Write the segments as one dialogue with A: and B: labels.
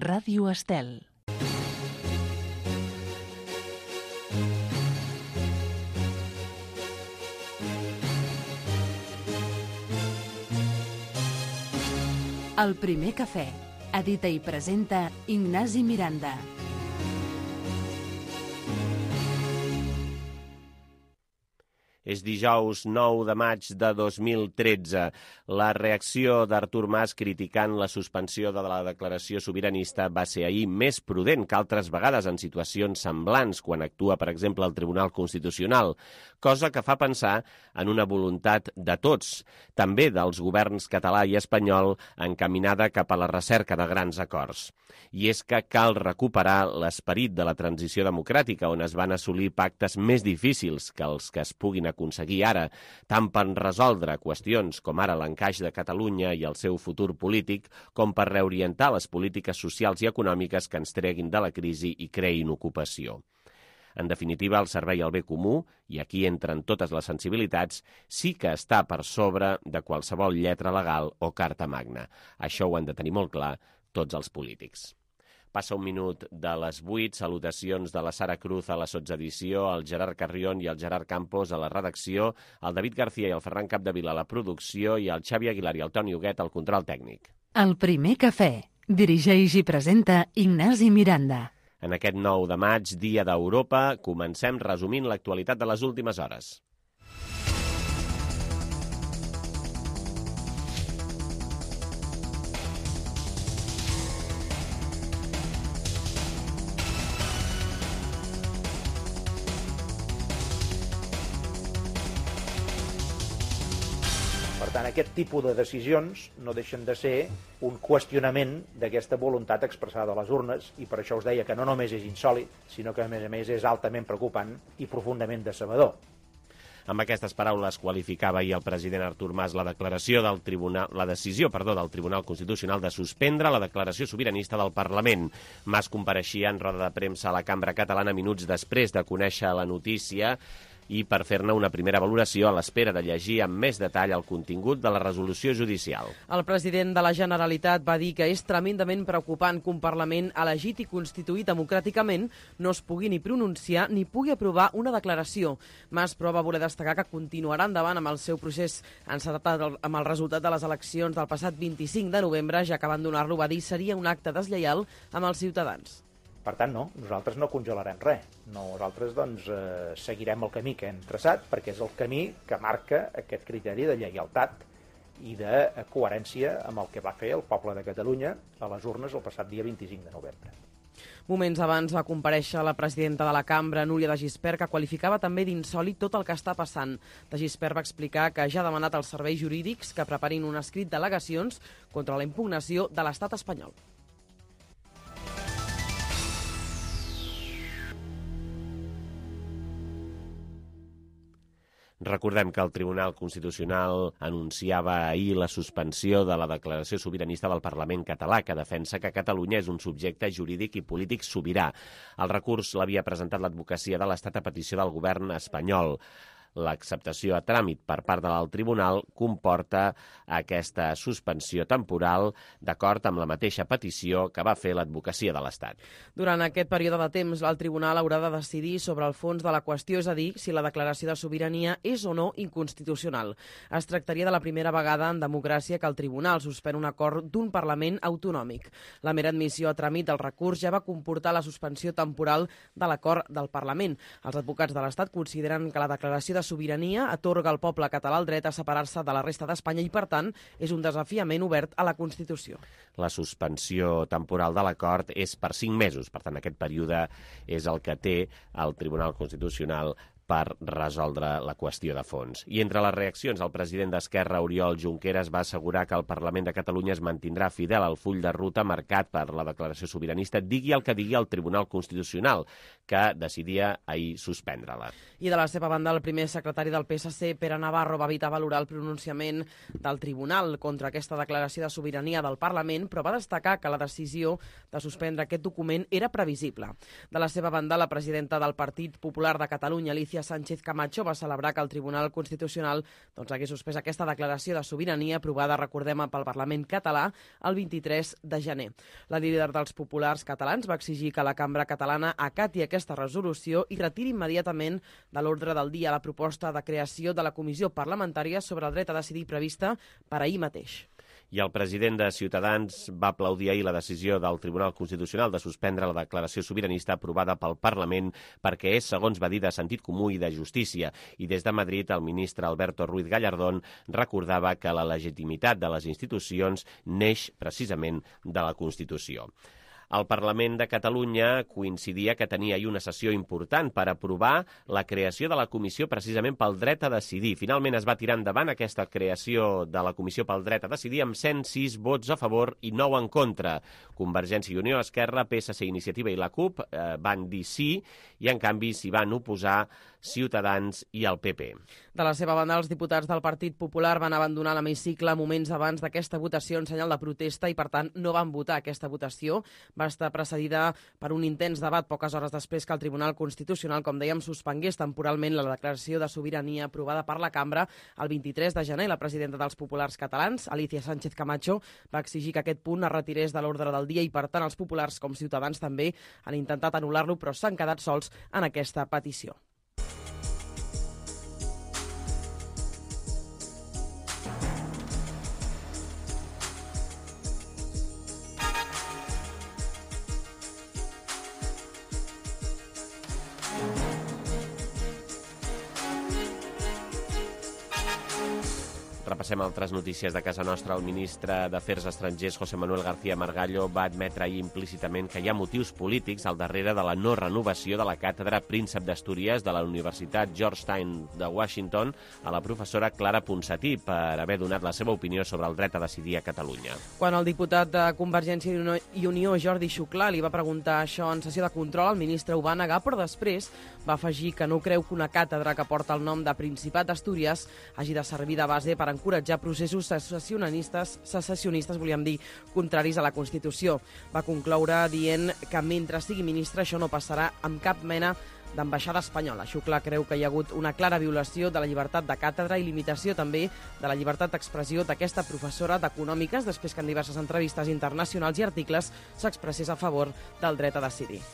A: Ràdio Estel. El primer cafè. Edita i presenta Ignasi Miranda.
B: És dijous 9 de maig de 2013. La reacció d'Artur Mas criticant la suspensió de la declaració sobiranista va ser ahir més prudent que altres vegades en situacions semblants, quan actua, per exemple, el Tribunal Constitucional, cosa que fa pensar en una voluntat de tots, també dels governs català i espanyol, encaminada cap a la recerca de grans acords. I és que cal recuperar l'esperit de la transició democràtica, on es van assolir pactes més difícils que els que es puguin aconseguir ara, tant per resoldre qüestions com ara l'encaix de Catalunya i el seu futur polític, com per reorientar les polítiques socials i econòmiques que ens treguin de la crisi i creïn ocupació. En definitiva, el servei al bé comú, i aquí entren totes les sensibilitats, sí que està per sobre de qualsevol lletra legal o carta magna. Això ho han de tenir molt clar tots els polítics. Passa un minut de les 8, salutacions de la Sara Cruz a la sotsedició, el Gerard Carrión i el Gerard Campos a la redacció, el David García i el Ferran Capdevila a la producció i el Xavi Aguilar i el Toni Huguet al control tècnic.
A: El primer cafè. Dirigeix i presenta Ignasi Miranda.
B: En aquest 9 de maig, Dia d'Europa, comencem resumint l'actualitat de les últimes hores.
C: Per tant, aquest tipus de decisions no deixen de ser un qüestionament d'aquesta voluntat expressada a les urnes, i per això us deia que no només és insòlit, sinó que a més és altament preocupant i profundament decebedor.
B: Amb aquestes paraules qualificava ahir el president Artur Mas la decisió del Tribunal Constitucional de suspendre la declaració sobiranista del Parlament. Mas compareixia en roda de premsa a la Cambra Catalana minuts després de conèixer la notícia i per fer-ne una primera valoració a l'espera de llegir amb més detall el contingut de la resolució judicial.
D: El president de la Generalitat va dir que és tremendament preocupant que un Parlament elegit i constituït democràticament no es pugui ni pronunciar ni pugui aprovar una declaració. Mas, però, va voler destacar que continuarà endavant amb el seu procés encetat amb el resultat de les eleccions del passat 25 de novembre, ja que abandonar-lo, va dir, seria un acte deslleial amb els ciutadans.
C: Per tant, no, nosaltres no congelarem res. Nosaltres seguirem el camí que hem traçat, perquè és el camí que marca aquest criteri de lleialtat i de coherència amb el que va fer el poble de Catalunya a les urnes el passat dia 25 de novembre.
D: Moments abans va comparèixer la presidenta de la cambra, Núria de Gispert, que qualificava també d'insòlit tot el que està passant. De Gispert va explicar que ja ha demanat als serveis jurídics que preparin un escrit d'al·legacions contra la impugnació de l'estat espanyol.
B: Recordem que el Tribunal Constitucional anunciava ahir la suspensió de la declaració sobiranista del Parlament català, que defensa que Catalunya és un subjecte jurídic i polític sobirà. El recurs l'havia presentat l'advocacia de l'Estat a petició del govern espanyol. L'acceptació a tràmit per part del tribunal comporta aquesta suspensió temporal d'acord amb la mateixa petició que va fer l'advocacia de l'Estat.
D: Durant aquest període de temps, el tribunal haurà de decidir sobre el fons de la qüestió, és a dir, si la declaració de sobirania és o no inconstitucional. Es tractaria de la primera vegada en democràcia que el tribunal suspèn un acord d'un Parlament autonòmic. La mera admissió a tràmit del recurs ja va comportar la suspensió temporal de l'acord del Parlament. Els advocats de l'Estat consideren que la declaració de sobirania atorga al poble català el dret a separar-se de la resta d'Espanya i, per tant, és un desafiament obert a la Constitució.
B: La suspensió temporal de l'acord és per 5 mesos. Per tant, aquest període és el que té el Tribunal Constitucional per resoldre la qüestió de fons. I entre les reaccions, el president d'Esquerra, Oriol Junqueras, va assegurar que el Parlament de Catalunya es mantindrà fidel al full de ruta marcat per la declaració sobiranista, digui el que digui el Tribunal Constitucional, que decidia ahir suspendre-la.
D: I de la seva banda, el primer secretari del PSC, Pere Navarro, va evitar valorar el pronunciament del Tribunal contra aquesta declaració de sobirania del Parlament, però va destacar que la decisió de suspendre aquest document era previsible. De la seva banda, la presidenta del Partit Popular de Catalunya, Alicia Alicia Sánchez Camacho va celebrar que el Tribunal Constitucional hagués suspès aquesta declaració de sobirania aprovada, recordem, pel Parlament català el 23 de gener. La líder dels populars catalans va exigir que la cambra catalana acati aquesta resolució i retiri immediatament de l'ordre del dia la proposta de creació de la Comissió Parlamentària sobre el dret a decidir prevista per ahir mateix.
B: I el president de Ciutadans va aplaudir ahir la decisió del Tribunal Constitucional de suspendre la declaració sobiranista aprovada pel Parlament perquè és, segons va dir, de sentit comú i de justícia. I des de Madrid, el ministre Alberto Ruiz Gallardón recordava que la legitimitat de les institucions neix precisament de la Constitució. El Parlament de Catalunya coincidia que tenia ahir una sessió important per aprovar la creació de la Comissió precisament pel dret a decidir. Finalment es va tirar endavant aquesta creació de la Comissió pel dret a decidir amb 106 vots a favor i 9 en contra. Convergència i Unió, Esquerra, PSC, Iniciativa i la CUP van dir sí i en canvi s'hi van oposar Ciutadans i el PP.
D: De la seva banda, els diputats del Partit Popular van abandonar l'hemicicle moments abans d'aquesta votació en senyal de protesta i, per tant, no van votar aquesta votació. Va estar precedida per un intens debat poques hores després que el Tribunal Constitucional, com dèiem, suspengués temporalment la declaració de sobirania aprovada per la cambra el 23 de gener. La presidenta dels populars catalans, Alicia Sánchez Camacho, va exigir que aquest punt es retirés de l'ordre del dia i, per tant, els populars com Ciutadans també han intentat anul·lar-lo, però s'han quedat sols en aquesta petició.
B: Repassem altres notícies de casa nostra. El ministre d'Afers Estrangers, José Manuel García Margallo, va admetre ahir implícitament que hi ha motius polítics al darrere de la no renovació de la càtedra Príncep d'Astúries de la Universitat Georgetown de Washington a la professora Clara Ponsatí per haver donat la seva opinió sobre el dret a decidir a Catalunya.
D: Quan el diputat de Convergència i Unió, Jordi Xuclà, li va preguntar això en sessió de control, el ministre ho va negar, però després va afegir que no creu que una càtedra que porta el nom de Principat d'Astúries hagi de servir de base per encoratjar processos secessionistes, volíem dir, contraris a la Constitució. Va concloure dient que mentre sigui ministre això no passarà amb cap mena d'ambaixada espanyola. Xuclà creu que hi ha hagut una clara violació de la llibertat de càtedra i limitació també de la llibertat d'expressió d'aquesta professora d'Econòmiques després que en diverses entrevistes internacionals i articles s'expressés a favor del dret a decidir.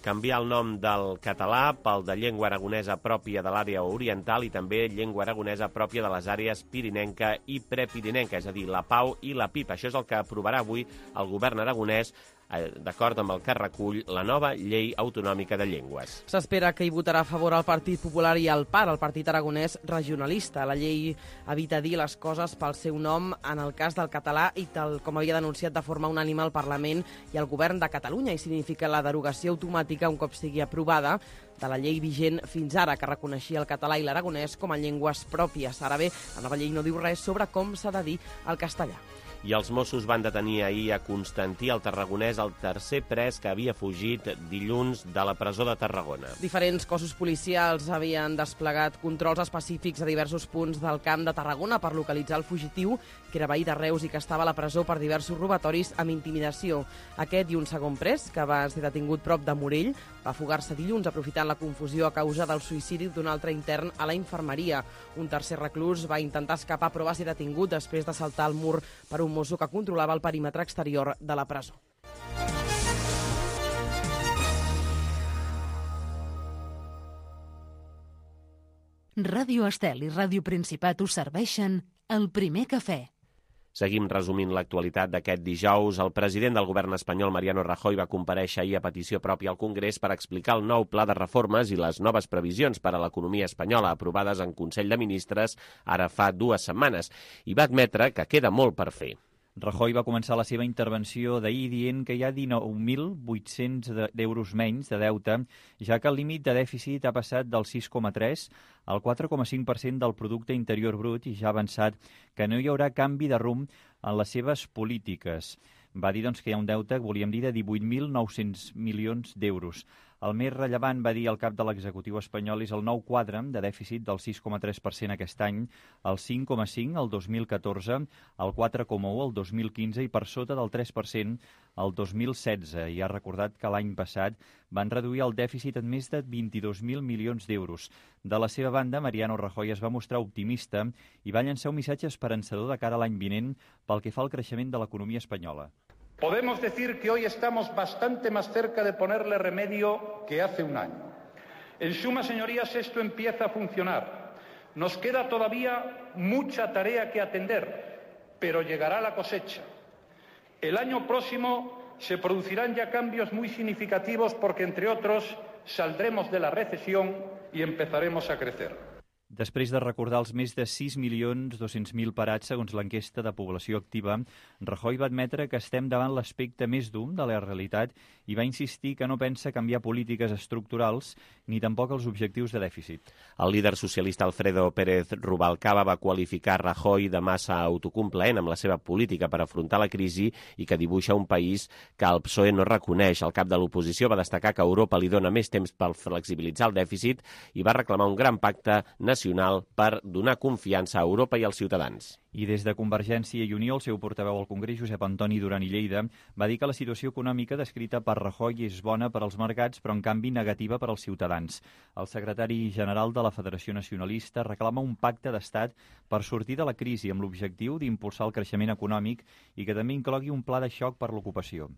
B: Canviar el nom del català pel de llengua aragonesa pròpia de l'àrea oriental i també llengua aragonesa pròpia de les àrees pirinenca i prepirinenca, és a dir, la PAU i la PIP. Això és el que aprovarà avui el govern aragonès d'acord amb el que recull la nova llei autonòmica de llengües.
D: S'espera que hi votarà a favor el Partit Popular i el PAR, el Partit Aragonès Regionalista. La llei evita dir les coses pel seu nom en el cas del català i tal com havia denunciat de forma unànime el Parlament i el Govern de Catalunya, i significa la derogació automàtica un cop sigui aprovada de la llei vigent fins ara, que reconeixia el català i l'aragonès com a llengües pròpies. Ara bé, la nova llei no diu res sobre com s'ha de dir el castellà.
B: I els Mossos van detenir ahir a Constantí, el tarragonès, el tercer pres que havia fugit dilluns de la presó de Tarragona.
D: Diferents cossos policials havien desplegat controls específics a diversos punts del Camp de Tarragona per localitzar el fugitiu, que era veí de Reus i que estava a la presó per diversos robatoris amb intimidació. Aquest i un segon pres, que va ser detingut prop de Morell, va fugar-se dilluns aprofitant la confusió a causa del suïcidi d'un altre intern a la infermeria. Un tercer reclús va intentar escapar però va ser detingut després de saltar el mur per un mosso que controlava el perímetre exterior de la presó.
A: Ràdio Estel i Ràdio Principat us serveixen el primer cafè.
B: Seguim resumint l'actualitat d'aquest dijous. El president del govern espanyol, Mariano Rajoy, va comparèixer ahir a petició pròpia al Congrés per explicar el nou pla de reformes i les noves previsions per a l'economia espanyola aprovades en Consell de Ministres ara fa 2 setmanes i va admetre que queda molt per fer.
E: Rajoy va començar la seva intervenció d'ahir dient que hi ha 19.800 d'euros menys de deute, ja que el límit de dèficit ha passat del 6,3 al 4,5% del producte interior brut i ja ha avançat que no hi haurà canvi de rumb en les seves polítiques. Va dir que hi ha un deute, volíem dir, de 18.900 milions d'euros. El més rellevant, va dir el cap de l'executiu espanyol, és el nou quadre de dèficit del 6,3% aquest any, el 5,5% el 2014, el 4,1% el 2015 i per sota del 3% el 2016. I ha recordat que l'any passat van reduir el dèficit en més de 22.000 milions d'euros. De la seva banda, Mariano Rajoy es va mostrar optimista i va llançar un missatge esperançador de cara a l'any vinent pel que fa al creixement de l'economia espanyola.
F: Podemos decir que hoy estamos bastante más cerca de ponerle remedio que hace un año. En suma, señorías, esto empieza a funcionar. Nos queda todavía mucha tarea que atender, pero llegará la cosecha. El año próximo se producirán ya cambios muy significativos porque, entre otros, saldremos de la recesión y empezaremos a crecer.
E: Després de recordar els més de 6.200.000 parats segons l'enquesta de població activa, Rajoy va admetre que estem davant l'aspecte més dur de la realitat i va insistir que no pensa canviar polítiques estructurals ni tampoc els objectius de dèficit.
B: El líder socialista Alfredo Pérez Rubalcaba va qualificar Rajoy de massa autocomplaent amb la seva política per afrontar la crisi i que dibuixa un país que el PSOE no reconeix. El cap de l'oposició va destacar que Europa li dona més temps per flexibilitzar el dèficit i va reclamar un gran pacte nacional per donar confiança a Europa i als ciutadans.
E: I des de Convergència i Unió, el seu portaveu al Congrés, Josep Antoni Duran i Lleida, va dir que la situació econòmica descrita per Rajoy és bona per als mercats, però en canvi negativa per als ciutadans. El secretari general de la Federació Nacionalista reclama un pacte d'estat per sortir de la crisi amb l'objectiu d'impulsar el creixement econòmic i que també inclogui un pla de xoc per l'ocupació.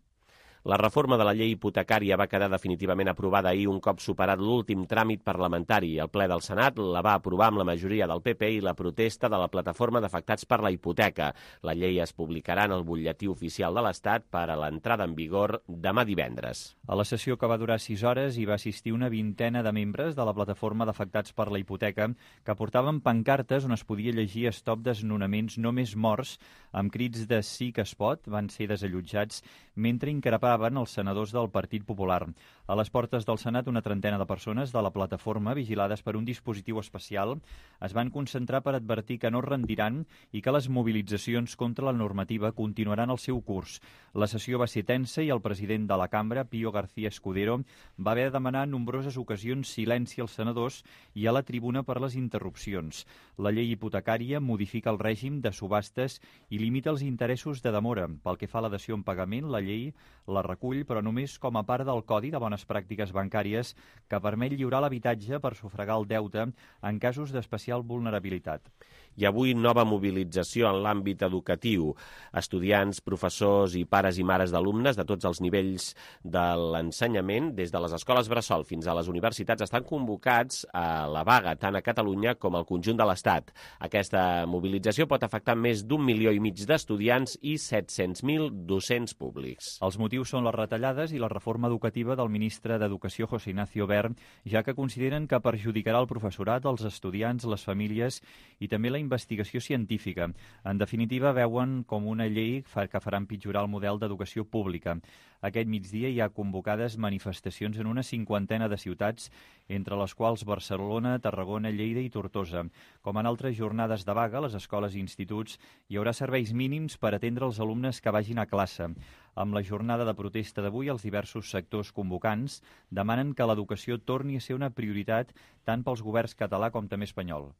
B: La reforma de la llei hipotecària va quedar definitivament aprovada ahir un cop superat l'últim tràmit parlamentari. El ple del Senat la va aprovar amb la majoria del PP i la protesta de la plataforma d'afectats per la hipoteca. La llei es publicarà en el butlletí oficial de l'Estat per a l'entrada en vigor demà divendres.
E: A la sessió, que va durar 6 hores, hi va assistir una vintena de membres de la plataforma d'afectats per la hipoteca que portaven pancartes on es podia llegir stop desnonaments no més morts amb crits de sí que es pot. Van ser desallotjats mentre increpaven els senadors del Partit Popular. A les portes del Senat, una trentena de persones de la plataforma, vigilades per un dispositiu especial, es van concentrar per advertir que no rendiran i que les mobilitzacions contra la normativa continuaran el seu curs. La sessió va ser tensa i el president de la cambra, Pío García Escudero, va haver de demanar en nombroses ocasions silenci als senadors i a la tribuna per les interrupcions. La llei hipotecària modifica el règim de subhastes i limita els interessos de demora. Pel que fa a la dació en pagament, la llei la recull, però només com a part del Codi de Bones Pràctiques Bancàries que permet lliurar l'habitatge per sufragar el deute en casos d'especial vulnerabilitat.
B: I avui nova mobilització en l'àmbit educatiu. Estudiants, professors i pares i mares d'alumnes de tots els nivells de l'ensenyament, des de les escoles bressol fins a les universitats, estan convocats a la vaga tant a Catalunya com al conjunt de l'Estat. Aquesta mobilització pot afectar més d'1,5 milió d'estudiants i 700.000 docents públics.
E: Els motius són les retallades i la reforma educativa del ministre d'Educació, José Ignacio Wert, ja que consideren que perjudicarà el professorat, els estudiants, les famílies i també la investigació científica. En definitiva, veuen com una llei que farà empitjorar el model d'educació pública. Aquest migdia hi ha convocades manifestacions en una 50ena de ciutats, entre les quals Barcelona, Tarragona, Lleida i Tortosa. Com en altres jornades de vaga, a les escoles i instituts hi haurà serveis mínims per atendre els alumnes que vagin a classe. Amb la jornada de protesta d'avui, els diversos sectors convocants demanen que l'educació torni a ser una prioritat tant pels governs català com també espanyol.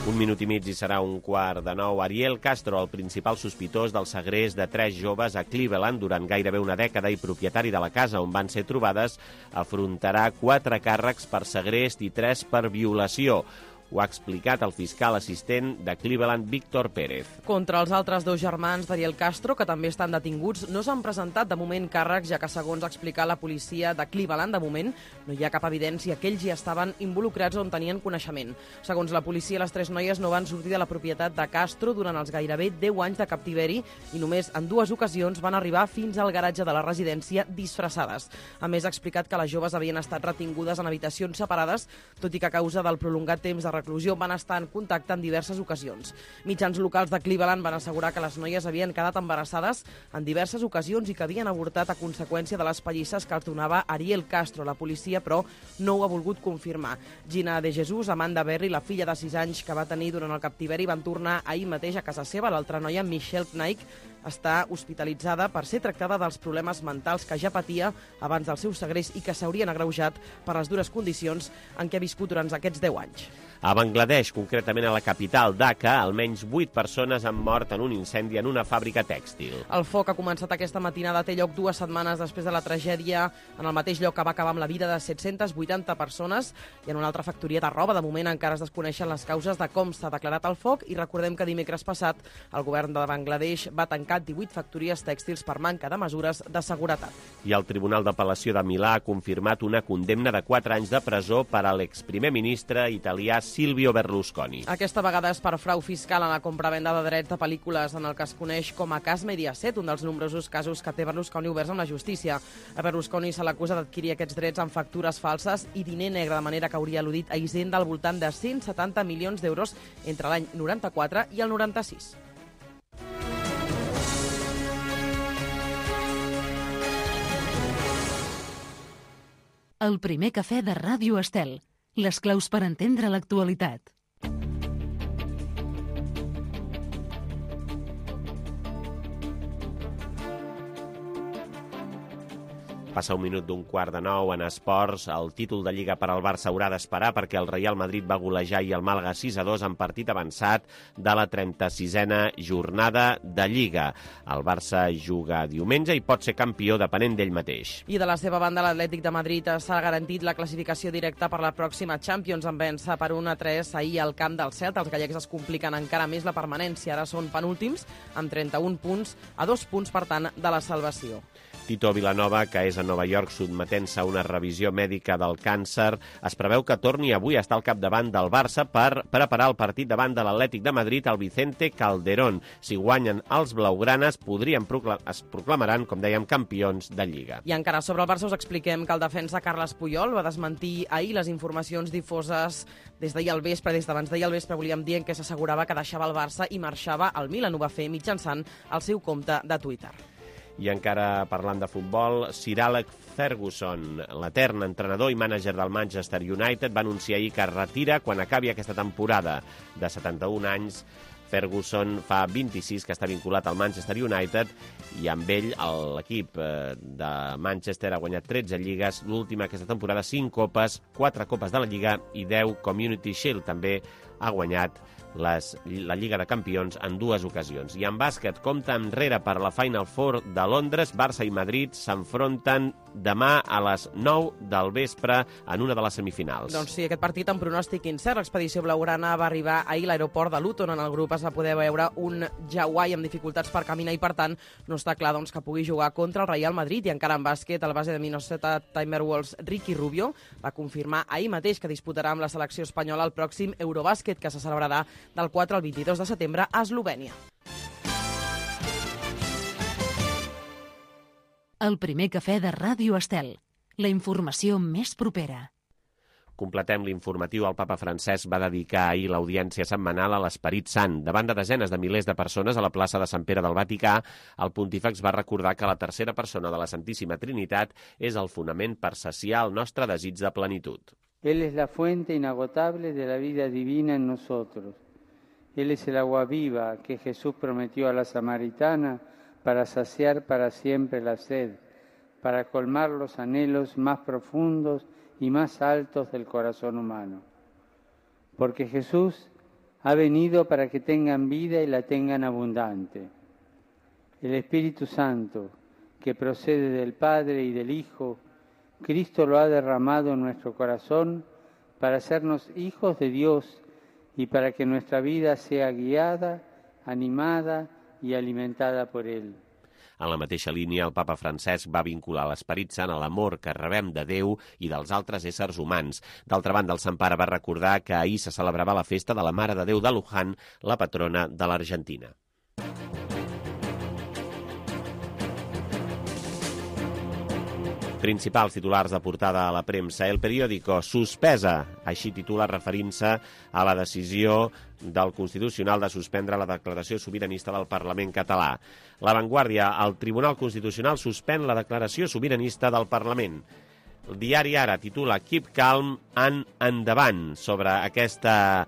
B: Un minut i mig i serà 8:45. Ariel Castro, el principal sospitós del segrest de 3 joves a Cleveland durant gairebé una dècada i propietari de la casa on van ser trobades, afrontarà 4 càrrecs per segrest i 3 per violació. Ho ha explicat el fiscal assistent de Cleveland, Víctor Pérez.
D: Contra els altres 2 germans d'Ariel Castro, que també estan detinguts, no s'han presentat de moment càrrecs, ja que, segons ha explicat la policia de Cleveland, de moment no hi ha cap evidència que ells hi estaven involucrats o en tenien coneixement. Segons la policia, les 3 noies no van sortir de la propietat de Castro durant els gairebé 10 anys de captiveri i només en 2 ocasions van arribar fins al garatge de la residència disfressades. A més, ha explicat que les joves havien estat retingudes en habitacions separades, tot i que a causa del prolongat temps de reclusió van estar en contacte en diverses ocasions. Mitjans locals de Cleveland van assegurar que les noies havien quedat embarassades en diverses ocasions i que havien avortat a conseqüència de les pallisses que els donava Ariel Castro. La policia, però, no ho ha volgut confirmar. Gina de Jesús, Amanda Berry, la filla de 6 anys que va tenir durant el captiveri, van tornar ahir mateix a casa seva. L'altra noia, Michelle Knight, està hospitalitzada per ser tractada dels problemes mentals que ja patia abans del seu segrest i que s'haurien agreujat per les dures condicions en què ha viscut durant aquests 10 anys.
B: A Bangladesh, concretament a la capital Dhaka, almenys 8 persones han mort en un incendi en una fàbrica tèxtil.
D: El foc ha començat aquesta matinada, té lloc 2 setmanes després de la tragèdia en el mateix lloc que va acabar amb la vida de 780 persones i en una altra factoria de roba. De moment encara es desconeixen les causes de com s'ha declarat el foc i recordem que dimecres passat el govern de Bangladesh va tancar 18 factories tèxtils per manca de mesures de seguretat.
B: I el Tribunal d'Apel·lació de Milà ha confirmat una condemna de 4 anys de presó per a l'exprimer ministre italià Silvio Berlusconi.
D: Aquesta vegada és per frau fiscal en la compra-venda de drets de pel·lícules en el que es coneix com a cas Mediaset, un dels nombrosos casos que té Berlusconi oberts amb la justícia. A Berlusconi se l'acusa d'adquirir aquests drets amb factures falses i diner negre, de manera que hauria al·ludit a Hisenda al voltant de 170 milions d'euros entre l'any 94 i el 96.
A: El primer cafè de Ràdio Estel. Les claus per entendre l'actualitat.
B: Passa un minut d'un 8:15 en esports. El títol de Lliga per al Barça haurà d'esperar perquè el Real Madrid va golejar i el Màlaga 6-2 en partit avançat de la 36a jornada de Lliga. El Barça juga diumenge i pot ser campió depenent d'ell mateix.
D: I de la seva banda, l'Atlètic de Madrid s'ha garantit la classificació directa per la pròxima Champions en vèncer per 1-3 ahir al camp del Celta. Els gallecs es compliquen encara més la permanència. Ara són penúltims amb 31 punts, a 2 punts, per tant, de la salvació.
B: Tito Vilanova, que és a Nova York sotmetent-se a una revisió mèdica del càncer, es preveu que torni avui a estar al capdavant del Barça per preparar el partit davant de l'Atlètic de Madrid al Vicente Calderón. Si guanyen els blaugranes, es proclamaran, com dèiem, campions de Lliga.
D: I encara sobre el Barça us expliquem que el defensa Carles Puyol va desmentir ahir les informacions difoses des d'abans d'ahir al vespre, volíem dir, que s'assegurava que deixava el Barça i marxava al Milan. Ho va fer mitjançant el seu compte de Twitter.
B: I encara parlant de futbol, Sir Alex Ferguson, l'etern entrenador i mànager del Manchester United, va anunciar ahir que es retira quan acabi aquesta temporada. De 71 anys, Ferguson fa 26 que està vinculat al Manchester United i amb ell l'equip de Manchester ha guanyat 13 lligues, l'última aquesta temporada 5 copes, 4 copes de la Lliga i 10 Community Shield. També ha guanyat la Lliga de Campions en 2 ocasions. I en bàsquet, compte enrere per la Final Four de Londres. Barça i Madrid s'enfronten demà a les 9 del vespre en una de les semifinals.
D: Doncs sí, aquest partit amb pronòstic incert. L'expedició blaugrana va arribar ahir a l'aeroport de Luton. En el grup es va poder veure un Hawaii amb dificultats per caminar i, per tant, no està clar que pugui jugar contra el Real Madrid. I encara en bàsquet, el base de Minnesota Timberwolves, Ricky Rubio, va confirmar ahir mateix que disputarà amb la selecció espanyola el pròxim Eurobàsquet, que se celebrarà del 4 al 22 de setembre a Eslovènia.
A: El primer cafè de Ràdio Estel. La informació més propera.
B: Completem l'informatiu. El papa Francesc va dedicar ahir l'audiència setmanal a l'Esperit Sant. Davant de desenes de milers de persones a la plaça de Sant Pere del Vaticà, el pontífex va recordar que la tercera persona de la Santíssima Trinitat és el fonament per saciar el nostre desig de plenitud.
G: Él es la fuente inagotable de la vida divina en nosotros. Él es el agua viva que Jesús prometió a la samaritana para saciar para siempre la sed, para colmar los anhelos más profundos y más altos del corazón humano. Porque Jesús ha venido para que tengan vida y la tengan abundante. El Espíritu Santo, que procede del Padre y del Hijo, Cristo lo ha derramado en nuestro corazón para hacernos hijos de Dios y para que nuestra vida sea guiada, animada y alimentada por Él.
B: En la mateixa línia, el papa Francesc va vincular l'Esperit Sant a l'amor que rebem de Déu i dels altres éssers humans. D'altra banda, el Sant Pare va recordar que ahir se celebrava la festa de la Mare de Déu de Luján, la patrona de l'Argentina. Principals titulars de portada a la premsa. El periòdico, suspesa, així titula referint-se a la decisió del Constitucional de suspendre la declaració sobiranista del Parlament català. La Vanguardia, el Tribunal Constitucional suspèn la declaració sobiranista del Parlament. El diari Ara titula Keep calm and endavant. Sobre aquesta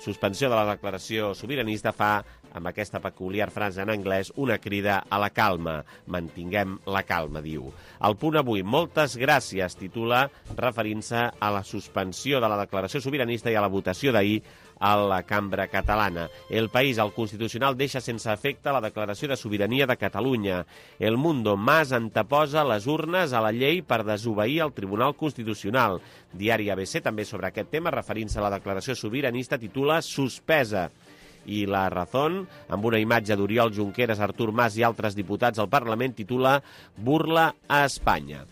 B: suspensió de la declaració sobiranista fa, amb aquesta peculiar frase en anglès, una crida a la calma. Mantinguem la calma, diu. El Punt Avui, moltes gràcies, titula, referint-se a la suspensió de la declaració sobiranista i a la votació d'ahir a la Cambra Catalana. El País, el Constitucional, deixa sense efecte la declaració de sobirania de Catalunya. El Mundo, Mas anteposa les urnes a la llei per desobeir el Tribunal Constitucional. Diari ABC, també sobre aquest tema, referint-se a la declaració sobiranista, titula Suspesa. I La Razón, amb una imatge d'Oriol Junqueras, Artur Mas i altres diputats al Parlament, titula Burla a Espanya.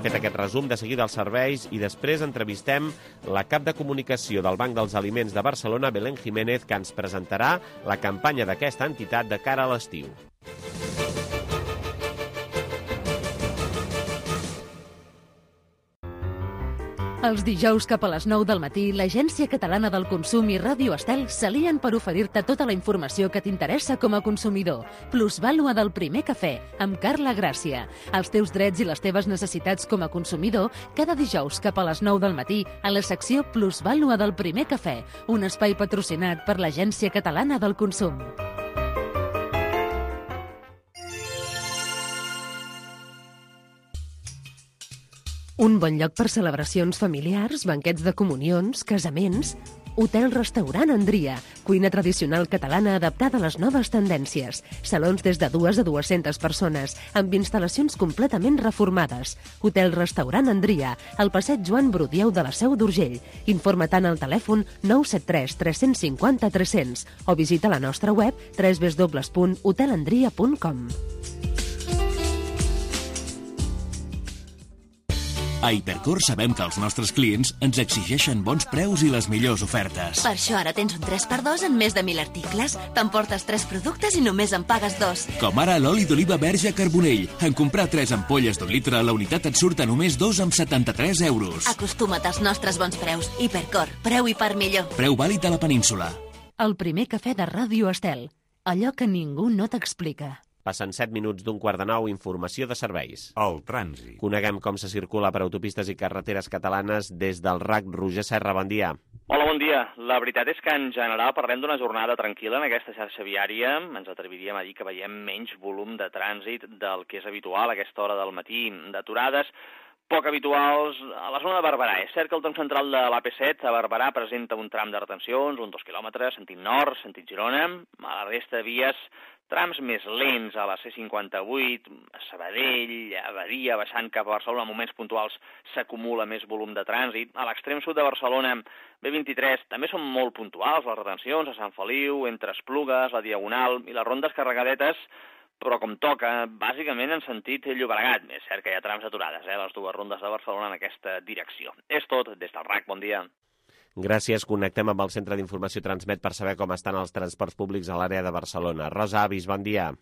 B: Fet aquest resum, de seguida els serveis i després entrevistem la cap de comunicació del Banc dels Aliments de Barcelona, Belén Jiménez, que ens presentarà la campanya d'aquesta entitat de cara a l'estiu.
A: Els dijous cap a les 9 del matí, l'Agència Catalana del Consum i Ràdio Estel s'alien per oferir-te tota la informació que t'interessa com a consumidor. Plusvàlua del primer cafè, amb Carla Gràcia. Els teus drets i les teves necessitats com a consumidor, cada dijous cap a les 9 del matí, a la secció Plusvàlua del primer cafè, un espai patrocinat per l'Agència Catalana del Consum. Un bon lloc per celebracions familiars, banquets de comunions, casaments... Hotel-restaurant Andria, cuina tradicional catalana adaptada a les noves tendències. Salons des de 2 a 200 persones, amb instal·lacions completament reformades. Hotel-restaurant Andria, al passeig Joan Brudieu de la Seu d'Urgell. Informa tant al telèfon 973 350 300 o visita la nostra web www.hotelandria.com.
H: A Hipercor sabem que els nostres clients ens exigeixen bons preus i les millors ofertes.
I: Per això ara tens un 3x2 en més de 1.000 articles. T'emportes 3 productes i només en pagues 2.
H: Com ara l'oli d'oliva verge Carbonell. En comprar 3 ampolles d'1 litre, la unitat et surt a només 2,73 €.
I: Acostuma't als nostres bons preus. Hipercor, preu i part millor.
H: Preu vàlid a la península.
A: El primer cafè de Ràdio Estel. Allò que ningú no t'explica.
B: Passen 7 minuts d'un quart de 9, informació de serveis.
J: El trànsit.
B: Coneguem com se circula per autopistes i carreteres catalanes des del RAC. Roger Serra, bon dia.
K: Hola, bon dia. La veritat és que en general parlem d'una jornada tranquil·la en aquesta xarxa viària. Ens atreviríem a dir que veiem menys volum de trànsit del que és habitual a aquesta hora del matí, d'aturades poc habituals a la zona de Barberà. És cert que el tram central de l'AP7 a Barberà presenta un tram de retencions, uns 2 quilòmetres, sentit nord, sentit Girona. A la resta de vies, trams més lents a la C58, a Sabadell, a Badia, baixant cap a Barcelona, en moments puntuals s'acumula més volum de trànsit. A l'extrem sud de Barcelona, B23, també són molt puntuals les retencions, a Sant Feliu, entre Esplugues, la Diagonal i les rondes carregadetes, però com toca, bàsicament en sentit Llobregat. És cert que hi ha trams aturades, les dues rondes de Barcelona en aquesta direcció. És tot, des del RAC, bon dia.
B: Gràcies. Connectem amb el Centre d'Informació Transmet per saber com estan els transports públics a l'àrea de Barcelona. Rosa Avis, bon dia.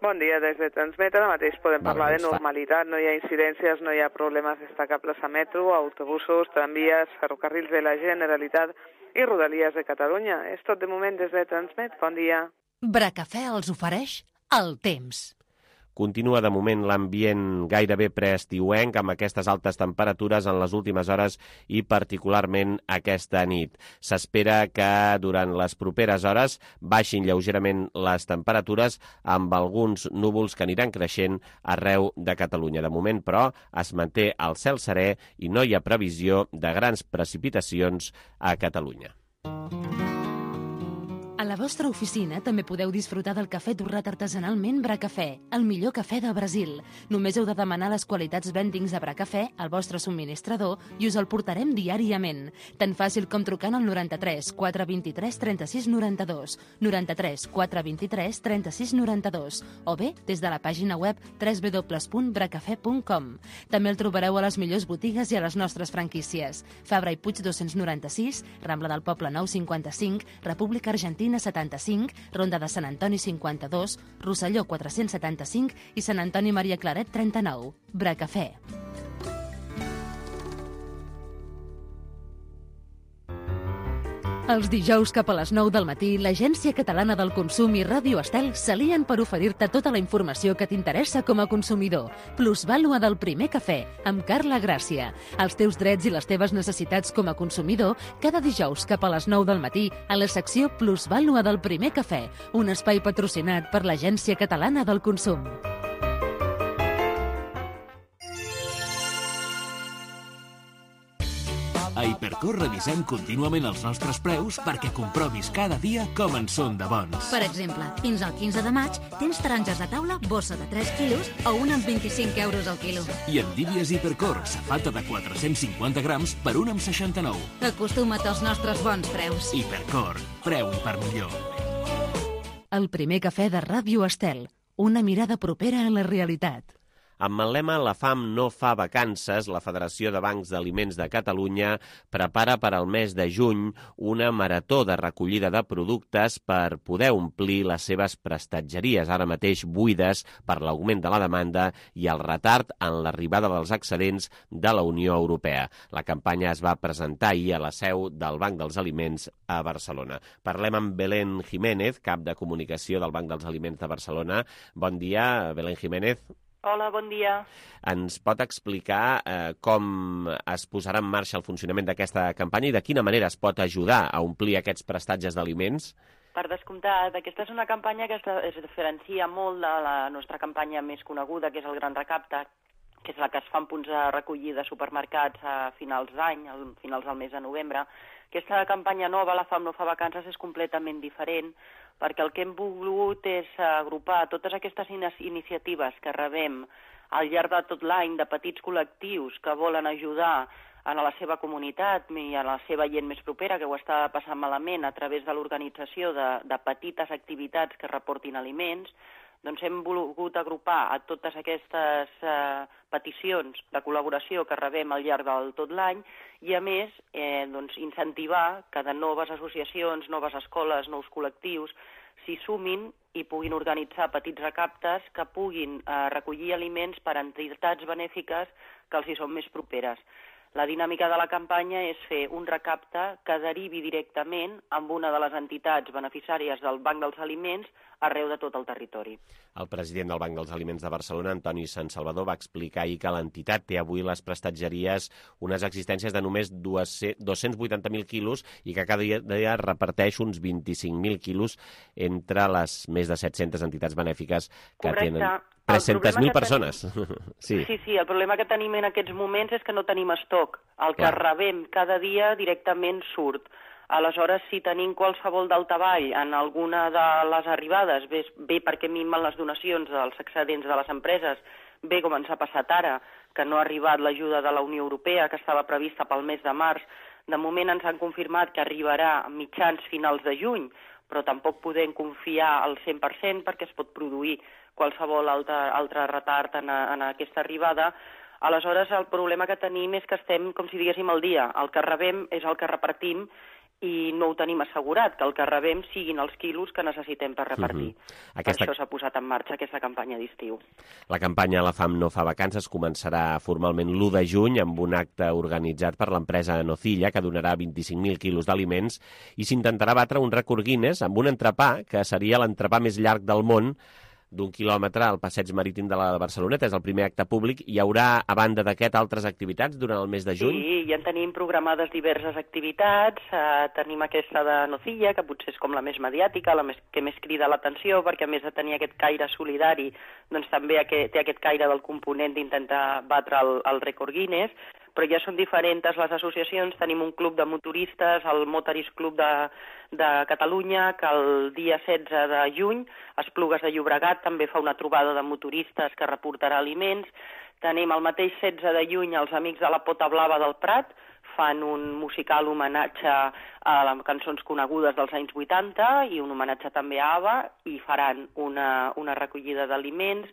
L: Bon dia, des de Transmet ara mateix podem parlar de normalitat, no hi ha incidències, no hi ha problemes destacables a metro, autobusos, tramvies, ferrocarrils de la Generalitat i rodalies de Catalunya. És tot de moment des de Transmet, bon dia.
A: Bracafè els ofereix el temps.
B: Continua de moment l'ambient gairebé preestiuenc amb aquestes altes temperatures en les últimes hores i particularment aquesta nit. S'espera que durant les properes hores baixin lleugerament les temperatures amb alguns núvols que aniran creixent arreu de Catalunya. De moment, però, es manté el cel serè i no hi ha previsió de grans precipitacions a Catalunya.
A: A la vostra oficina també podeu disfrutar del cafè torrat artesanalment Bracafè, el millor cafè de Brasil. Només heu de demanar les qualitats blendings de Bracafè al vostre subministrador i us el portarem diàriament. Tan fàcil com trucant al 93 423 36 92, 93 423 36 92, o bé des de la pàgina web www.bracafè.com. També el trobareu a les millors botigues i a les nostres franquícies. Fabra i Puig 296, Rambla del Poble 955, República Argentina
J: Marina 75, Ronda de Sant Antoni 52, Rosselló 475 i Sant Antoni Maria Claret 39. Bracafè.
A: Els dijous cap a les 9 del matí, l'Agència Catalana del Consum i Ràdio Estel s'alien per oferir-te tota la informació que t'interessa com a consumidor. Plusvàlua del primer cafè, amb Carla Gràcia. Els teus drets i les teves necessitats com a consumidor, cada dijous cap a les 9 del matí, a la secció Plusvàlua del primer cafè, un espai patrocinat per l'Agència Catalana del Consum.
H: A Hipercor revisem contínuament els nostres preus perquè comprovis cada dia com en són de bons.
M: Per exemple, fins al 15 de maig tens taronges de taula, bossa de 3 quilos a 1 amb 25 euros al quilo.
H: I endívies Hipercor, safata de 450 grams per 1 amb 69.
M: Acostuma't als nostres bons preus.
H: Hipercor, preu i per millor.
A: El primer cafè de Ràdio Estel, una mirada propera a la realitat.
B: Amb el lema La fam no fa vacances, la Federació de Bancs d'Aliments de Catalunya prepara per al mes de juny una marató de recollida de productes per poder omplir les seves prestatgeries, ara mateix buides per l'augment de la demanda i el retard en l'arribada dels excedents de la Unió Europea. La campanya es va presentar ahir a la seu del Banc dels Aliments a Barcelona. Parlem amb Belén Jiménez, cap de comunicació del Banc dels Aliments de Barcelona. Bon dia, Belén Jiménez.
N: Hola, bon dia.
B: Ens pot explicar com es posarà en marxa el funcionament d'aquesta campanya i de quina manera es pot ajudar a omplir aquests prestatges d'aliments?
N: Per descomptat, aquesta és una campanya que es diferencia molt de la nostra campanya més coneguda, que és el Gran Recapte, que és la que es fa en punts de recollida de supermercats a finals d'any, a finals del mes de novembre. Aquesta campanya nova, La fam no fa vacances, és completament diferent, perquè el que hem volgut és agrupar totes aquestes iniciatives que rebem al llarg de tot l'any de petits col·lectius que volen ajudar a la seva comunitat i a la seva gent més propera que ho està passant malament a través de l'organització de petites activitats que reportin aliments. Doncs hem volgut agrupar a totes aquestes peticions de col·laboració que rebem al llarg de tot l'any i, a més, incentivar que de noves associacions, noves escoles, nous col·lectius s'hi sumin i puguin organitzar petits recaptes que puguin recollir aliments per a entitats benèfiques que els hi són més properes. La dinàmica de la campanya és fer un recapte que derivi directament amb una de les entitats beneficiàries del Banc dels Aliments arreu de tot el territori.
B: El president del Banc dels Aliments de Barcelona, Antoni Sant Salvador, va explicar ahir que l'entitat té avui les prestatgeries unes existències de només 280.000 quilos i que cada dia reparteix uns 25.000 quilos entre les més de 700 entitats benèfiques que tenen 300.000 persones.
N: Sí, el problema que tenim en aquests moments és que no tenim estoc. El que rebem cada dia directament surt. Aleshores, si tenim qualsevol daltavall en alguna de les arribades, bé perquè minven les donacions dels excedents de les empreses, bé com ens ha passat ara, que no ha arribat l'ajuda de la Unió Europea, que estava prevista pel mes de març, de moment ens han confirmat que arribarà a mitjans finals de juny, però tampoc podem confiar al 100% perquè es pot produir qualsevol altre retard en aquesta arribada. Aleshores, el problema que tenim és que estem, com si diguéssim, al dia. El que rebem és el que repartim i no ho tenim assegurat, que el que rebem siguin els quilos que necessitem per repartir. Per això s'ha posat en marxa aquesta campanya d'estiu.
B: La campanya La fam no fa vacances començarà formalment l'1 de juny amb un acte organitzat per l'empresa Nocilla que donarà 25.000 quilos d'aliments i s'intentarà batre un rècord Guinness amb un entrepà que seria l'entrepà més llarg del món d'1 quilòmetre al passeig marítim de la Barceloneta. És el primer acte públic. Hi haurà, a banda d'aquest, altres activitats durant el mes de juny?
N: Sí, ja en tenim programades diverses activitats. Tenim aquesta de Nocilla, que potser és com la més mediàtica, la que més crida l'atenció, perquè a més de tenir aquest caire solidari, doncs també té aquest caire del component d'intentar batre el rècord Guinness, però ja són diferents les associacions. Tenim un club de motoristes, el Motorist Club de Catalunya, que el dia 16 de juny, Esplugues de Llobregat també fa una trobada de motoristes que reportarà aliments. Tenim el mateix 16 de juny els Amics de la Pota Blava del Prat, fan un musical homenatge a les cançons conegudes dels anys 80 i un homenatge també a ABBA i faran una recollida d'aliments.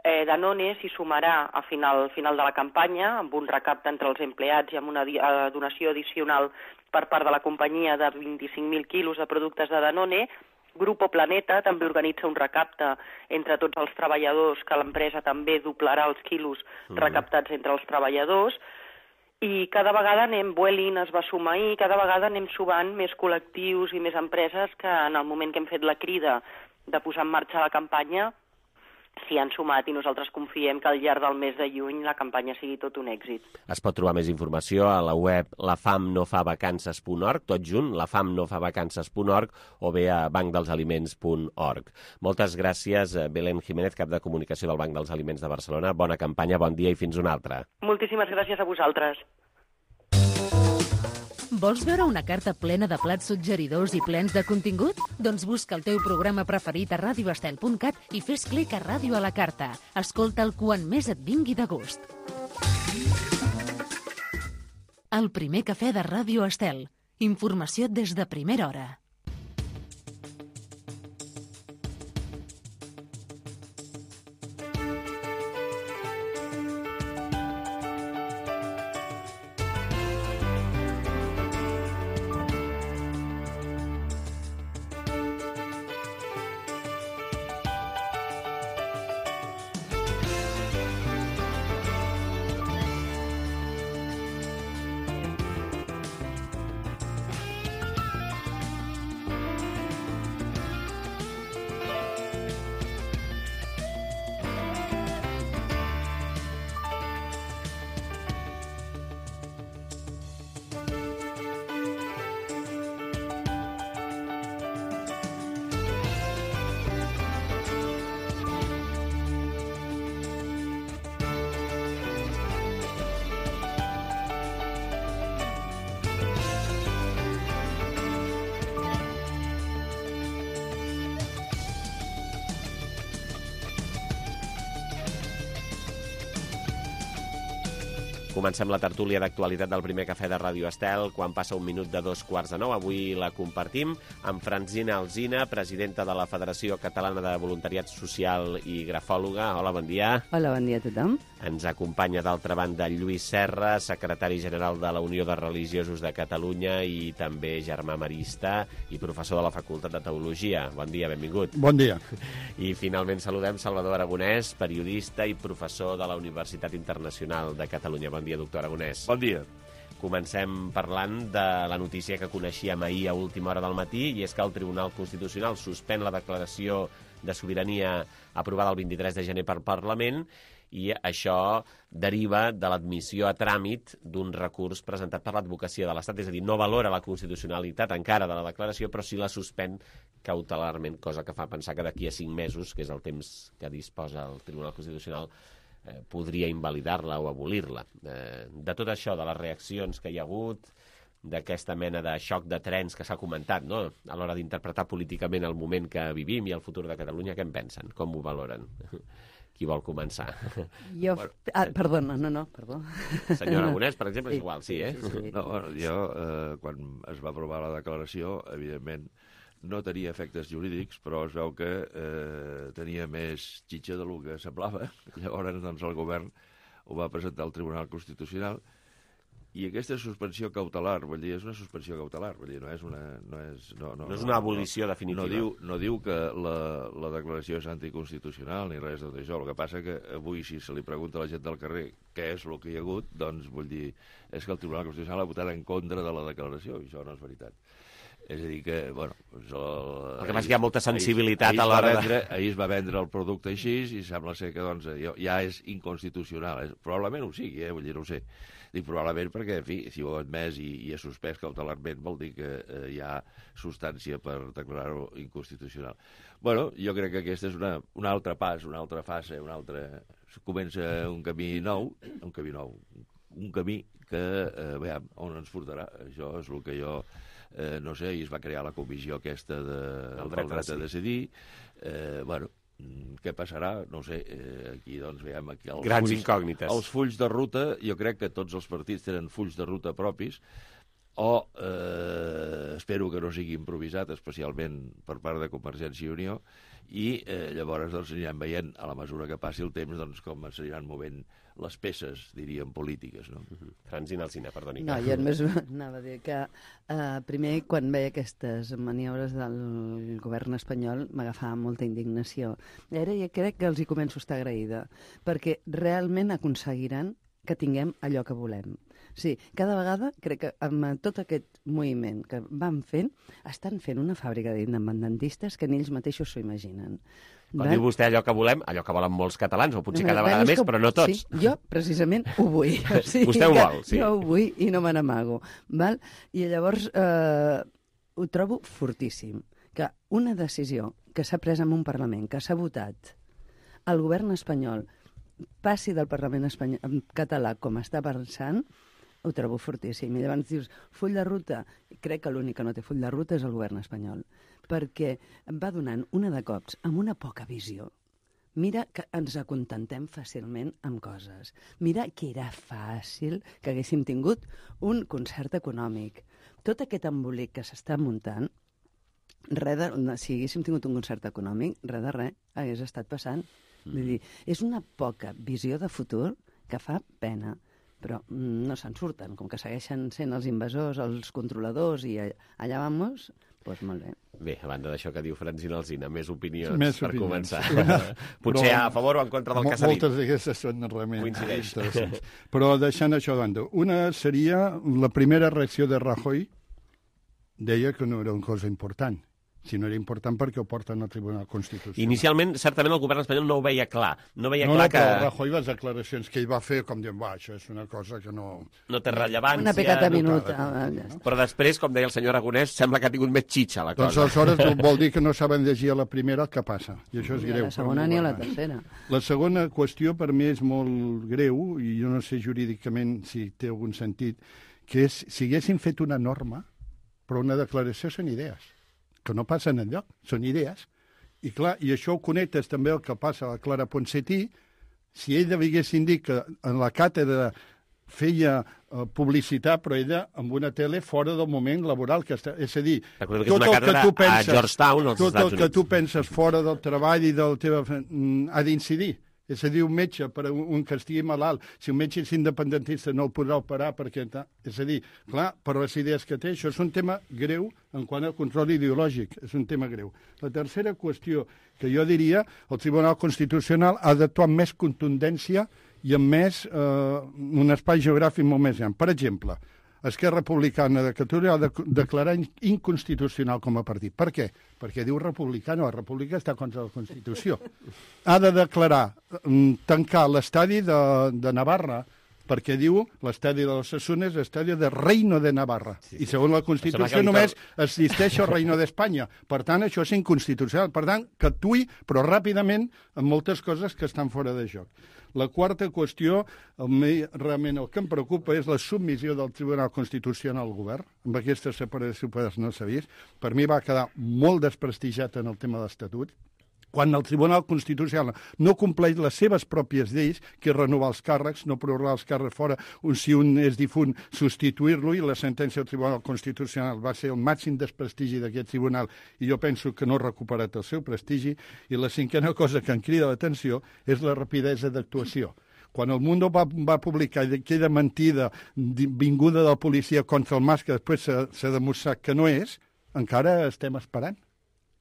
N: Danone s'hi sumarà a final de la campanya amb un recapte entre els empleats i amb una donació addicional per part de la companyia de 25.000 quilos de productes de Danone. Grupo Planeta també organitza un recapte entre tots els treballadors, que l'empresa també doblarà els quilos recaptats entre els treballadors. I cada vegada Vueling es va sumar i cada vegada anem sumant més col·lectius i més empreses que en el moment que hem fet la crida de posar en marxa la campanya s'hi han sumat i nosaltres confiem que al llarg del mes de juny la campanya sigui tot un èxit.
B: Es pot trobar més informació a la web lafamnofavacances.org, tot junt, lafamnofavacances.org, o bé a bancdelsaliments.org. Moltes gràcies, Belén Jiménez, cap de comunicació del Banc dels Aliments de Barcelona. Bona campanya, bon dia i fins una altra.
N: Moltíssimes gràcies a vosaltres.
J: Vols veure una carta plena de plats suggeridors i plens de contingut? Doncs busca el teu programa preferit a radioestel.cat i fes clic a Ràdio a la Carta. Escolta'l quan més et vingui de gust. El primer cafè de Ràdio Estel. Informació des de primera hora.
B: Comencem la tertúlia d'actualitat del primer cafè de Ràdio Estel quan passa 1 minut de 2:45. Avui la compartim amb Francina Alsina, presidenta de la Federació Catalana de Voluntariat Social i grafòloga. Hola, bon dia.
O: Hola, bon dia a tothom.
B: Ens acompanya d'altra banda Lluís Serra, secretari general de la Unió de Religiosos de Catalunya i també germà marista i professor de la Facultat de Teologia. Bon dia, benvingut.
P: Bon dia.
B: I finalment saludem Salvador Aragonès, periodista i professor de la Universitat Internacional de Catalunya. Bon dia, doctor Aragonès.
Q: Bon dia.
B: Comencem parlant de la notícia que coneixíem ahir a última hora del matí, i és que el Tribunal Constitucional suspèn la declaració de sobirania aprovada el 23 de gener per Parlament, i això deriva de l'admissió a tràmit d'un recurs presentat per l'Advocacia de l'Estat, és a dir, no valora la constitucionalitat encara de la declaració, però sí la suspèn cautelarment, cosa que fa pensar que d'aquí a 5 mesos, que és el temps que disposa el Tribunal Constitucional, podria invalidar-la o abolir-la. De tot això, de les reaccions que hi ha hagut, d'aquesta mena de xoc de trens que s'ha comentat, no?, a l'hora d'interpretar políticament el moment que vivim i el futur de Catalunya, què en pensen? Com ho valoren? Qui vol començar?
O: Jo... perdona, perdó.
B: Senyor Aragonès, per exemple, és igual, sí, eh?
Q: Sí. No, bueno, jo, quan es va aprovar la declaració, evidentment, no tenia efectes jurídics, però es veu que tenia més xitxa del que semblava. Llavors, doncs, el govern ho va presentar al Tribunal Constitucional, i aquesta suspensió cautelar, vull dir, és una suspensió cautelar, vull dir, no és
B: una abolició definitiva.
Q: No diu que la declaració és anticonstitucional ni res de tot això. El que passa que avui, si se li pregunta a la gent del carrer què és el que hi ha hagut, doncs, vull dir, és que el Tribunal Constitucional ha votat en contra de la declaració, i això no és veritat. És a dir que, bueno...
B: El que passa que hi ha molta sensibilitat a l'hora de...
Q: Ahir es va vendre el producte així i sembla ser que doncs, ja és inconstitucional. Probablement ho sigui, vull dir, no ho sé. Dic probablement perquè, en fi, si ho ha admès i ha suspès cautelarment, vol dir que hi ha substància per declarar-ho inconstitucional. Bueno, jo crec que aquest és un altre pas, una altra fase, comença un camí nou, un camí que, veiem, on ens portarà. Això és el que jo... no sé, ahir es va crear la comissió aquesta del dret a decidir. Bueno, què passarà? No sé, aquí doncs veiem aquí
B: grans incògnites.
Q: Els fulls de ruta, jo crec que tots els partits tenen fulls de ruta propis, o espero que no sigui improvisat, especialment per part de Convergència i Unió, i llavors doncs, anirem veient, a la mesura que passi el temps, doncs, com s'aniran movent les peces, diríem, polítiques. No?
B: Francina Alsina, perdoni.
O: No, jo només anava a dir que primer, quan veia aquestes maniobres del govern espanyol, m'agafava molta indignació. I ara ja crec que els hi començo a estar agraïda, perquè realment aconseguiran que tinguem allò que volem. Sí, cada vegada crec que amb tot aquest moviment que van fent, estan fent una fàbrica d'independentistes que ni ells mateixos s'ho imaginen.
B: Quan diu vostè allò que volem, allò que volen molts catalans, o potser cada vegada més, però no tots.
O: Sí, jo precisament ho vull. O sigui,
B: vostè ho vol, sí.
O: Jo ho vull i no me n'amago. I llavors ho trobo fortíssim, que una decisió que s'ha pres en un Parlament, que s'ha votat, el govern espanyol passi del Parlament espanyol, català com està pensant, ho trobo fortíssim. I llavors dius, full de ruta, crec que l'únic que no té full de ruta és el govern espanyol, perquè va donant una de cops amb una poca visió. Mira que ens acontentem fàcilment amb coses. Mira que era fàcil que haguéssim tingut un concert econòmic. Tot aquest embolic que s'està muntant, si haguéssim tingut un concert econòmic, res de res hagués estat passant. Vull dir, és una poca visió de futur que fa pena, però no se'n surten, com que segueixen sent els invasors, els controladors, i allà vamos, doncs molt bé.
B: Bé, a banda d'això que diu Francina Alsina, més opinions per començar. Potser a favor o en contra del que s'ha dit.
P: Moltes d'aquestes són realment interessants. Però deixant això de banda, una seria la primera reacció de Rajoy, deia que no era una cosa important. Si no era important perquè ho porten al Tribunal Constitucional.
B: Inicialment, certament, el govern espanyol no ho veia clar. No veia clar que...
P: però Rajoy, les declaracions que ell va fer, com dient, això és una cosa que no...
B: No té rellevància.
O: Una pecata minuta.
B: Però després, com deia el senyor Aragonès, sembla que ha tingut més xitxa la cosa.
P: Doncs aleshores vol dir que no saben llegir a la primera el que passa. I això és greu.
O: A la segona ni a la tercera.
P: La segona qüestió per mi és molt greu, i jo no sé jurídicament si té algun sentit, que és si haguessin fet una norma, però una declaració són idees que no passen enlloc, són idees. I clar, i això ho connectes també el que passa a la Clara Ponsatí, si ella haguessin dit que en la càtedra feia publicitat, però ella amb una tele fora del moment laboral que està... És a dir,
B: tot el que tu penses, a Georgetown, als Estats Units.
P: Tot el que tu penses fora del treball i del teu... ha d'incidir. És a dir, un metge, per un que estigui malalt, si un metge és independentista no el podrà operar perquè... És a dir, clar, per les idees que té, això és un tema greu en quant al control ideològic, és un tema greu. La tercera qüestió que jo diria, el Tribunal Constitucional ha d'actuar amb més contundència i amb més un espai geogràfic molt més gran. Per exemple, Esquerra Republicana de Catalunya ha de declarar inconstitucional com a partit. Per què? Perquè diu republicano, la república està contra la Constitució. Ha de declarar, tancar l'estadi de Navarra, perquè diu l'estadi de l'Osasuna és l'estadi de Reino de Navarra. Sí. I segons la Constitució només existeix el Reino d'Espanya. Per tant, això és inconstitucional. Per tant, que actuï, però ràpidament, en moltes coses que estan fora de joc. La quarta qüestió, realment el que em preocupa és la submissió del Tribunal Constitucional al govern. Amb aquesta separació de poders no s'ha vist. Per mi va quedar molt desprestigiat en el tema de l'Estatut. Quan el Tribunal Constitucional no compleix les seves pròpies lleis, que és renovar els càrrecs, no prorrogar els càrrecs fora, si un és difunt, substituir-lo, i la sentència del Tribunal Constitucional va ser el màxim desprestigi d'aquest tribunal, i jo penso que no ha recuperat el seu prestigi. I la cinquena cosa que em crida l'atenció és la rapidesa d'actuació. Quan el Mundo va publicar aquella mentida vinguda de la policia contra el Mas, que després s'ha demostrat que no és, encara estem esperant.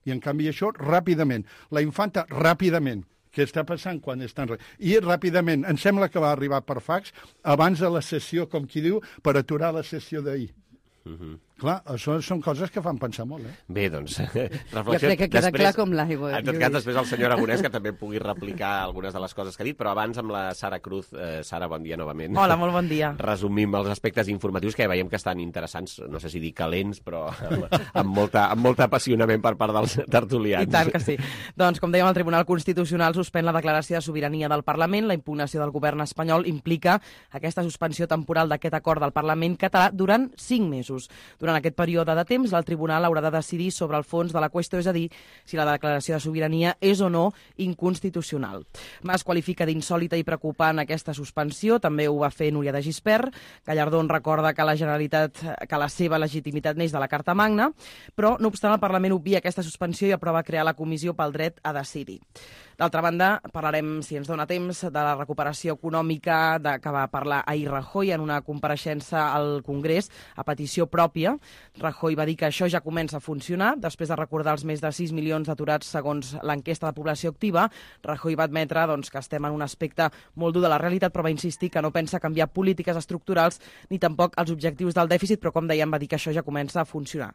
P: I, en canvi, això ràpidament. La infanta, ràpidament. Què està passant quan estan... I ràpidament, em sembla que va arribar per fax abans de la sessió, com qui diu, per aturar la sessió d'ahir. Clar, això són coses que fan pensar molt,
B: Bé, doncs,
O: reflexió. Jo crec que queda clar com l'aigua.
B: En tot cas, després el senyor Aragonès, que també pugui replicar algunes de les coses que ha dit, però abans amb la Sara Cruz. Sara, bon dia novament.
D: Hola, molt bon dia.
B: Resumim els aspectes informatius que veiem que estan interessants, no sé si dir calents, però amb molt apassionament per part dels tertulians.
D: I tant que sí. Doncs, com dèiem, el Tribunal Constitucional suspèn la declaració de sobirania del Parlament. La impugnació del govern espanyol implica aquesta suspensió temporal d'aquest acord del Parlament català durant 5 mesos. Durant aquest període de temps, el tribunal haurà de decidir sobre el fons de la qüestió, és a dir, si la declaració de sobirania és o no inconstitucional. Mas qualifica d'insòlita i preocupant aquesta suspensió, també ho va fer Núria de Gispert. Gallardón recorda que la seva legitimitat neix de la Carta Magna, però, no obstant, el Parlament obvia aquesta suspensió i aprova crear la Comissió pel Dret a Decidir. D'altra banda, parlarem, si ens dona temps, de la recuperació econòmica que va parlar ahir Rajoy en una compareixença al Congrés a petició pròpia. Rajoy va dir que això ja comença a funcionar. Després de recordar els més de 6 milions d'aturats segons l'enquesta de població activa, Rajoy va admetre que estem en un aspecte molt dur de la realitat, però va insistir que no pensa canviar polítiques estructurals ni tampoc els objectius del dèficit, però, com dèiem, va dir que això ja comença a funcionar.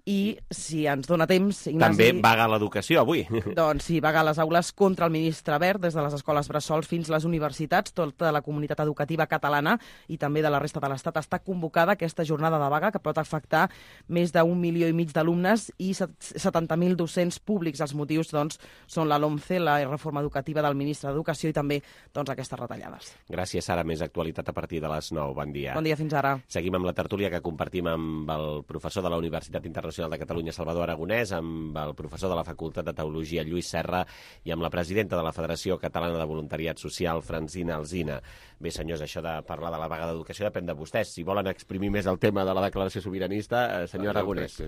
D: I, si ens dona temps, Ignasi...
B: També vaga l'educació, avui.
D: Doncs sí, vaga a les aules contra el ministre Wert, des de les escoles bressols fins a les universitats. Tota la comunitat educativa catalana i també de la resta de l'Estat està convocada a aquesta jornada de vaga que pot afectar més d'1,5 milió d'alumnes i 70.000 docents públics. Els motius, són la LOMCE, la reforma educativa del ministre d'Educació i també, aquestes retallades.
B: Gràcies, Sara. Més actualitat a partir de les 9. Bon dia.
D: Bon dia, fins ara.
B: Seguim amb la tertúlia que compartim amb el professor de la Universitat Internacional de Catalunya, Salvador Aragonès, amb el professor de la Facultat de Teologia, Lluís Serra, i amb la presidenta de la Federació Catalana de Voluntariat Social, Francina Alsina. Bé, senyors, això de parlar de la vaga d'educació depèn de vostès. Si volen exprimir més el tema de la declaració sobiranista, senyor Aragonès.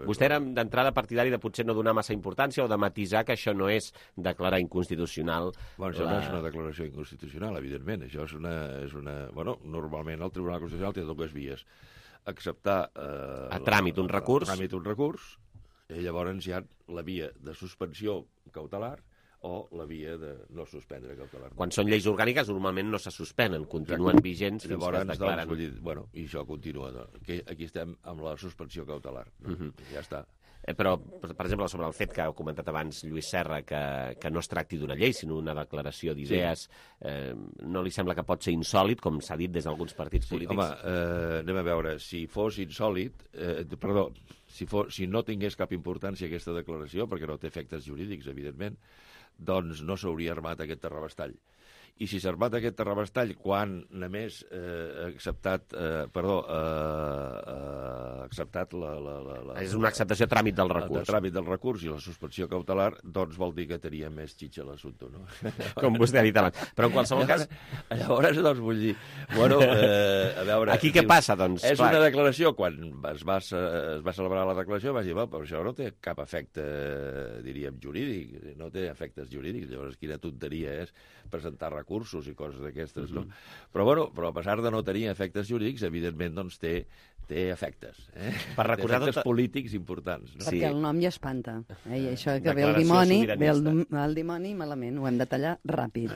B: Vostè era d'entrada partidari de potser no donar massa importància o de matisar que això no és declarar inconstitucional.
Q: Això no és una declaració inconstitucional, evidentment. Això és una... Normalment el Tribunal Constitucional té dues vies. Acceptar
B: a tràmit un recurs,
Q: i llavors hi ha la via de suspensió cautelar o la via de no suspendre cautelar.
B: Quan són lleis orgàniques normalment no se suspenen, continuen vigents fins que es declaren.
Q: I això continua. Aquí estem amb la suspensió cautelar. Ja està.
B: Però, per exemple, sobre el fet que ha comentat abans Lluís Serra, que no es tracti d'una llei, sinó una declaració d'idees, no li sembla que pot ser insòlit, com s'ha dit des d'alguns partits polítics?
Q: Home, anem a veure, si fos insòlit, si no tingués cap importància aquesta declaració, perquè no té efectes jurídics, evidentment, doncs no s'hauria armat aquest terrabastall. I si s'ha armat aquest terrabastall quan només ha acceptat
B: És una acceptació a tràmit del recurs.
Q: A tràmit del recurs i la suspensió cautelar, doncs vol dir que tenia més xitxa l'assumpte, no?
B: Com vostè ha dit abans. Però en qualsevol cas...
Q: Llavors, doncs vull dir... a veure...
B: Aquí què passa, doncs?
Q: És una declaració, quan es va celebrar la declaració, vas dir, però això no té cap efecte, diríem, jurídic, no té efectes jurídics, llavors quina tonteria és presentar recursos i coses d'aquestes, no? Però a pesar de no tenir efectes jurídics, evidentment, doncs té efectes.
B: Per recordar
Q: efectes polítics importants. No?
O: Perquè el nom ja espanta. I això que ve el dimoni malament, ho hem de tallar ràpid.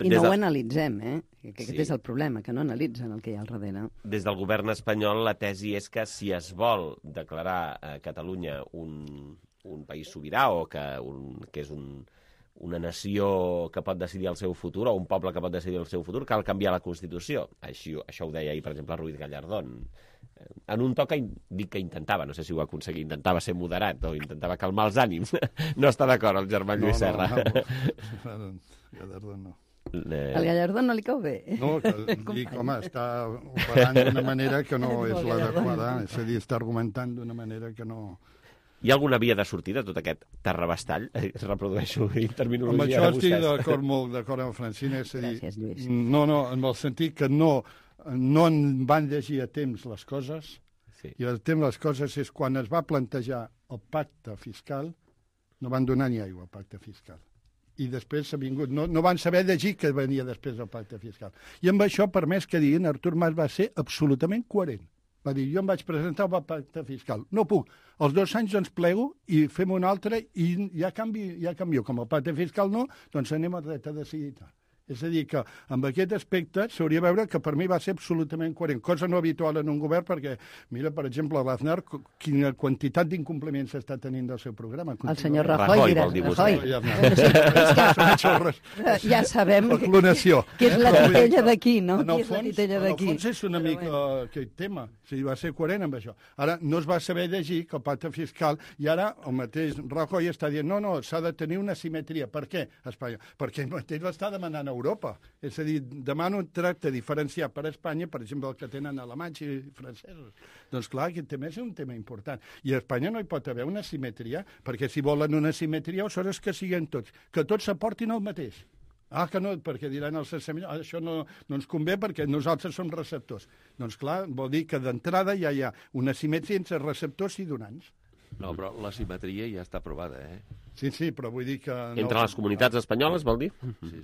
O: I no ho analitzem, que aquest és el problema, que no analitzen el que hi ha al darrere.
B: Des del govern espanyol la tesi és que si es vol declarar a Catalunya un país sobirà o que és una nació que pot decidir el seu futur o un poble que pot decidir el seu futur, cal canviar la Constitució. Això ho deia ahir, per exemple, Ruiz Gallardón. En un to que dic que intentava, no sé si ho va aconseguir, intentava ser moderat o intentava calmar els ànims. No està d'acord el germà Lluís Serra.
P: Gallardón no.
O: El Gallardón no li cau bé.
P: No, dic, home, està operant d'una manera que no és l'adequada, és a dir, està argumentant d'una manera que no...
B: Hi ha alguna via de sortida de tot aquest terrabastall? Reprodueixo en terminologia
P: de vostès.
B: Amb això
P: estic molt d'acord amb Francina. Gràcies, Lluís. No, en el sentit que no en van llegir a temps les coses, i el temps les coses és quan es va plantejar el pacte fiscal, no van donar ni aigua al pacte fiscal. I després s'ha vingut... No van saber llegir què venia després del pacte fiscal. I amb això, per més que diguin, Artur Mas va ser absolutament coherent. Va dir, jo em vaig presentar el pacte fiscal. No puc. Els 2 anys doncs plego i fem un altre i ja canvio. Com el pacte fiscal no, doncs anem al dret a decidir. És a dir, que amb aquest aspecte s'hauria de veure que per mi va ser absolutament coherent, cosa no habitual en un govern, perquè, mira, per exemple, l'Aznar, quina quantitat d'incompliments està tenint del seu programa.
O: El senyor Rajoy, ja sabem que és la titella d'aquí, no?
P: En el fons és una mica aquest tema, si va ser coherent amb això. Ara, no es va saber llegir que el pacte fiscal, i ara el mateix Rajoy està dient, no, s'ha de tenir una simetria. Per què, Espanya? Perquè ell mateix l'està demanant a Europa. És a dir, demano un tracte diferenciat per a Espanya, per exemple, el que tenen alemanys i francesos. Doncs clar, aquest tema és un tema important. I a Espanya no hi pot haver una simetria, perquè si volen una simetria, aleshores que siguin tots, que tots s'aportin el mateix. Que no, perquè diran els assemblats, això no ens convé perquè nosaltres som receptors. Doncs clar, vol dir que d'entrada ja hi ha una simetria entre receptors i donants.
Q: No, però la simetria ja està aprovada,
P: Sí, però vull dir que...
B: Entre les comunitats espanyoles, vol dir?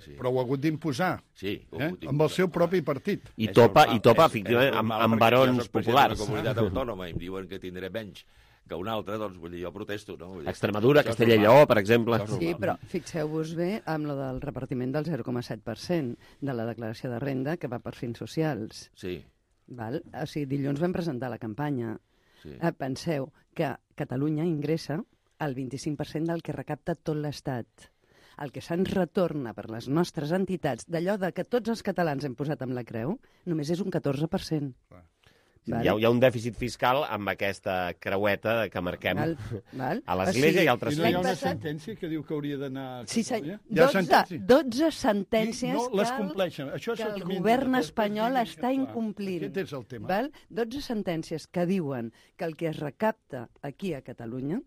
P: Sí. Però ho ha hagut d'imposar.
Q: Sí.
P: Amb el seu propi partit.
B: I topa, efectivament, amb barons populars.
Q: Jo soc president de la comunitat autònoma i em diuen que tindré menys que un altre, doncs, vull dir, jo protesto, no?
B: Extremadura, Castella i Lleó, per exemple.
O: Sí, però fixeu-vos bé amb lo del repartiment del 0,7% de la declaració de renda que va per fins socials.
Q: Sí.
O: Val? O sigui, dilluns vam presentar la campanya. Sí. Penseu que Catalunya ingressa el 25% del que recapta tot l'Estat. El que se'ns retorna per les nostres entitats, d'allò de que tots els catalans hem posat amb la creu, només és un 14%.
B: Hi ha un dèficit fiscal amb aquesta creueta que marquem a l'Església i altres
P: fins. I no hi ha una sentència que diu que hauria d'anar a
O: Catalunya? 12 sentències
P: no les compleixen.
O: Que el govern espanyol està incomplint.
P: Aquest és el tema.
O: 12 sentències que diuen que el que es recapta aquí a Catalunya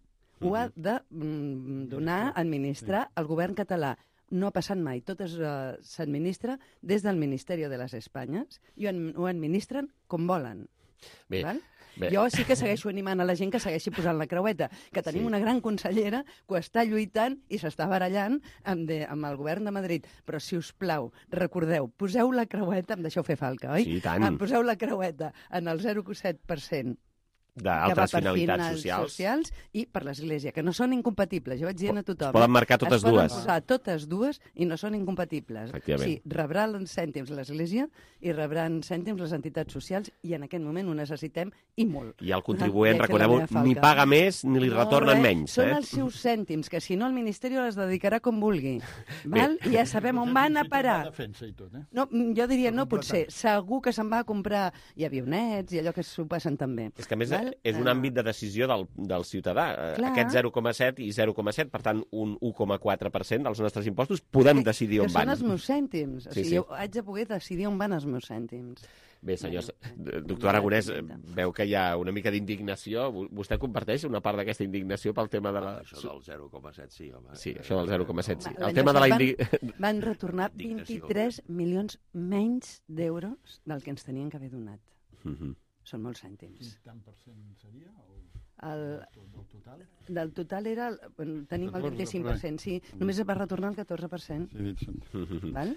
O: ho ha de donar, administrar el govern català. No ha passat mai. Tot s'administra des del Ministeri de les Espanyes i ho administren com volen.
B: Bé.
O: Jo sí que segueixo animant a la gent que segueixi posant la creueta, que tenim una gran consellera que ho està lluitant i s'està barallant amb el govern de Madrid. Però, si us plau, recordeu, poseu la creueta, em deixeu fer falca, oi?
B: Sí, tant.
O: Poseu la creueta en el 0,7%
B: d'altres finalitats
O: socials i per l'Església, que no són incompatibles. Jo vaig dient a tothom.
B: Es poden marcar totes dues.
O: Es poden posar totes dues i no són incompatibles.
B: Sí,
O: rebrà cèntims l'Església i rebran cèntims les entitats socials i en aquest moment ho necessitem i molt.
B: I el contribuent, recordeu, ni paga més ni li retornen menys.
O: Són els seus cèntims, que si no el Ministeri les dedicarà com vulgui. Val? I ja sabem on van a parar. No, jo diria, no potser. Segur que se'n va a comprar avionets i allò que s'ho passen també.
B: És que a més és un àmbit de decisió del ciutadà.
O: Clar.
B: Aquest 0,7 i 0,7, per tant, un 1,4% dels nostres impostos, podem decidir on van.
O: Que són els meus cèntims. O sigui, jo haig de poder decidir on van els meus cèntims.
B: Bé, senyors, doctor Aragonès, veu que hi ha una mica d'indignació. Vostè comparteix una part d'aquesta indignació pel tema de la...
Q: Això del 0,7, sí, home.
B: Sí, això del 0,7, sí. El tema de la
O: van retornar 23 milions menys d'euros del que ens tenien que haver donat. Són molts cèntims.
P: Quin tant per cent seria?
O: Del total? Del total era... tenim el 25%, sí. Només es va retornar el 14%. Val?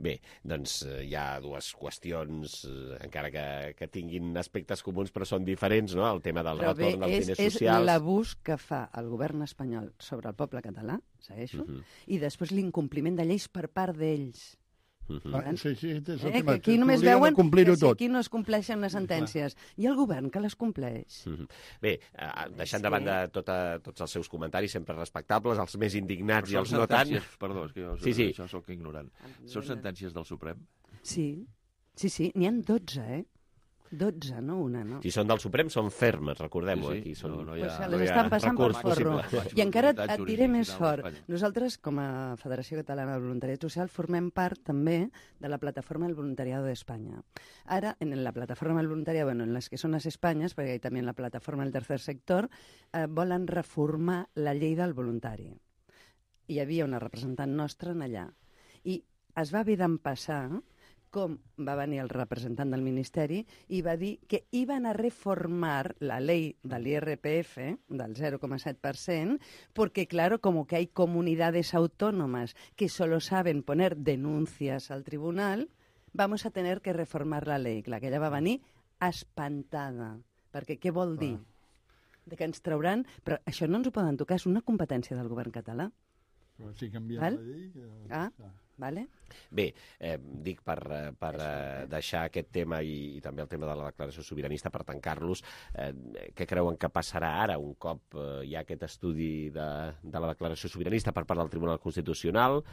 B: Bé, doncs hi ha dues qüestions, encara que tinguin aspectes comuns, però són diferents, no?, el tema del retorn dels diners socials.
O: És l'abús que fa el govern espanyol sobre el poble català, segueixo, i després l'incompliment de lleis per part d'ells.
P: Que
O: aquí només veuen que aquí no es compleixen les sentències. I el govern que les compleix.
B: Bé, deixant de banda tots els seus comentaris, sempre respectables, els més indignats i els no tant...
Q: Perdó, és que jo això soc ignorant. Són sentències del Suprem?
O: Sí, n'hi ha 12, 12, no una, no?
B: Si són del Suprem, són fermes, recordem-ho.
Q: Aquí
O: les estan passant per forro. I encara et diré més fort. Nosaltres, com a Federació Catalana del Voluntariat Social, formem part també de la plataforma del Voluntariado de España. Ara, en la plataforma del voluntariado, en les que són les Espanyes, perquè hi també en la plataforma del tercer sector, volen reformar la llei del voluntari. Hi havia una representant nostra en allà. I es va haver d'empassar com va venir el representant del Ministeri i va dir que iban a reformar la ley del IRPF, del 0,7%, porque, claro, como que hay comunidades autónomas que solo saben poner denuncias al tribunal, vamos a tener que reformar la ley. Clar, que ella va venir espantada, perquè què vol dir? De que ens trauran... Però això no ens ho poden tocar, és una competència del govern català.
P: Però si canviem la llei...
O: Vale.
B: Bé, dic per deixar aquest tema i també el tema de la declaració sobiranista per tancar-los, què creuen que passarà ara un cop hi ha aquest estudi de la declaració sobiranista per part del Tribunal Constitucional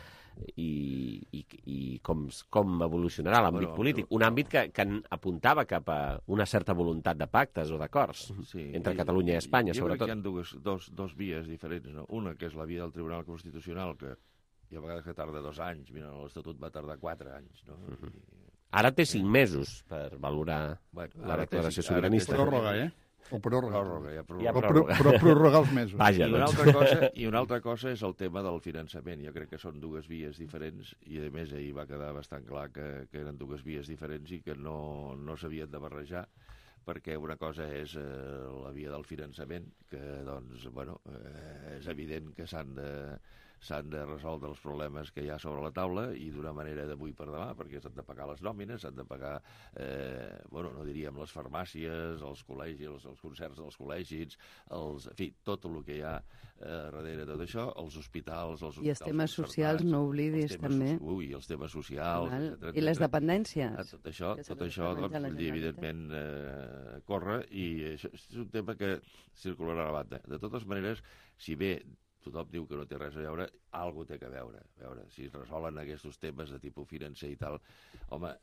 B: i com evolucionarà l'àmbit polític? Un àmbit que apuntava cap a una certa voluntat de pactes o d'acords entre Catalunya i Espanya, sobretot.
Q: Jo crec que hi ha dos vies diferents, no? Una que és la via del Tribunal Constitucional, que i a vegades que tarda 2 anys. Mira, l'Estatut va tardar 4 anys, no?
B: Ara té 5 mesos per valorar la declaració sobiranista.
P: Pròrroga, O pròrroga.
Q: Però
P: prorrogar els mesos.
B: Vaja,
Q: I una altra cosa és el tema del finançament. Jo crec que són 2 vies diferents i, a més, ahir va quedar bastant clar que eren 2 vies diferents i que no s'havien de barrejar, perquè una cosa és la via del finançament, que, doncs, bueno, és evident que s'han de resoldre els problemes que hi ha sobre la taula i d'una manera d'avui per demà, perquè s'han de pagar les nòmines, s'han de pagar, no diríem les farmàcies, els col·legis, els concerts dels col·legis, en fi, tot el que hi ha darrere de tot això, els hospitals...
O: I els temes socials, no oblidis, també.
Q: Ui, els temes socials, etcètera.
O: I les dependències.
Q: Tot això, doncs, evidentment, corre, i això és un tema que circularà a la banda. De totes maneres, si bé tothom diu que no té res a veure, alguna cosa té que veure. A veure, si es resolen aquests temes de tipus financer i tal, home,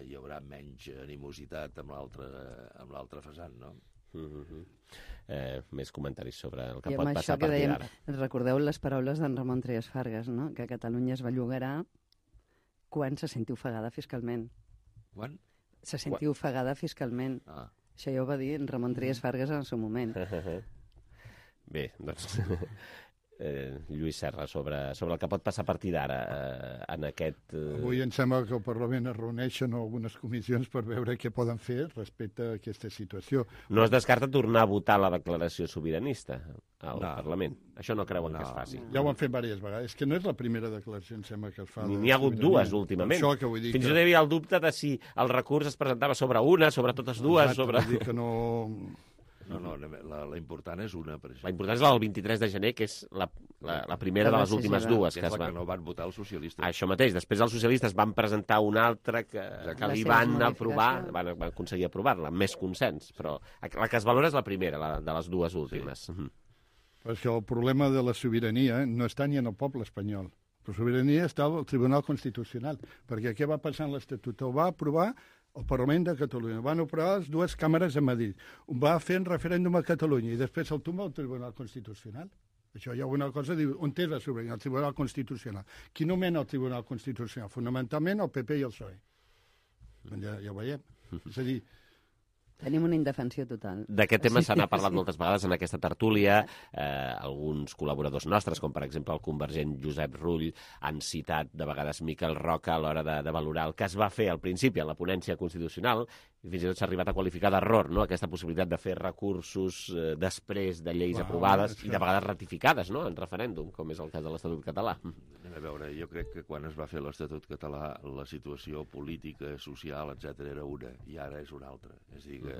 Q: hi haurà menys animositat amb l'altre vessant, no?
B: Més comentaris sobre el que pot passar a partir d'ara.
O: Recordeu les paraules d'en Ramon Trias Fargas, no? Que Catalunya es bellugarà quan se senti ofegada fiscalment.
Q: Quan?
O: Se senti ofegada fiscalment. Això ja ho va dir en Ramon Trias Fargas en el seu moment.
B: Bé, doncs... Lluís Serra, sobre el que pot passar a partir d'ara en aquest...
P: Avui em sembla que el Parlament es reuneixen algunes comissions per veure què poden fer respecte a aquesta situació.
B: No es descarta tornar a votar la declaració sobiranista al Parlament. Això no creuen que es faci.
P: Ja ho han fet diverses vegades. És que no és la primera declaració, em sembla, que es fa.
B: N'hi ha hagut 2 últimament.
P: Això que vull dir
B: Fins i tot hi havia el dubte de si el recurs es presentava sobre una, sobre totes dues...
P: Vull dir que no...
Q: No, la important és una, per exemple.
B: La important és la del 23 de gener, que és la primera de les últimes 2
Q: que es va... Que no van votar els socialistes.
B: Això mateix. Després els socialistes van presentar una altra que li van aprovar, van aconseguir aprovar-la, amb més consens. Però la que es valora és la primera, la de les 2 últimes. Sí.
P: Però és que el problema de la sobirania no està ni en el poble espanyol. La sobirania està al Tribunal Constitucional. Perquè què va passar en l'Estatut? El va aprovar el Parlament de Catalunya. Van aprovar les 2 càmeres a Madrid. Va fer un referèndum a Catalunya i després el tomba el Tribunal Constitucional. Això hi ha una cosa, diu, on és la sobirania? El Tribunal Constitucional. Qui nomena el Tribunal Constitucional? Fonamentalment el PP i el PSOE. Ja ho veiem. És a dir,
O: tenim una indefensió total.
B: D'aquest tema se n'ha parlat moltes vegades en aquesta tertúlia. Alguns col·laboradors nostres, com per exemple el convergent Josep Rull, han citat de vegades Miquel Roca a l'hora de valorar el que es va fer al principi en la ponència constitucional, i fins i tot s'ha arribat a qualificar d'error, no?, aquesta possibilitat de fer recursos després de lleis aprovades i de vegades ratificades, no?, en referèndum, com és el cas de l'Estatut català.
Q: A veure, jo crec que quan es va fer l'Estatut català la situació política, social, etc era una, i ara és una altra. És a dir, que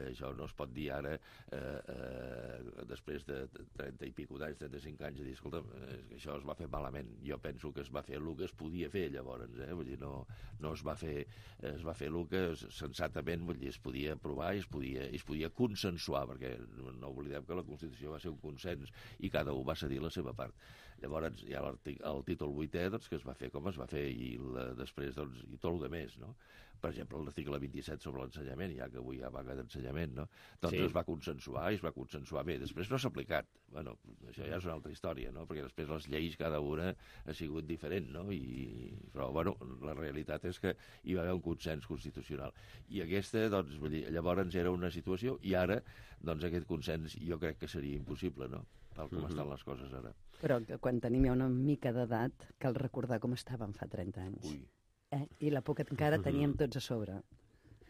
Q: això no es pot dir ara, després de 30 i pico d'anys, 35 anys, a dir, escolta, això es va fer malament. Jo penso que es va fer el que es podia fer llavors, vull dir, no es va fer el que sensatament, vull dir, es podia aprovar i es podia consensuar, perquè no oblidem que la Constitució va ser un consens i cada un va cedir la seva part. Llavors hi ha el títol 8è, doncs, que es va fer com es va fer, i després, doncs, i tot el de més, no? Per exemple, l'article 27 sobre l'ensenyament, ja que avui hi ha vaga d'ensenyament, no? Doncs es va consensuar i es va consensuar bé. Després no s'ha aplicat. Bueno, això ja és una altra història, no? Perquè després les lleis, cada una ha sigut diferent, no? Però, bueno, la realitat és que hi va haver un consens constitucional. I aquesta, doncs, vull dir, llavors era una situació, i ara, doncs, aquest consens jo crec que seria impossible, no? Tal com estan les coses ara.
O: Però quan tenim ja una mica d'edat, cal recordar com estàvem fa 30 anys.
Q: Ui.
O: I la por que encara teníem tots a sobre,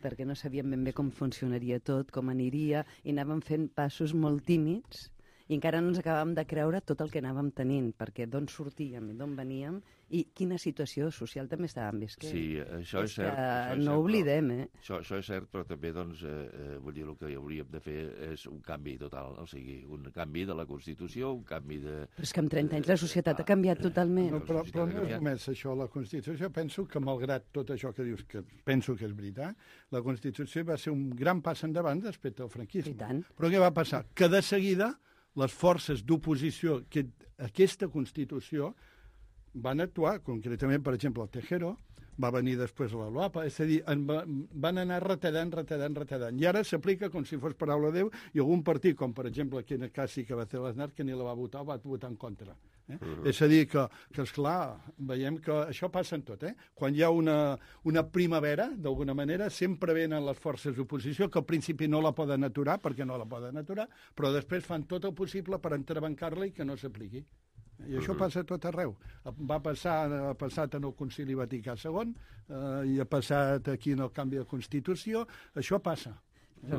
O: perquè no sabíem ben bé com funcionaria tot, com aniria, i anàvem fent passos molt tímids, i encara no ens acabàvem de creure tot el que anàvem tenint, perquè d'on sortíem i d'on veníem, i quina situació social també estàvem visquent.
Q: Sí, això és cert.
O: No ho oblidem,
Q: Això és cert, però també, doncs, vull dir, el que hauríem de fer és un canvi total, o sigui, un canvi de la Constitució, un canvi de...
O: Però és que en 30 anys la societat ha canviat totalment.
P: No, però no és només això, la Constitució. Penso que, malgrat tot això que dius, que penso que és veritat, la Constitució va ser un gran pas endavant respecte al franquisme.
O: I tant.
P: Però què va passar? Que de seguida les forces d'oposició que aquesta Constitució van actuar, concretament, per exemple, el Tejero, va venir després la LOAPA, és a dir, van anar retallant. I ara s'aplica com si fos paraula de Déu, i algun partit, com per exemple aquí en el cas sí que va fer l'Aznar, que ni la va votar, o va votar en contra. És a dir, que esclar, veiem que això passa en tot. Quan hi ha una primavera, d'alguna manera, sempre venen les forces d'oposició, que al principi no la poden aturar, perquè no la poden aturar, però després fan tot el possible per entrebancar-la i que no s'apliqui. I això passa a tot arreu. Ha passat en el Concili Vaticà II, i ha passat aquí en el canvi de Constitució. Això passa.
O: No,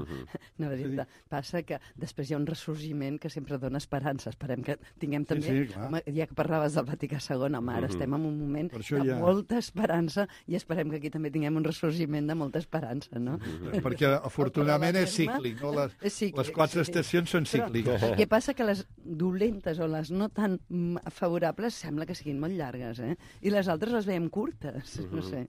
O: passa que després hi ha un ressorgiment que sempre dona esperança. Esperem que tinguem també...
P: Sí,
O: home, ja que parlaves del Vaticà II, home, ara estem en un moment de molta esperança i esperem que aquí també tinguem un ressorgiment de molta esperança, no?
P: Perquè, afortunadament, és cíclic, no? Les 4 estacions són cícliques.
O: El que passa que les dolentes o les no tan favorables sembla que siguin molt llargues, I les altres les veiem curtes, no sé.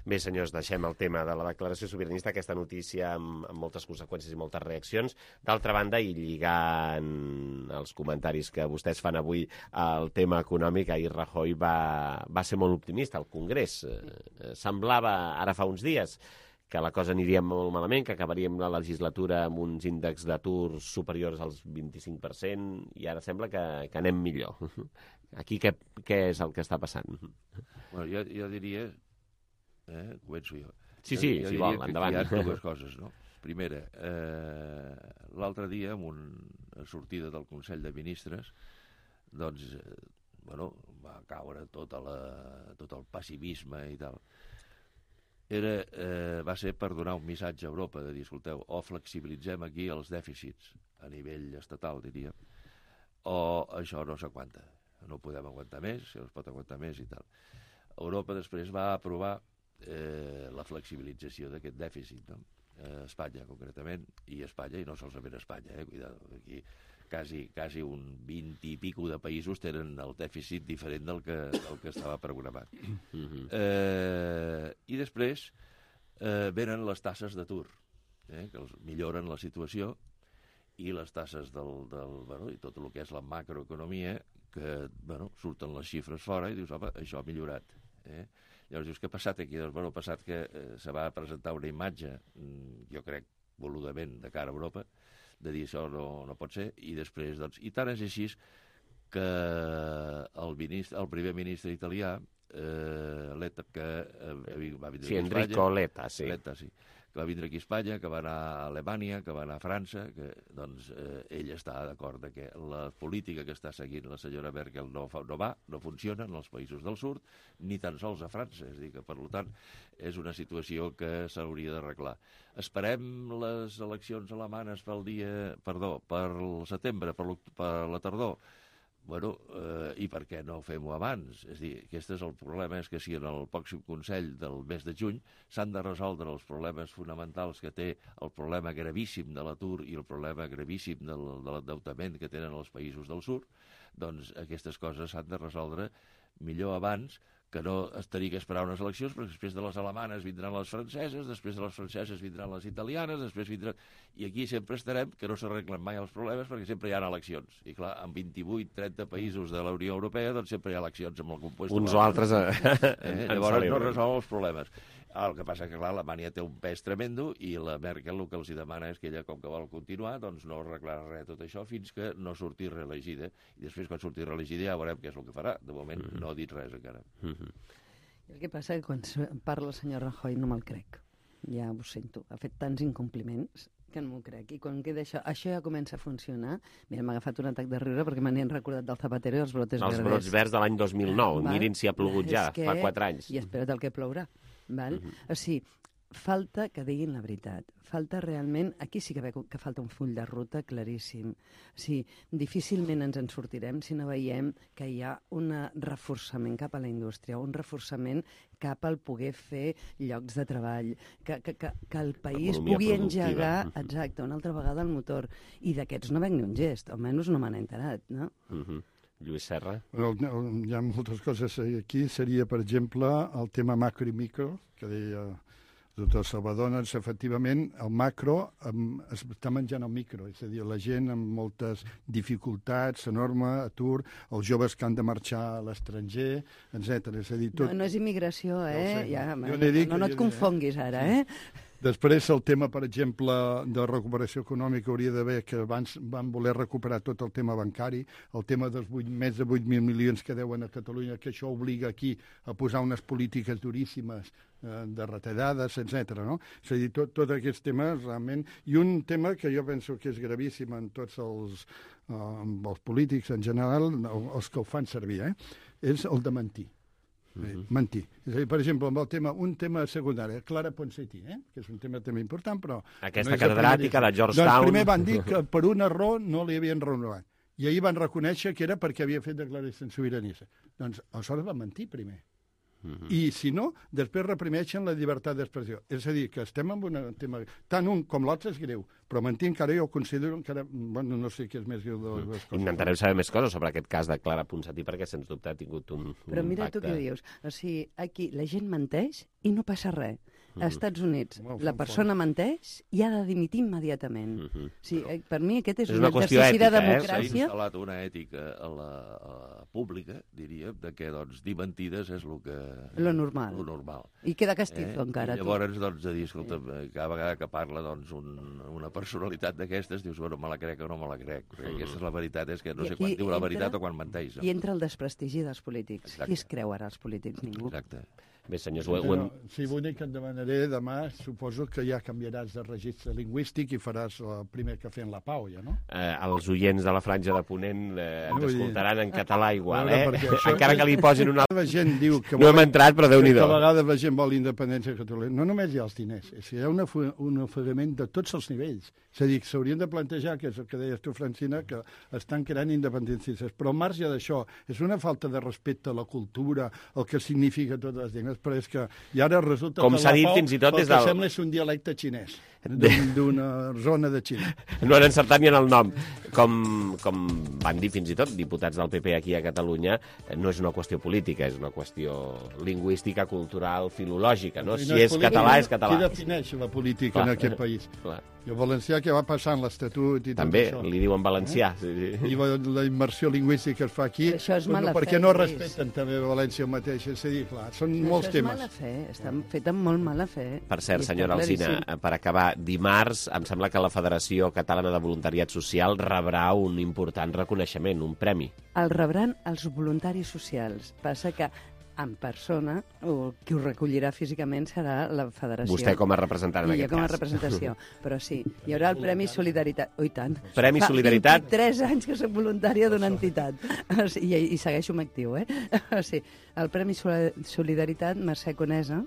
B: Bé, senyors, deixem el tema de la declaració sobiranista, aquesta notícia amb moltes conseqüències i moltes reaccions. D'altra banda, i lligant els comentaris que vostès fan avui al tema econòmic, ahir Rajoy va ser molt optimista al Congrés. Semblava, ara fa uns dies, que la cosa aniria molt malament, que acabaríem la legislatura amb uns índexs d'atur superiors als 25%, i ara sembla que anem millor. Aquí què és el que està passant?
Q: Bueno, jo diria... començo jo.
B: Sí, si vol, endavant.
Q: Hi ha dues coses, no? Primera, l'altre dia, en una sortida del Consell de Ministres, doncs, va caure tot el pessimisme i tal. Va ser per donar un missatge a Europa, de dir, escolteu, o flexibilitzem aquí els dèficits a nivell estatal, diria, o això no s'aguanta. No podem aguantar més, no es pot aguantar més i tal. Europa després va aprovar la flexibilització d'aquest dèficit, no? Espanya, concretament, i Espanya, i no solament Espanya, cuidado, aquí quasi un 20 i pico de països tenen el dèficit diferent del que estava programat. I després venen les tasses d'atur, que els milloren la situació, i les tasses i tot el que és la macroeconomia, que surten les xifres fora i dius, home, això ha millorat. Llavors dius, què ha passat aquí? Doncs, ha passat que se va presentar una imatge, jo crec, voludament, de cara a Europa, de dir això no pot ser, i després, doncs, i tant és així que el primer ministre italià, Letta, que va vindre aquí a Espanya...
B: Enrico Letta, sí.
Q: Letta, sí. Que va vindre aquí a Espanya, que va anar a Alemanya, que va anar a França, que, doncs, ell està d'acord que la política que està seguint la senyora Merkel no funciona en els països del sud, ni tan sols a França. És a dir, que, per tant, és una situació que s'hauria d'arreglar. Esperem les eleccions alemanes pel setembre, per la tardor. I per què no fem-ho abans? És a dir, aquest és el problema, és que si en el pròxim Consell del mes de juny s'han de resoldre els problemes fonamentals que té el problema gravíssim de l'atur i el problema gravíssim de l'endeutament que tenen els països del sud, doncs aquestes coses s'han de resoldre millor abans que no es tenir que esperar unes eleccions, perquè després de les alemanes vindran les franceses, després de les franceses vindran les italianes, després vindran... I aquí sempre estarem que no s'arreglen mai els problemes perquè sempre hi ha eleccions. I clar, en 28-30 països de la Unió Europea doncs sempre hi ha eleccions amb el compost.
B: Uns o altres
Q: llavors no resolen els problemes. El que passa que, clar, Alemanya té un pes tremendo i la Merkel el que els demana és que ella, com que vol continuar, doncs no arreglarà res tot això fins que no surti reelegida. I després, quan surti reelegida, ja veurem què és el que farà. De moment no ha dit res encara.
O: El que passa és que quan parla el senyor Rajoy no me'l crec. Ja ho sento. Ha fet tants incompliments que no m'ho crec. I quan queda això ja comença a funcionar... Mira, m'ha agafat un atac de riure perquè me n'he recordat del Zapatero i els brotes verdes.
B: Els brots verds de l'any 2009. Mirin si ha plogut ja, fa 4 anys.
O: I espera't el que plourà. Val? O sigui, falta que diguin la veritat. Falta realment... Aquí sí que falta un full de ruta claríssim. O sigui, difícilment ens en sortirem si no veiem que hi ha un reforçament cap a la indústria, un reforçament cap al poder fer llocs de treball, que el país pugui engegar, exacte, una altra vegada el motor. I d'aquests no veig ni un gest, almenys no m'han enterat, no?
B: Lluís Serra?
P: Hi ha moltes coses aquí. Seria, per exemple, el tema macro i micro, que deia el doctor Salvador. Doncs, efectivament, el macro està menjant el micro, és a dir, la gent amb moltes dificultats, enorme atur, els joves que han de marxar a l'estranger, etc. És a dir, tot...
O: No és immigració,
P: Ja
O: no et confonguis ara,
P: Després, el tema, per exemple, de recuperació econòmica hauria d'haver, que abans van voler recuperar tot el tema bancari, el tema dels més de 8.000 milions que deuen a Catalunya, que això obliga aquí a posar unes polítiques duríssimes de retallades, etc. No? És a dir, tots aquests temes realment... I un tema que jo penso que és gravíssim en tots els polítics en general, els que ho fan servir, és el de mentir. Mentir. És a dir, per exemple, amb un tema secundari, Clara Ponsatí, que és un tema també important, però...
B: Aquesta catedràtica de Georgetown...
P: Doncs primer van dir que per un error no li havien renovat. I ahir van reconèixer que era perquè havia fet declaracions sobiranistes. Doncs aleshores van mentir primer. I, si no, després reprimeixen la llibertat d'expressió. És a dir, que estem en un tema... Tant un com l'altre és greu, però mentir encara jo considero encara... Bueno, no sé què és més greu de les coses.
B: Intentarem saber més coses sobre aquest cas de Clara Ponsatí, perquè sens dubte ha tingut un
O: Però mira
B: impacte.
O: tu què dius. O sigui, aquí la gent menteix i no passa res. Als Estats Units, la persona menteix i ha de dimitir immediatament. O sigui, per mi aquest és un exercici de democràcia.
Q: S'ha instal·lat una ètica a la pública, diríem, de que dir mentides és el que...
O: Lo normal. I queda castizo encara.
Q: I llavors, de dir, escolta, cada vegada que parla una personalitat d'aquestes, dius, bueno, me la crec o no me la crec. Perquè aquesta és la veritat, és que no sé quan diu la veritat o quan menteix.
O: I entra el desprestigi dels polítics. Qui es creu ara els polítics? Ningú.
Q: Exacte.
B: Bé, senyors,
P: Sí, l'únic que et demanaré demà, suposo que ja canviaràs de registre lingüístic i faràs el primer cafè en la Pau, ja, no?
B: Els oients de la Franja de Ponent ens escoltaran en català igual,
P: Això,
B: encara que li posin una...
P: La gent diu que
B: no hem entrat, però Déu-n'hi-do.
P: Que a vegades la gent vol independència de Catalunya. No només hi ha els diners, hi ha un ofegament de tots els nivells. És a dir, s'haurien de plantejar, que és el que deies tu, Francina, que estan creant independencistes. Però al marge d'això, és una falta de respecte a la cultura, el que significa totes les llengües, però és que i ara resulta
B: com
P: que
B: s'ha
P: la
B: dit
P: Pau,
B: fins i tot
P: el que sembla és un dialecte xinès, d'una zona de Xina.
B: No han encertat ni en el nom. Com van dir fins i tot diputats del PP aquí a Catalunya, no és una qüestió política, és una qüestió lingüística, cultural, filològica, no? Si és català, és català.
P: Qui defineix la política en aquest país? I el valencià que va passant l'Estatut i tot
B: també,
P: això.
B: li diuen valencià.
P: I la immersió lingüística que es fa aquí, perquè no respecten també València el mateix. És a dir, clar, són molts temes.
O: Això és mala fe, està fet amb molt mala fe.
B: Per cert, senyora Alsina, per acabar, dimarts em sembla que la Federació Catalana de Voluntariat Social rebrà un important reconeixement, un premi.
O: El rebran els voluntaris socials. Passa que en persona, o qui ho recollirà físicament serà la federació.
B: Vostè com a representant en aquest cas.
O: I jo com a representació. Però sí, hi haurà el Premi Solidaritat. Oh, i tant.
B: Premi Solidaritat.
O: Fa 23 anys que soc voluntària d'una entitat. I segueixo amb actiu, O sigui, el Premi Solidaritat, Mercè Conesa,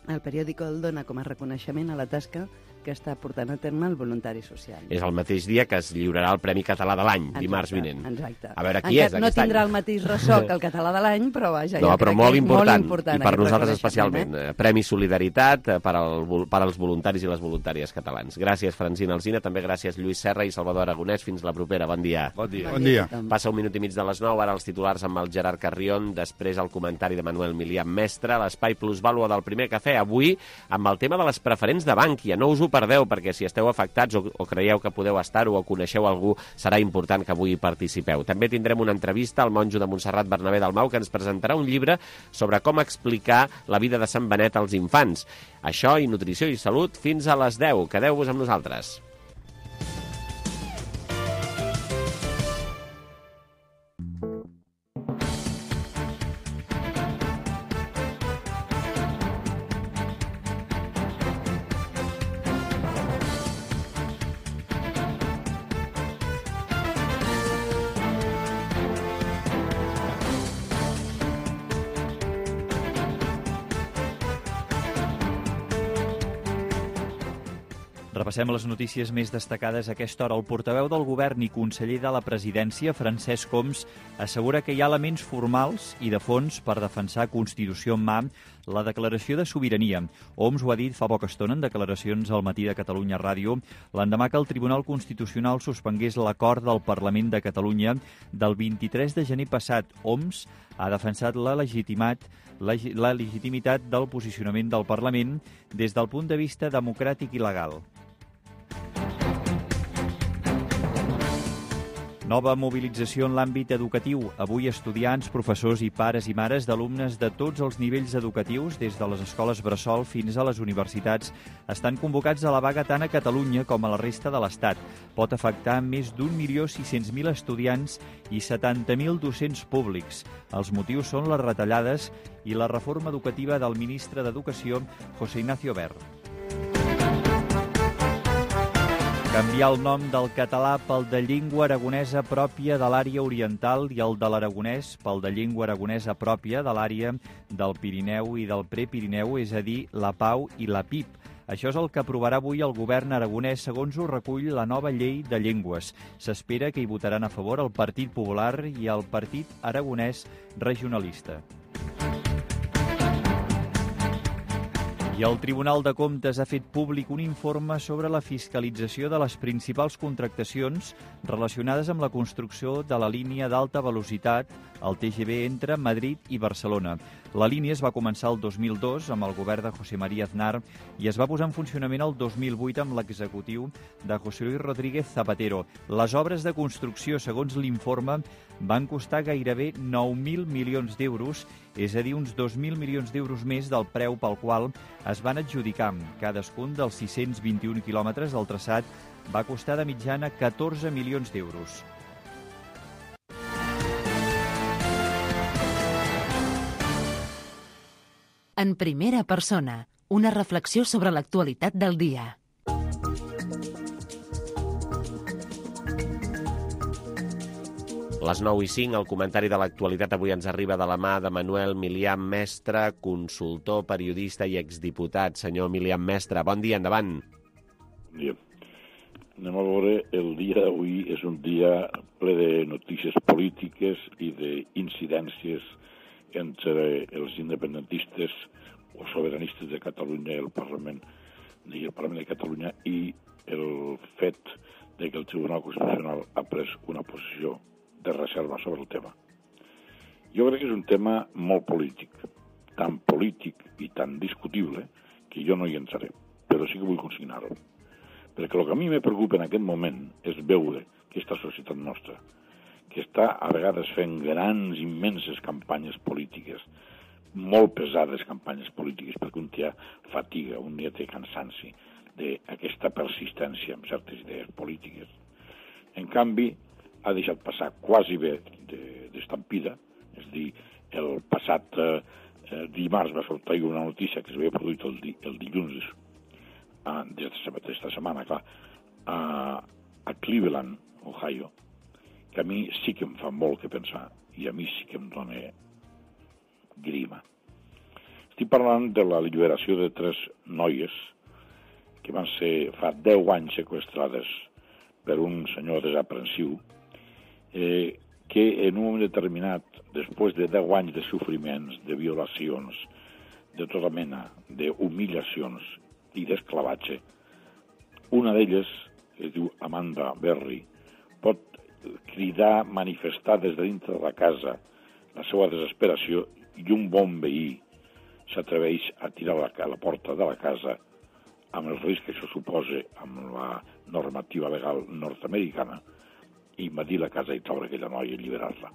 O: el periòdico el dona com a reconeixement a la tasca que està portant a terme el voluntari social.
B: És el mateix dia que es lliurarà el Premi Català de l'any, dimarts vinent.
O: Exacte.
B: A veure qui és aquest any.
O: No tindrà el mateix ressò que el Català de l'any, però vaja,
B: no, però molt important,
O: i
B: per nosaltres especialment. Premi Solidaritat per als voluntaris i les voluntàries catalans. Gràcies, Francina Alsina, també gràcies Lluís Serra i Salvador Aragonès. Fins la propera. Bon dia.
Q: Bon dia.
P: Bon dia.
B: Passa 1 minut i mig de les 9, ara els titulars amb el Gerard Carrion, després el comentari de Manuel Milián Mestre, l'Espai Plusvàlua del Primer Cafè, avui amb el tema de les preferents de Bankia. No us ho perdeu, perquè si esteu afectats o creieu que podeu estar-ho o coneixeu algú, serà important que avui hi participeu. També tindrem una entrevista al monjo de Montserrat Bernabé Dalmau, que ens presentarà un llibre sobre com explicar la vida de Sant Benet als infants. Això i nutrició i salut fins a les 10. Quedeu-vos amb nosaltres.
E: Repassem les notícies més destacades a aquesta hora. El portaveu del govern i conseller de la presidència, Francesc Homs, assegura que hi ha elements formals i de fons per defensar Constitució en mà la declaració de sobirania. Homs ho ha dit fa poca estona en declaracions al Matí de Catalunya Ràdio, l'endemà que el Tribunal Constitucional suspengués l'acord del Parlament de Catalunya del 23 de gener passat. Homs ha defensat la legitimitat del posicionament del Parlament des del punt de vista democràtic i legal. Nova mobilització en l'àmbit educatiu. Avui estudiants, professors i pares i mares d'alumnes de tots els nivells educatius, des de les escoles bressol fins a les universitats, estan convocats a la vaga tant a Catalunya com a la resta de l'Estat. Pot afectar més d'1.600.000 estudiants i 70.000 docents públics. Els motius són les retallades i la reforma educativa del ministre d'Educació, José Ignacio Wert. Canviar el nom del català pel de llengua aragonesa pròpia de l'àrea oriental i el de l'aragonès pel de llengua aragonesa pròpia de l'àrea del Pirineu i del Prepirineu, és a dir, la PAU i la PIP. Això és el que aprovarà avui el govern aragonès, segons ho recull la nova llei de llengües. S'espera que hi votaran a favor el Partit Popular i el Partit Aragonès Regionalista. I el Tribunal de Comptes ha fet públic un informe sobre la fiscalització de les principals contractacions relacionades amb la construcció de la línia d'alta velocitat, el TGV, entre Madrid i Barcelona. La línia es va començar el 2002 amb el govern de José María Aznar i es va posar en funcionament el 2008 amb l'executiu de José Luis Rodríguez Zapatero. Les obres de construcció, segons l'informe, van costar gairebé 9.000 milions d'euros, és a dir, uns 2.000 milions d'euros més del preu pel qual es van adjudicar. Cadascun dels 621 quilòmetres del traçat va costar de mitjana 14 milions d'euros.
A: En primera persona, una reflexió sobre l'actualitat del dia.
B: Les 9:05, el comentari de l'actualitat avui ens arriba de la mà de Manuel Milián Mestre, consultor, periodista i exdiputat. Senyor Milián Mestre, bon dia, endavant.
R: Bon dia. Anem a veure, el dia d'avui és un dia ple de notícies polítiques i d'incidències entre els independentistes o sobiranistes de Catalunya i el Parlament de Catalunya i el fet de que el Tribunal Constitucional ha pres una posició de reserva sobre el tema. Jo crec que és un tema molt polític, tan polític i tan discutible que jo no hi entraré, però sí que vull consignar-ho. Perquè el que a mi me preocupa en aquest moment és veure aquesta societat nostra, que està a vegades fent grans, immenses campanyes polítiques, molt pesades campanyes polítiques, perquè un dia fatiga, un dia té cansanci d'aquesta persistència en certes idees polítiques. En canvi, ha deixat passar quasi bé d'estampida, és a dir, el passat dimarts va sortir una notícia que s'havia produït el dilluns d'esta setmana, clar, a Cleveland, Ohio, que a mi sí que em fa molt que pensar i a mi sí que em dona grima. Estic parlant de la alliberació de 3 noies que van ser fa 10 anys seqüestrades per un senyor desaprensiu que en un moment determinat, després de 10 anys de sofriments, de violacions, de tota mena, d'humiliacions i d'esclavatge, una d'elles, que es diu Amanda Berry, pot cridar, manifestar des de dintre de la casa la seva desesperació i un bon veí s'atreveix a tirar a la porta de la casa amb el risc que això suposa amb la normativa legal nord-americana i invadir la casa i treure aquella noia i alliberar-la.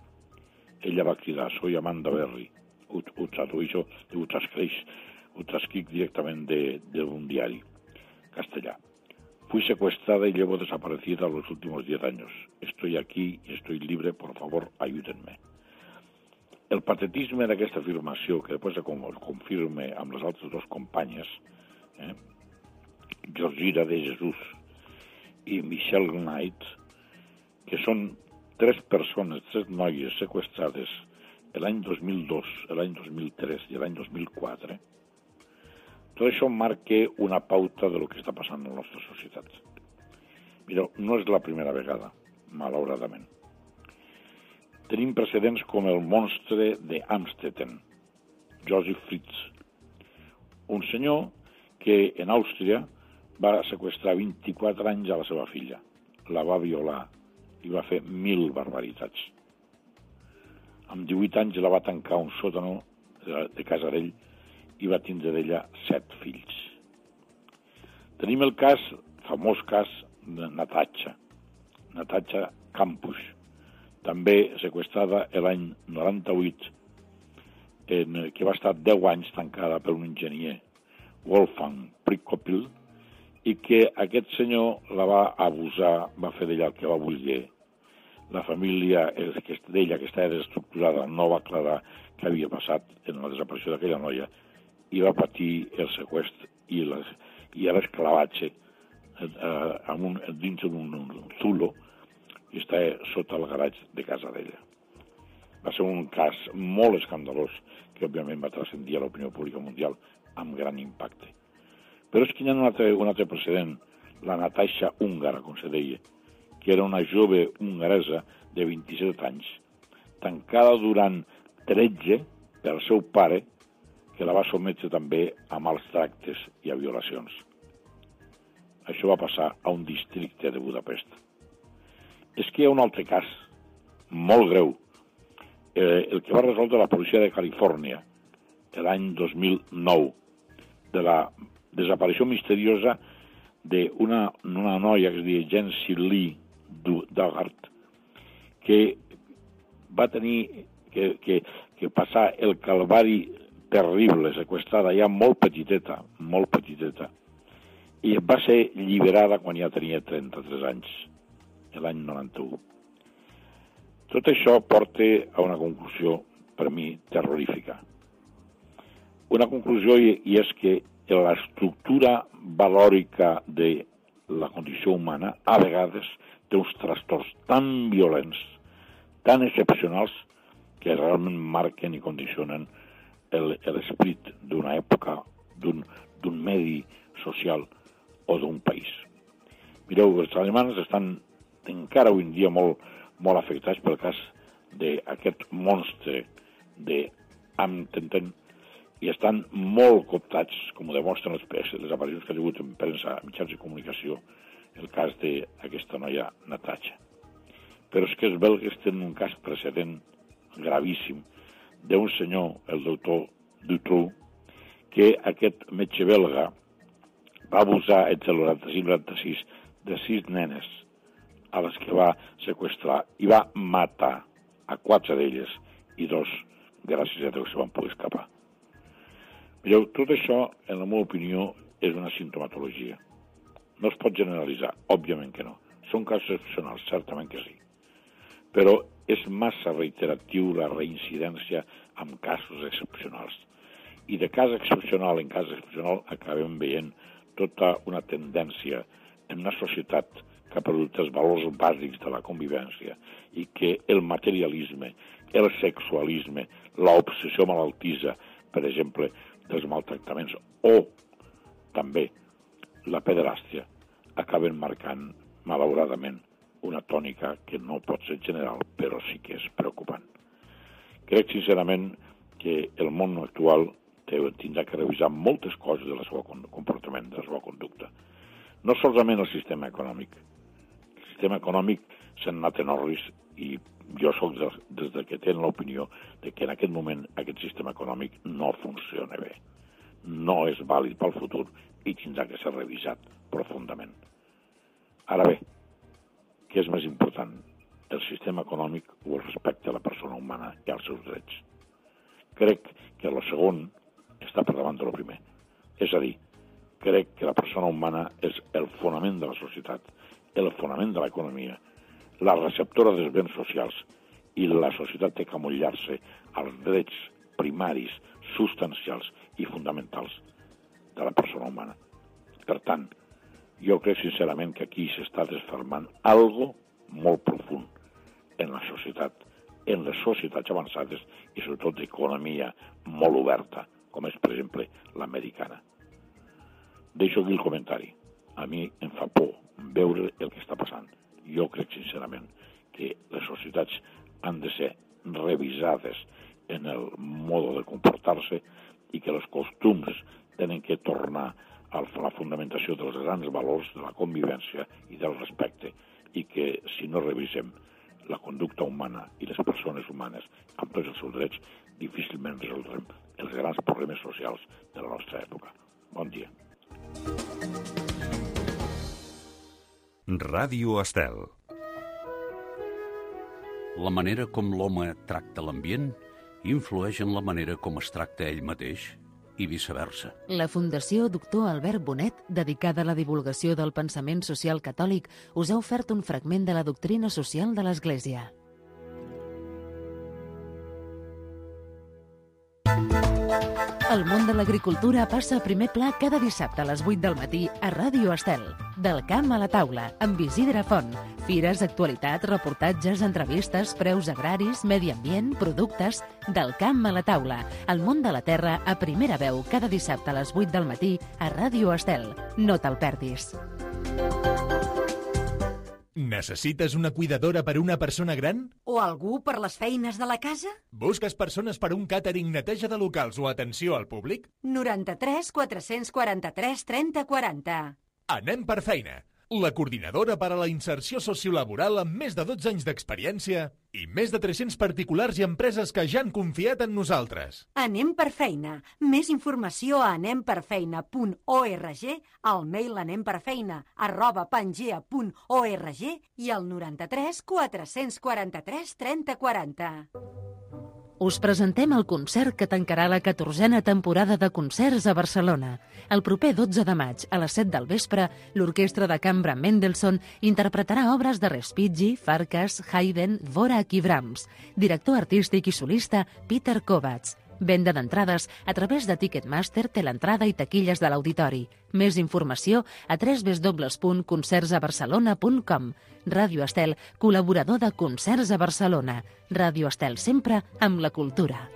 R: Ella va cridar, soy Amanda Berry, ho tradueixo, ho transcric directament d'un diari castellà. Fui secuestrada y llevo desaparecida los últimos 10 años. Estoy aquí y estoy libre, por favor, ayúdenme. El patetisme d'aquesta afirmació, que després es confirma amb les altres 2 companyes, Georgina de Jesús i Michelle Knight, que són 3 persones, 3 noies sequestrades l'any 2002, l'any 2003 i l'any 2004, tot això marca una pauta de lo que està passant en la nostra societat. Mireu, no és la primera vegada, malauradament. Tenim precedents com el monstre d'Amstetten, Joseph Fritz, un senyor que en Àustria va seqüestrar 24 anys a la seva filla, la va violar i va fer 1.000 barbaritats. Amb 18 anys la va tancar a un sòtano de casa d'ell i va tindre d'ella 7 fills. Tenim el famós cas de Natasha Kampusch, també sequestrada l'any 98, que va estar 10 anys tancada per un enginyer, Wolfgang Prikopil, i que aquest senyor la va abusar, va fer d'ella el que va voler. La família d'ella, que estava desestructurada, no va aclarar què havia passat en la desaparició d'aquella noia i va patir el seqüestre i l'esclavatge dins d'un zulo i estava sota el garatge de casa d'ella. Va ser un cas molt escandalós que, òbviament, va transcendir a l'opinió pública mundial amb gran impacte. Però és que hi ha un altre precedent, la Natasha húngara, com se deia, que era una jove hongaresa de 27 anys, tancada durant 13 pel seu pare, que la va sotmetre també a mals tractes i a violacions. Això va passar a un districte de Budapest. És que hi ha un altre cas, molt greu, el que va resoldre la policia de Califòrnia l'any 2009, de la desaparició misteriosa d'una noia que es deia Jency Lee Dugard, que va tenir que passar el calvari terrible, sequestrada ja molt petiteta, i va ser alliberada quan ja tenia 33 anys, l'any 91. Tot això porta a una conclusió, per mi, terrorífica. Una conclusió i és que l'estructura valòrica de la condició humana a vegades té uns trastorns tan violents, tan excepcionals, que realment marquen i condicionen l'esperit d'una època, d'un medi social o d'un país. Mireu, els alemans estan encara avui en dia molt afectats pel cas d'aquest monstre d'Amtenten i estan molt cooptats, com ho demostren les aparicions que ha hagut en premsa, mitjans de comunicació, el cas d'aquesta noia Natasha. Però és que els belgues tenen un cas precedent gravíssim d'un senyor, el doctor Dutroux, que aquest metge belga va abusar entre el 95 i el 96 de 6 nenes a les que va seqüestrar i va matar a 4 d'elles i 2, gràcies a Déu, se van poder escapar. Mireu, tot això, en la meva opinió, és una simptomatologia. No es pot generalitzar, òbviament que no. Són casos excepcionals, certament que sí. Però és massa reiteratiu la reincidència en casos excepcionals. I de cas excepcional en cas excepcional acabem veient tota una tendència en una societat que ha perdut els valors bàsics de la convivència i que el materialisme, el sexualisme, l'obsessió malaltissa, per exemple, dels maltractaments o també la pederàstia, acaben marcant, malauradament, una tònica que no pot ser general, però sí que és preocupant. Crec, sincerament, que el món actual tindrà que revisar moltes coses del seu comportament, de la seva conducta. No solament el sistema econòmic. El sistema econòmic s'ha anat en orris i jo soc des que tenen l'opinió de que en aquest moment aquest sistema econòmic no funciona bé. No és vàlid pel futur i tindrà que ser revisat profundament. Ara bé, què és més important? El sistema econòmic o el respecte a la persona humana i als seus drets? Crec que el segon està per davant del primer. És a dir, crec que la persona humana és el fonament de la societat, el fonament de l'economia, la receptora dels béns socials, i la societat té que amollar-se als drets primaris, substancials i fonamentals de la persona humana. Per tant, jo crec sincerament que aquí s'està desfermant algo molt profund en la societat, en les societats avançades i sobretot d'economia molt oberta, com és, per exemple, l'americana. Deixo aquí el comentari. A mi em fa por veure el que està passant. Jo crec sincerament que les societats han de ser revisades en el mode de comportar-se i que els costums tenen que tornar a la fundamentació dels grans valors de la convivència i del respecte i que si no revisem la conducta humana i les persones humanes amb tots els seus drets, difícilment resoldrem els grans problemes socials de la nostra època. Bon dia.
S: Ràdio Estel. La manera com l'home tracta l'ambient influeix en la manera com es tracta ell mateix i viceversa.
J: La Fundació Doctor Albert Bonet, dedicada a la divulgació del pensament social catòlic, us ha ofert un fragment de la doctrina social de l'Església. El món de l'agricultura passa a primer pla cada dissabte a les 8 del matí a Ràdio Estel. Del camp a la taula, amb Isidre Font. Fires, actualitat, reportatges, entrevistes, preus agraris, medi ambient, productes... Del camp a la taula. El món de la terra a primera veu cada dissabte a les 8 del matí a Ràdio Estel. No te'l perdis.
T: Necessites una cuidadora per a una persona gran?
U: O algú per les feines de la casa?
T: Busques persones per a un càtering, neteja de locals o atenció al públic?
U: 93 443 30 40.
T: Anem per feina. La coordinadora per a la inserció sociolaboral amb més de 12 anys d'experiència i més de 300 particulars i empreses que ja han confiat en nosaltres.
U: Anem per feina. Més informació a anemperfeina.org, al mail anemperfeina@pangea.org i al 93 443 30 40.
J: Us presentem el concert que tancarà la 14a temporada de concerts a Barcelona. El proper 12 de maig, a les 7 del vespre, l'Orquestra de Cambra Mendelssohn interpretarà obres de Respighi, Farkas, Haydn, Dvorak i Brahms. Director artístic i solista, Peter Kovacs. Venda d'entrades a través de Ticketmaster, Teleentrada i taquilles de l'auditori. Més informació a www.concertsabarcelona.com. Ràdio Estel, col·laborador de Concerts a Barcelona. Ràdio Estel, sempre amb la cultura.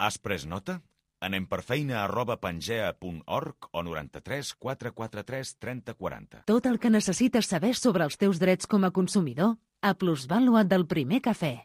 V: Has pres nota? Anem per feina@pangea.org o 93 443 30 40.
J: Tot el que necessites saber sobre els teus drets com a consumidor a Plusvàlua del Primer Cafè.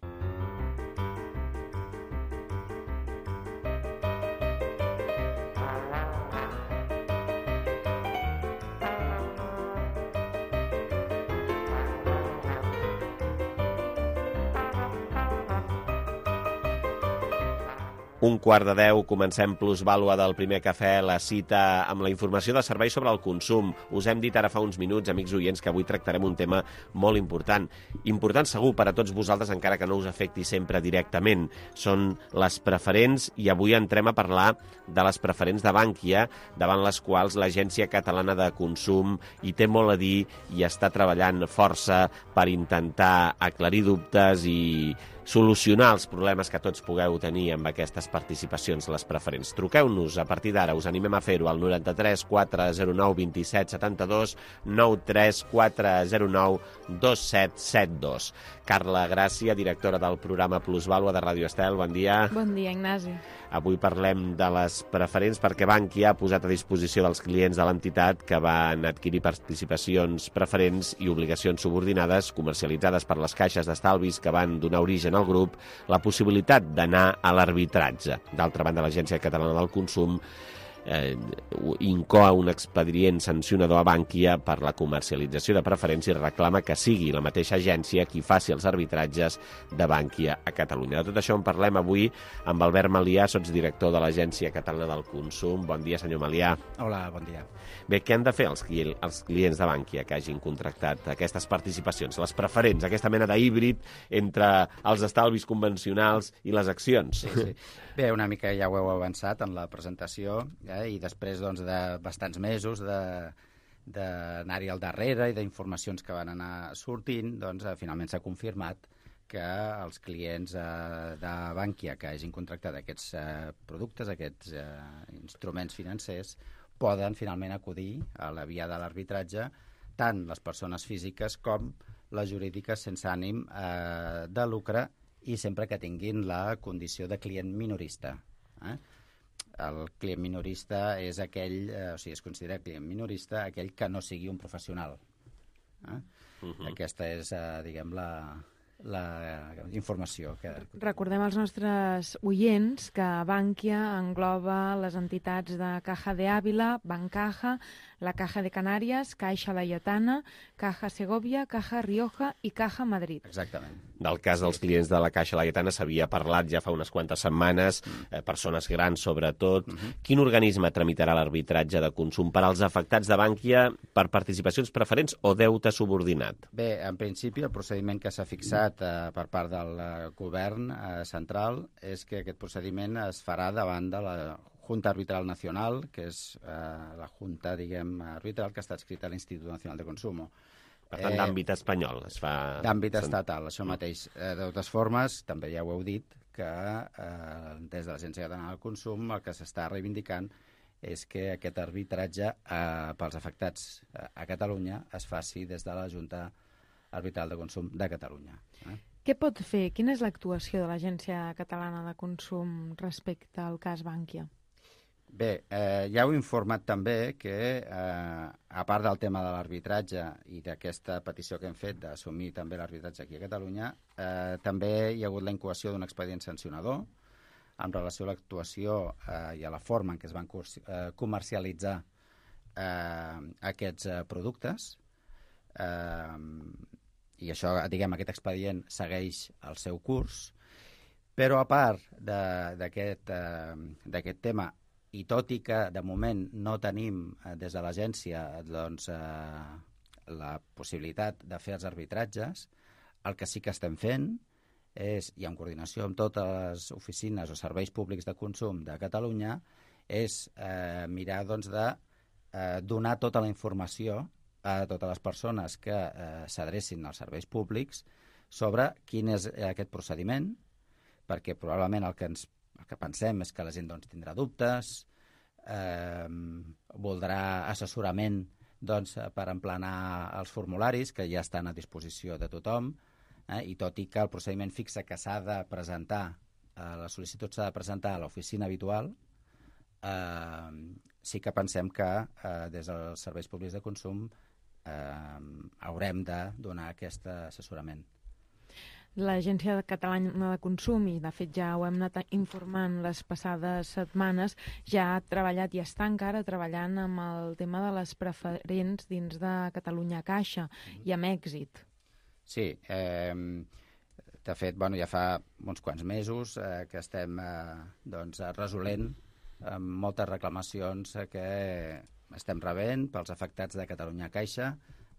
B: Un quart de 10, comencem Plusvàlua del Primer Cafè, la cita amb la informació de serveis sobre el consum. Us hem dit ara fa uns minuts, amics oients, que avui tractarem un tema molt important. Important segur per a tots vosaltres, encara que no us afecti sempre directament. Són les preferents i avui entrem a parlar de les preferents de Bankia, davant les quals l'Agència Catalana de Consum hi té molt a dir i està treballant força per intentar aclarir dubtes i solucionar els problemes que tots pugueu tenir amb aquestes participacions, les preferents. Truqueu-nos a partir d'ara, us animem a fer-ho al 93 409 27 72, 93 409 2772. Carla Gràcia, directora del programa Plusvàlua de Ràdio Estel, bon dia.
W: Bon dia, Ignasi.
B: Avui parlem de les preferents perquè Bankia ha posat a disposició dels clients de l'entitat que van adquirir participacions preferents i obligacions subordinades comercialitzades per les caixes d'estalvis que van donar origen al grup la possibilitat d'anar a l'arbitratge. D'altra banda, l'Agència Catalana del Consum incoa un expedient sancionador a Bankia per la comercialització de preferents i reclama que sigui la mateixa agència qui faci els arbitratges de Bankia a Catalunya. De tot això en parlem avui amb Albert Malià, sotsdirector de l'Agència Catalana del Consum. Bon dia, senyor Malià.
X: Hola, bon dia.
B: Bé, què han de fer els clients de Bankia que hagin contractat aquestes participacions, les preferents, aquesta mena d'híbrid entre els estalvis convencionals i les accions?
X: Sí. Bé, una mica ja ho heu avançat en la presentació, i després doncs, de bastants mesos d'anar-hi al darrere i d'informacions que van anar sortint, doncs finalment s'ha confirmat que els clients de Bankia que hagin contractat aquests productes, aquests instruments financers, poden finalment acudir a la via de l'arbitratge tant les persones físiques com les jurídiques sense ànim de lucre i sempre que tinguin la condició de client minorista. El client minorista és aquell, o sigui, es considera client minorista aquell que no sigui un professional. Aquesta és, diguem, la informació.
W: Recordem als nostres oients que Bankia engloba les entitats de Caja de Ávila, Bancaja, la Caja de Canàries, Caixa Laietana, Caja Segovia, Caja Rioja i Caja Madrid.
X: Exactament.
B: Del cas dels clients de la Caixa Laietana s'havia parlat ja fa unes quantes setmanes, persones grans sobretot. Quin organisme tramitarà l'arbitratge de consum per als afectats de Bankia per participacions preferents o deute subordinat?
X: Bé, en principi el procediment que s'ha fixat per part del govern central és que aquest procediment es farà davant de la Junta Arbitral Nacional, que és la Junta, diguem, arbitral que està adscrita a l'Institut Nacional de Consumo.
B: Per tant, d'àmbit espanyol es fa...
X: D'àmbit estatal, això mateix. De totes formes, també ja ho heu dit, que des de l'Agència Catalana del Consum el que s'està reivindicant és que aquest arbitratge pels afectats a Catalunya es faci des de la Junta Arbitral de Consum de Catalunya.
W: Què pot fer? Quina és l'actuació de l'Agència Catalana de Consum respecte al cas Bankia?
X: Bé, ja heu informat també que, a part del tema de l'arbitratge i d'aquesta petició que hem fet d'assumir també l'arbitratge aquí a Catalunya, també hi ha hagut la incoació d'un expedient sancionador en relació a l'actuació i a la forma en què es van comercialitzar aquests productes. I això, diguem, aquest expedient segueix el seu curs, però a part d'aquest tema, i tot i que de moment no tenim des de l'agència doncs, la possibilitat de fer els arbitratges, el que sí que estem fent és, i en coordinació amb totes les oficines o serveis públics de consum de Catalunya, és mirar doncs, de donar tota la informació a totes les persones que s'adrecin als serveis públics sobre quin és aquest procediment, perquè probablement el que pensem és que la gent doncs, tindrà dubtes, voldrà assessorament doncs, per emplenar els formularis que ja estan a disposició de tothom, i tot i que el procediment fixa que s'ha de presentar, la sol·licitud s'ha de presentar a l'oficina habitual, sí que pensem que des dels serveis públics de consum haurem de donar aquest assessorament.
W: L'Agència Catalana de Consum, i de fet ja ho hem anat informant les passades setmanes, ja ha treballat i està encara treballant amb el tema de les preferents dins de Catalunya Caixa, i amb èxit.
X: Sí, de fet, ja fa uns quants mesos que estem resolent moltes reclamacions que estem rebent pels afectats de Catalunya Caixa.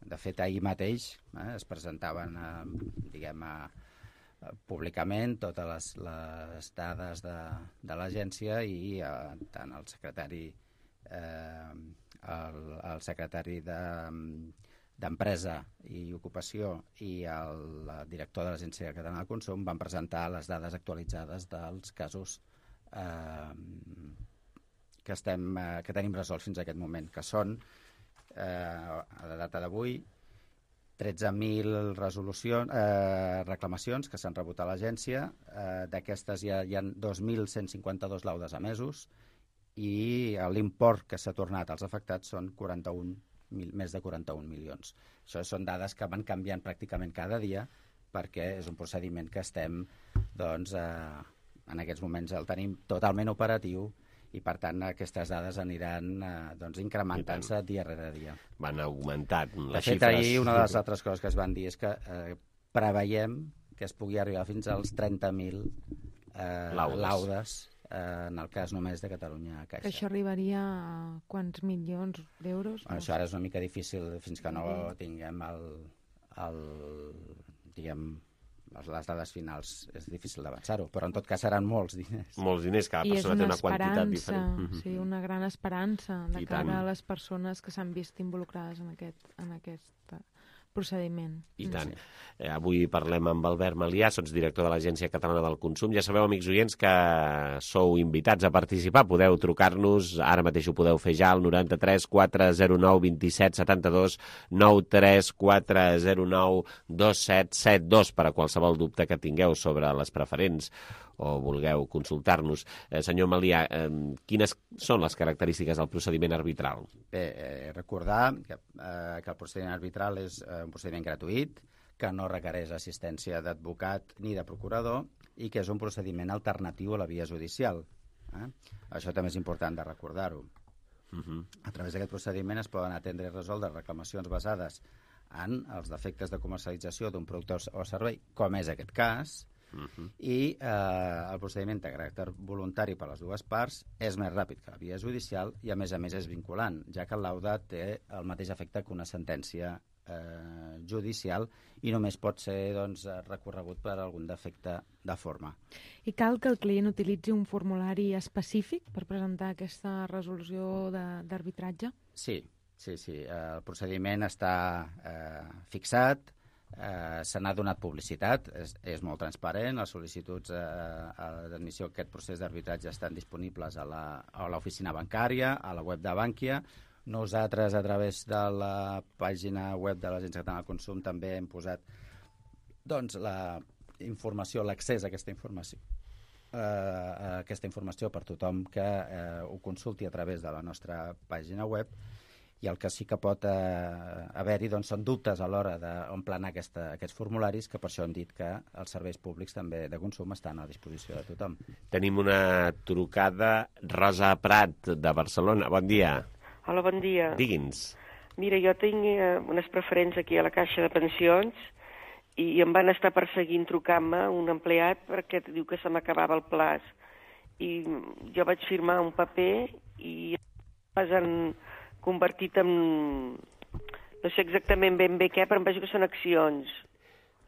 X: De fet, ahir mateix es presentaven, públicament totes les dades de l'agència i tant el secretari d'Empresa i Ocupació i el director de l'Agència Catalana de Consum van presentar les dades actualitzades dels casos que tenim resolts fins a aquest moment, que són, a la data d'avui, 13.000 reclamacions que s'han rebut a l'agència. D'aquestes hi ha 2.152 laudes emesos i l'import que s'ha tornat als afectats són més de 41 milions. Això són dades que van canviant pràcticament cada dia perquè és un procediment que estem, en aquests moments el tenim totalment operatiu i, per tant, aquestes dades aniran incrementant-se dia rere dia.
B: Van augmentant les xifres.
X: De fet, ahir una de les altres coses que es van dir és que preveiem que es pugui arribar fins als 30.000 laudes en el cas només de Catalunya Caixa.
W: Que això arribaria a quants milions d'euros?
X: Això ara és una mica difícil fins que no tinguem les dades finals, és difícil d'avançar-ho, però en tot cas seran molts diners.
B: Molts diners, cada persona té una quantitat diferent.
W: Sí, una gran esperança de cara a les persones que s'han vist involucrades en aquest procediment.
B: I tant. Avui parlem amb Albert Malià, director de l'Agència Catalana del Consum. Ja sabeu, amics oients, que sou invitats a participar. Podeu trucar-nos, ara mateix ho podeu fer ja, al 93 409 27 72, 93 409 2772, per a qualsevol dubte que tingueu sobre les preferents o vulgueu consultar-nos. Senyor Malià, quines són les característiques del procediment arbitral?
X: Bé, recordar que el procediment arbitral és un procediment gratuït, que no requereix assistència d'advocat ni de procurador i que és un procediment alternatiu a la via judicial. Això també és important de recordar-ho. A través d'aquest procediment es poden atendre i resoldre reclamacions basades en els defectes de comercialització d'un producte o servei, com és aquest cas, i el procediment de caràcter voluntari per a les dues parts és més ràpid que la via judicial i, a més és vinculant, ja que el laude té el mateix efecte que una sentència judicial i només pot ser recorregut per algun defecte de forma.
W: I cal que el client utilitzi un formulari específic per presentar aquesta resolució d'arbitratge?
X: Sí. El procediment està fixat, se n'ha donat publicitat, és molt transparent, les sol·licituds d'admissió a aquest procés d'arbitratge estan disponibles a l'oficina bancària, a la web de Bànquia. Nosaltres, a través de la pàgina web de l'Agència Catalana del Consum, també hem posat la informació, l'accés a aquesta informació per tothom que ho consulti a través de la nostra pàgina web, i el que sí que pot haver-hi són dubtes a l'hora d'omplenar aquests formularis, que per això hem dit que els serveis públics també de consum estan a disposició de tothom.
B: Tenim una trucada. Rosa Prat, de Barcelona. Bon dia.
C: Hola, bon dia.
B: Digui'ns.
C: Mira, jo tinc unes preferents aquí a la Caixa de Pensions i em van estar perseguint trucant-me un empleat perquè diu que se m'acabava el plaç. I jo vaig firmar un paper i es han convertit en... no sé exactament ben bé què, però em veig que són accions.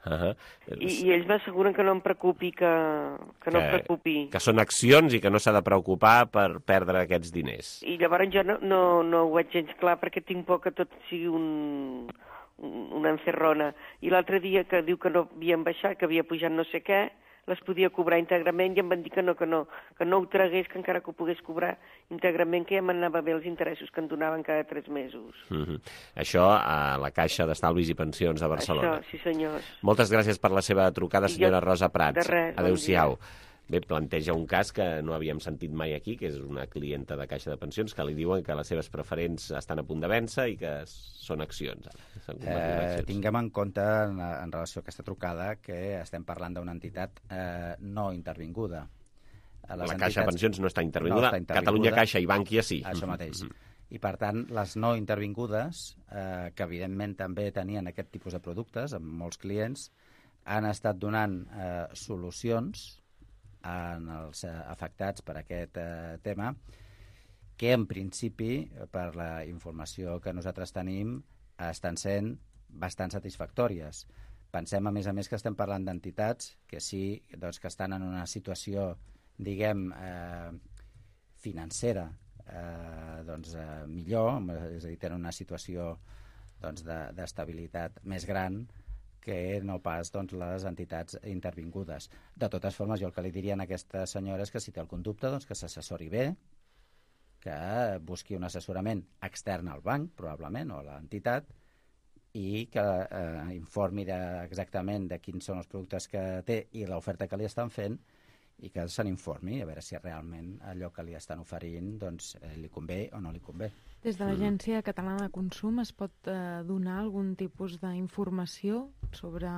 C: I ells m'asseguren que no em preocupi, que no em preocupi.
B: Que són accions i que no s'ha de preocupar per perdre aquests diners.
C: I llavors jo no ho veig gens clar perquè tinc por que tot sigui una encerrona. I l'altre dia que diu que no havien baixat, que havia pujat no sé què, les podia cobrar íntegrament i em van dir que no ho tragués, que encara que ho pogués cobrar íntegrament, que ja m'anava bé els interessos que em donaven cada 3 mesos.
B: Això a la Caixa d'Estalvis i Pensions de Barcelona.
C: Això, sí senyors.
B: Moltes gràcies per la seva trucada, senyora Rosa Prats.
C: De res,
B: adéu-siau. Bé, planteja un cas que no havíem sentit mai aquí, que és una clienta de Caixa de Pensions, que li diuen que les seves preferents estan a punt de vèncer i que són accions.
X: Tinguem en compte, en relació a aquesta trucada, que estem parlant d'una entitat no intervinguda.
B: La Caixa de Pensions no està intervinguda. Catalunya Caixa i Bànquia sí.
X: Això mateix. I, per tant, les no intervingudes, que evidentment també tenien aquest tipus de productes amb molts clients, han estat donant solucions en els afectats per aquest tema, que en principi, per la informació que nosaltres tenim, estan sent bastant satisfactòries. Pensem, a més, que estem parlant d'entitats que sí, que estan en una situació, diguem, financera, millor, és a dir, tenen una situació d'estabilitat més gran que no pas les entitats intervingudes. De totes formes, jo el que li diria a aquesta senyora és que si té algun dubte, que s'assessori bé, que busqui un assessorament extern al banc, probablement, o a l'entitat, i que informi exactament de quins són els productes que té i l'oferta que li estan fent, i que se n'informi, a veure si realment allò que li estan oferint li convé o no li convé.
W: Des de l'Agència Catalana de Consum es pot donar algun tipus d'informació sobre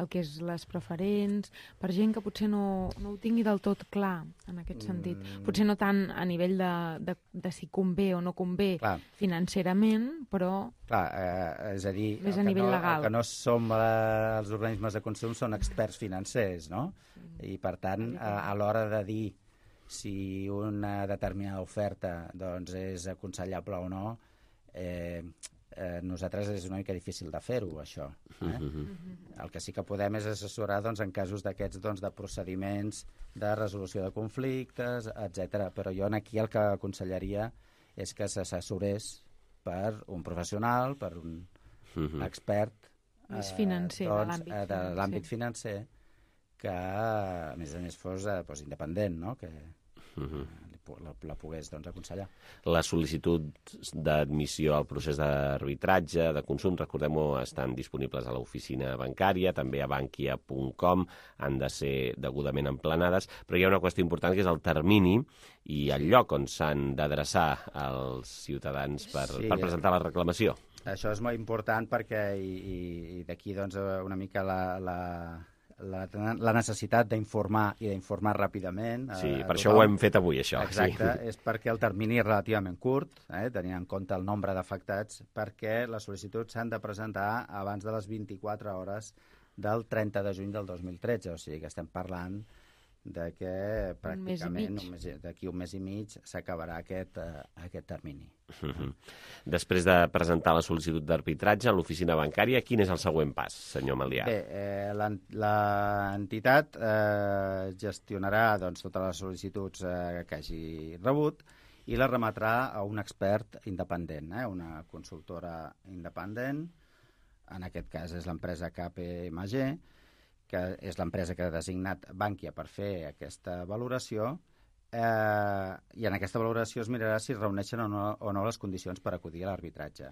W: el que és les preferents, per gent que potser no ho tingui del tot clar en aquest sentit? Potser no tant a nivell de si convé o no convé financerament, però
X: és a dir,
W: més a nivell legal.
X: El que no som els organismes de consum són experts financers, no? I per tant, a l'hora de dir si una determinada oferta és aconsellable o no, nosaltres és una mica difícil de fer-ho, això. El que sí que podem és assessorar en casos d'aquests de procediments de resolució de conflictes, etc. Però jo aquí el que aconsellaria és que s'assessorés per un professional, per un expert
W: més financer,
X: de l'àmbit financer, que a més fos independent, no? Que la pogués aconsellar.
B: Les sol·licituds d'admissió al procés d'arbitratge, de consum, recordem-ho, estan disponibles a l'oficina bancària, també a bankia.com, han de ser degudament emplenades, però hi ha una qüestió important que és el termini i el lloc on s'han d'adreçar els ciutadans per presentar la reclamació.
X: Això és molt important perquè, i d'aquí una mica la necessitat d'informar i d'informar ràpidament.
B: Sí, per això ho hem fet avui, això.
X: Exacte, és perquè el termini és relativament curt, tenint en compte el nombre d'afectats, perquè les sol·licituds s'han de presentar abans de les 24 hores del 30 de juny del 2013, o sigui que estem parlant de que pràcticament d'aquí un mes i mig s'acabarà aquest termini.
B: Després de presentar la sol·licitud d'arbitratge a l'oficina bancària, quin és el següent pas, senyor Malià?
X: Bé, l'entitat gestionarà totes les sol·licituds que hagi rebut i les remetrà a un expert independent, una consultora independent, en aquest cas és l'empresa KPMG, que és l'empresa que ha designat Bankia per fer aquesta valoració, i en aquesta valoració es mirarà si es reuneixen o no les condicions per acudir a l'arbitratge.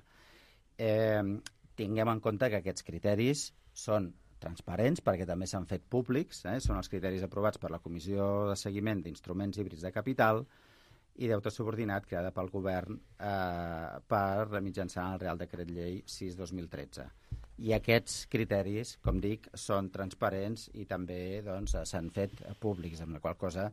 X: Tinguem en compte que aquests criteris són transparents perquè també s'han fet públics, són els criteris aprovats per la Comissió de Seguiment d'Instruments Híbrids de Capital i deute subordinat creada pel govern per mitjançant el Real Decret Llei 6/2013. I aquests criteris, com dic, són transparents i també s'han fet públics, amb la qual cosa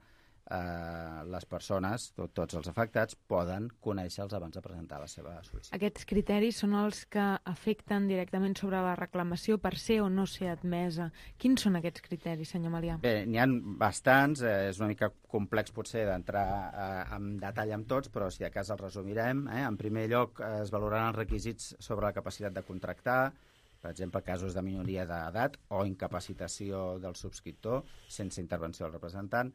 X: les persones, tots els afectats, poden conèixer-los abans de presentar la seva sol·licitud.
W: Aquests criteris són els que afecten directament sobre la reclamació per ser o no ser admesa. Quins són aquests criteris, senyor Malià?
X: Bé, n'hi ha bastants, és una mica complex potser d'entrar en detall amb tots, però si de cas els resumirem. En primer lloc, es valoraran els requisits sobre la capacitat de contractar, per exemple, casos de minoria d'edat o incapacitació del subscriptor sense intervenció del representant,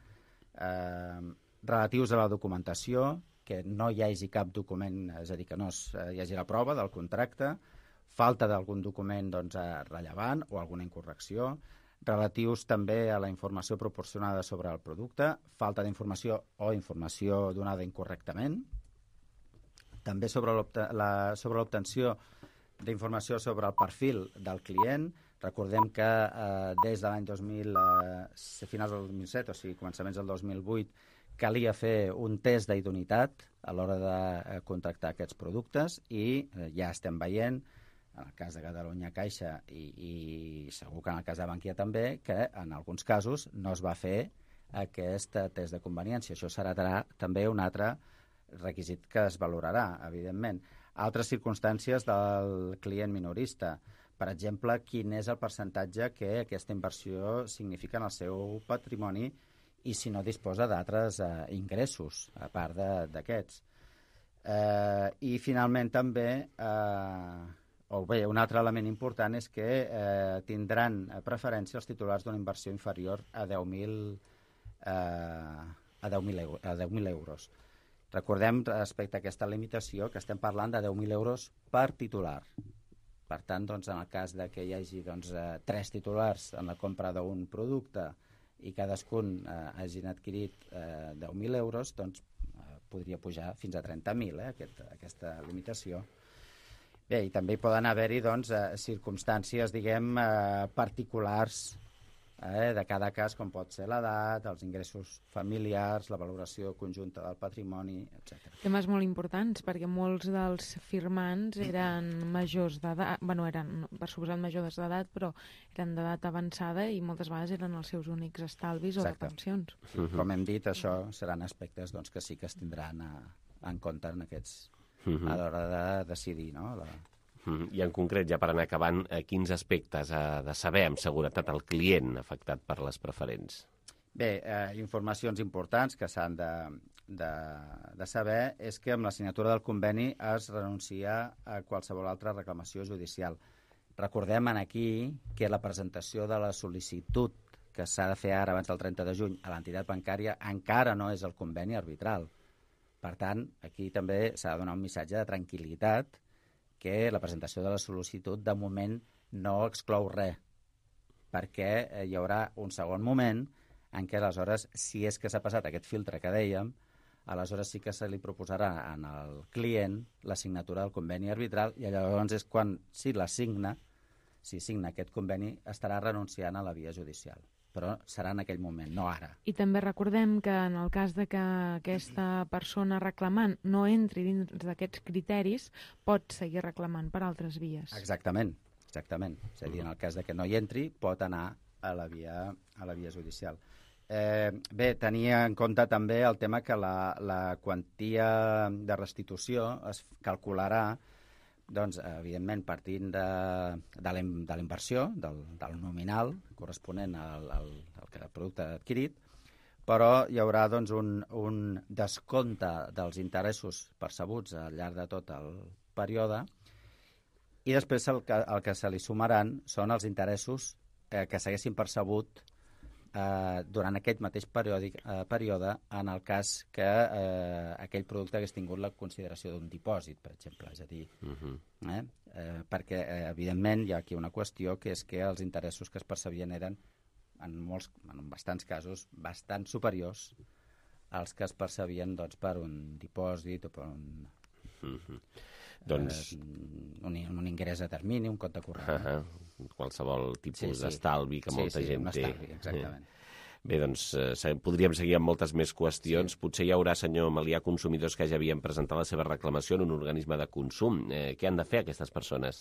X: relatius a la documentació, que no hi hagi cap document, és a dir, que no hi hagi la prova del contracte, falta d'algun document rellevant o alguna incorrecció, relatius també a la informació proporcionada sobre el producte, falta d'informació o informació donada incorrectament, també sobre l'obtenció d'informació sobre el perfil del client. Recordem que des de l'any 2000, finals del 2007, o sigui, començaments del 2008, calia fer un test d'idoneïtat a l'hora de contractar aquests productes i ja estem veient, en el cas de Catalunya Caixa i segur que en el cas de Bankia també, que en alguns casos no es va fer aquest test de conveniència. Això serà també un altre requisit que es valorarà, evidentment. Altres circumstàncies del client minorista. Per exemple, quin és el percentatge que aquesta inversió significa en el seu patrimoni i si no disposa d'altres ingressos, a part d'aquests. I finalment també, un altre element important és que tindran preferència els titulars d'una inversió inferior a 10.000 euros. Recordem, respecte a aquesta limitació, que estem parlant de 10.000 euros per titular. Per tant, en el cas que hi hagi 3 titulars en la compra d'un producte i cadascun hagin adquirit 10.000 euros, podria pujar fins a 30.000, aquesta limitació. Bé, i també hi poden haver-hi circumstàncies, particulars de cada cas, com pot ser l'edat, els ingressos familiars, la valoració conjunta del patrimoni, etc.
W: Temes molt importants, perquè molts dels firmants eren majors d'edat, eren per suposat majors d'edat, però eren d'edat avançada i moltes vegades eren els seus únics estalvis o de pensions.
X: Com hem dit, això seran aspectes que sí que es tindran en compte en aquests a l'hora de decidir, no?
B: I en concret, ja per anar acabant, quins aspectes ha de saber amb seguretat el client afectat per les preferents?
X: Bé, informacions importants que s'han de saber és que amb la signatura del conveni es renuncia a qualsevol altra reclamació judicial. Recordem aquí que la presentació de la sol·licitud que s'ha de fer ara abans del 30 de juny a l'entitat bancària encara no és el conveni arbitral. Per tant, aquí també s'ha de donar un missatge de tranquil·litat que la presentació de la sol·licitud de moment no exclou res, perquè hi haurà un segon moment en què aleshores, si és que s'ha passat aquest filtre que dèiem, aleshores sí que se li proposarà al client la signatura del conveni arbitral i llavors és quan, si signa aquest conveni, estarà renunciant a la via judicial. Però serà en aquell moment, no ara.
W: I també recordem que en el cas de que aquesta persona reclamant no entri dins d'aquests criteris, pot seguir reclamant per altres vies.
X: Exactament. És a dir, en el cas de que no hi entri, pot anar a la via judicial. Bé, tenia en compte també el tema que la quantia de restitució es calcularà, doncs, evidentment, partint de la inversió, del nominal corresponent al producte adquirit, però hi haurà doncs, un descompte dels interessos percebuts al llarg de tot el període, i després el que se li sumaran són els interessos que s'haguessin percebut durant aquest mateix període en el cas que aquell producte hagués tingut la consideració d'un dipòsit, per exemple. És a dir, perquè, evidentment, hi ha aquí una qüestió, que és que els interessos que es percebien eren, en bastants casos, bastant superiors als que es percebien doncs, per un dipòsit o per un ingrés a termini, un compte corrent.
B: Qualsevol tipus d'estalvi que molta gent té.
X: Exactament.
B: Bé, doncs podríem seguir amb moltes més qüestions. Potser hi haurà, senyor Melià, consumidors que ja havien presentat la seva reclamació en un organisme de consum. Què han de fer aquestes persones?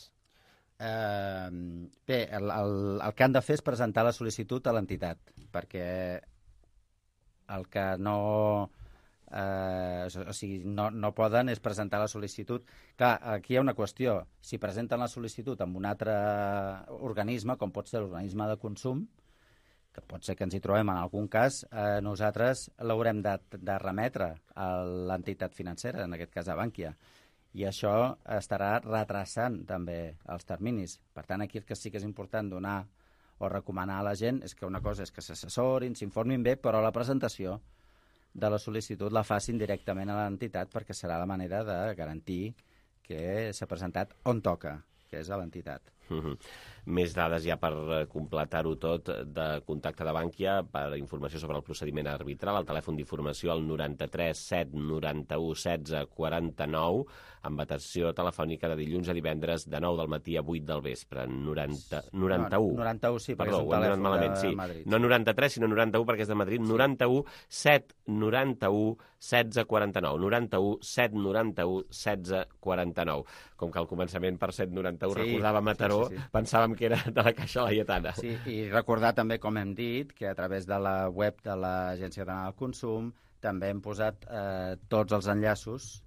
X: Bé, el que han de fer és presentar la sol·licitud a l'entitat, perquè el que no poden és presentar la sol·licitud. Clar, aquí hi ha una qüestió. Si presenten la sol·licitud amb un altre organisme, com pot ser l'organisme de consum, que pot ser que ens hi trobem en algun cas, nosaltres l'haurem de remetre a l'entitat financera, en aquest cas a Bànquia, i això estarà retrasant també els terminis. Per tant, aquí el que sí que és important donar o recomanar a la gent és que una cosa és que s'assessorin, s'informin bé, però la presentació de la sol·licitud la facin directament a l'entitat, perquè serà la manera de garantir que s'ha presentat on toca, que és a l'entitat.
B: Més dades ja per completar-ho tot de contacte de Bànquia per informació sobre el procediment arbitral. El telèfon d'informació al 93 7 91 16 49, amb atenció telefònica de dilluns a divendres de 9 del matí a 8 del vespre.
X: 91, sí, perquè és un telèfon de Madrid.
B: No 93, sinó 91 perquè és de Madrid. 91 7 91 16 49. 91 7 91 16 49. Com que al començament per 791 recordava Mataró, pensàvem que era de la Caixa Laietana.
X: Sí, i recordar també, com hem dit, que a través de la web de l'Agència Catalana del Consum també hem posat tots els enllaços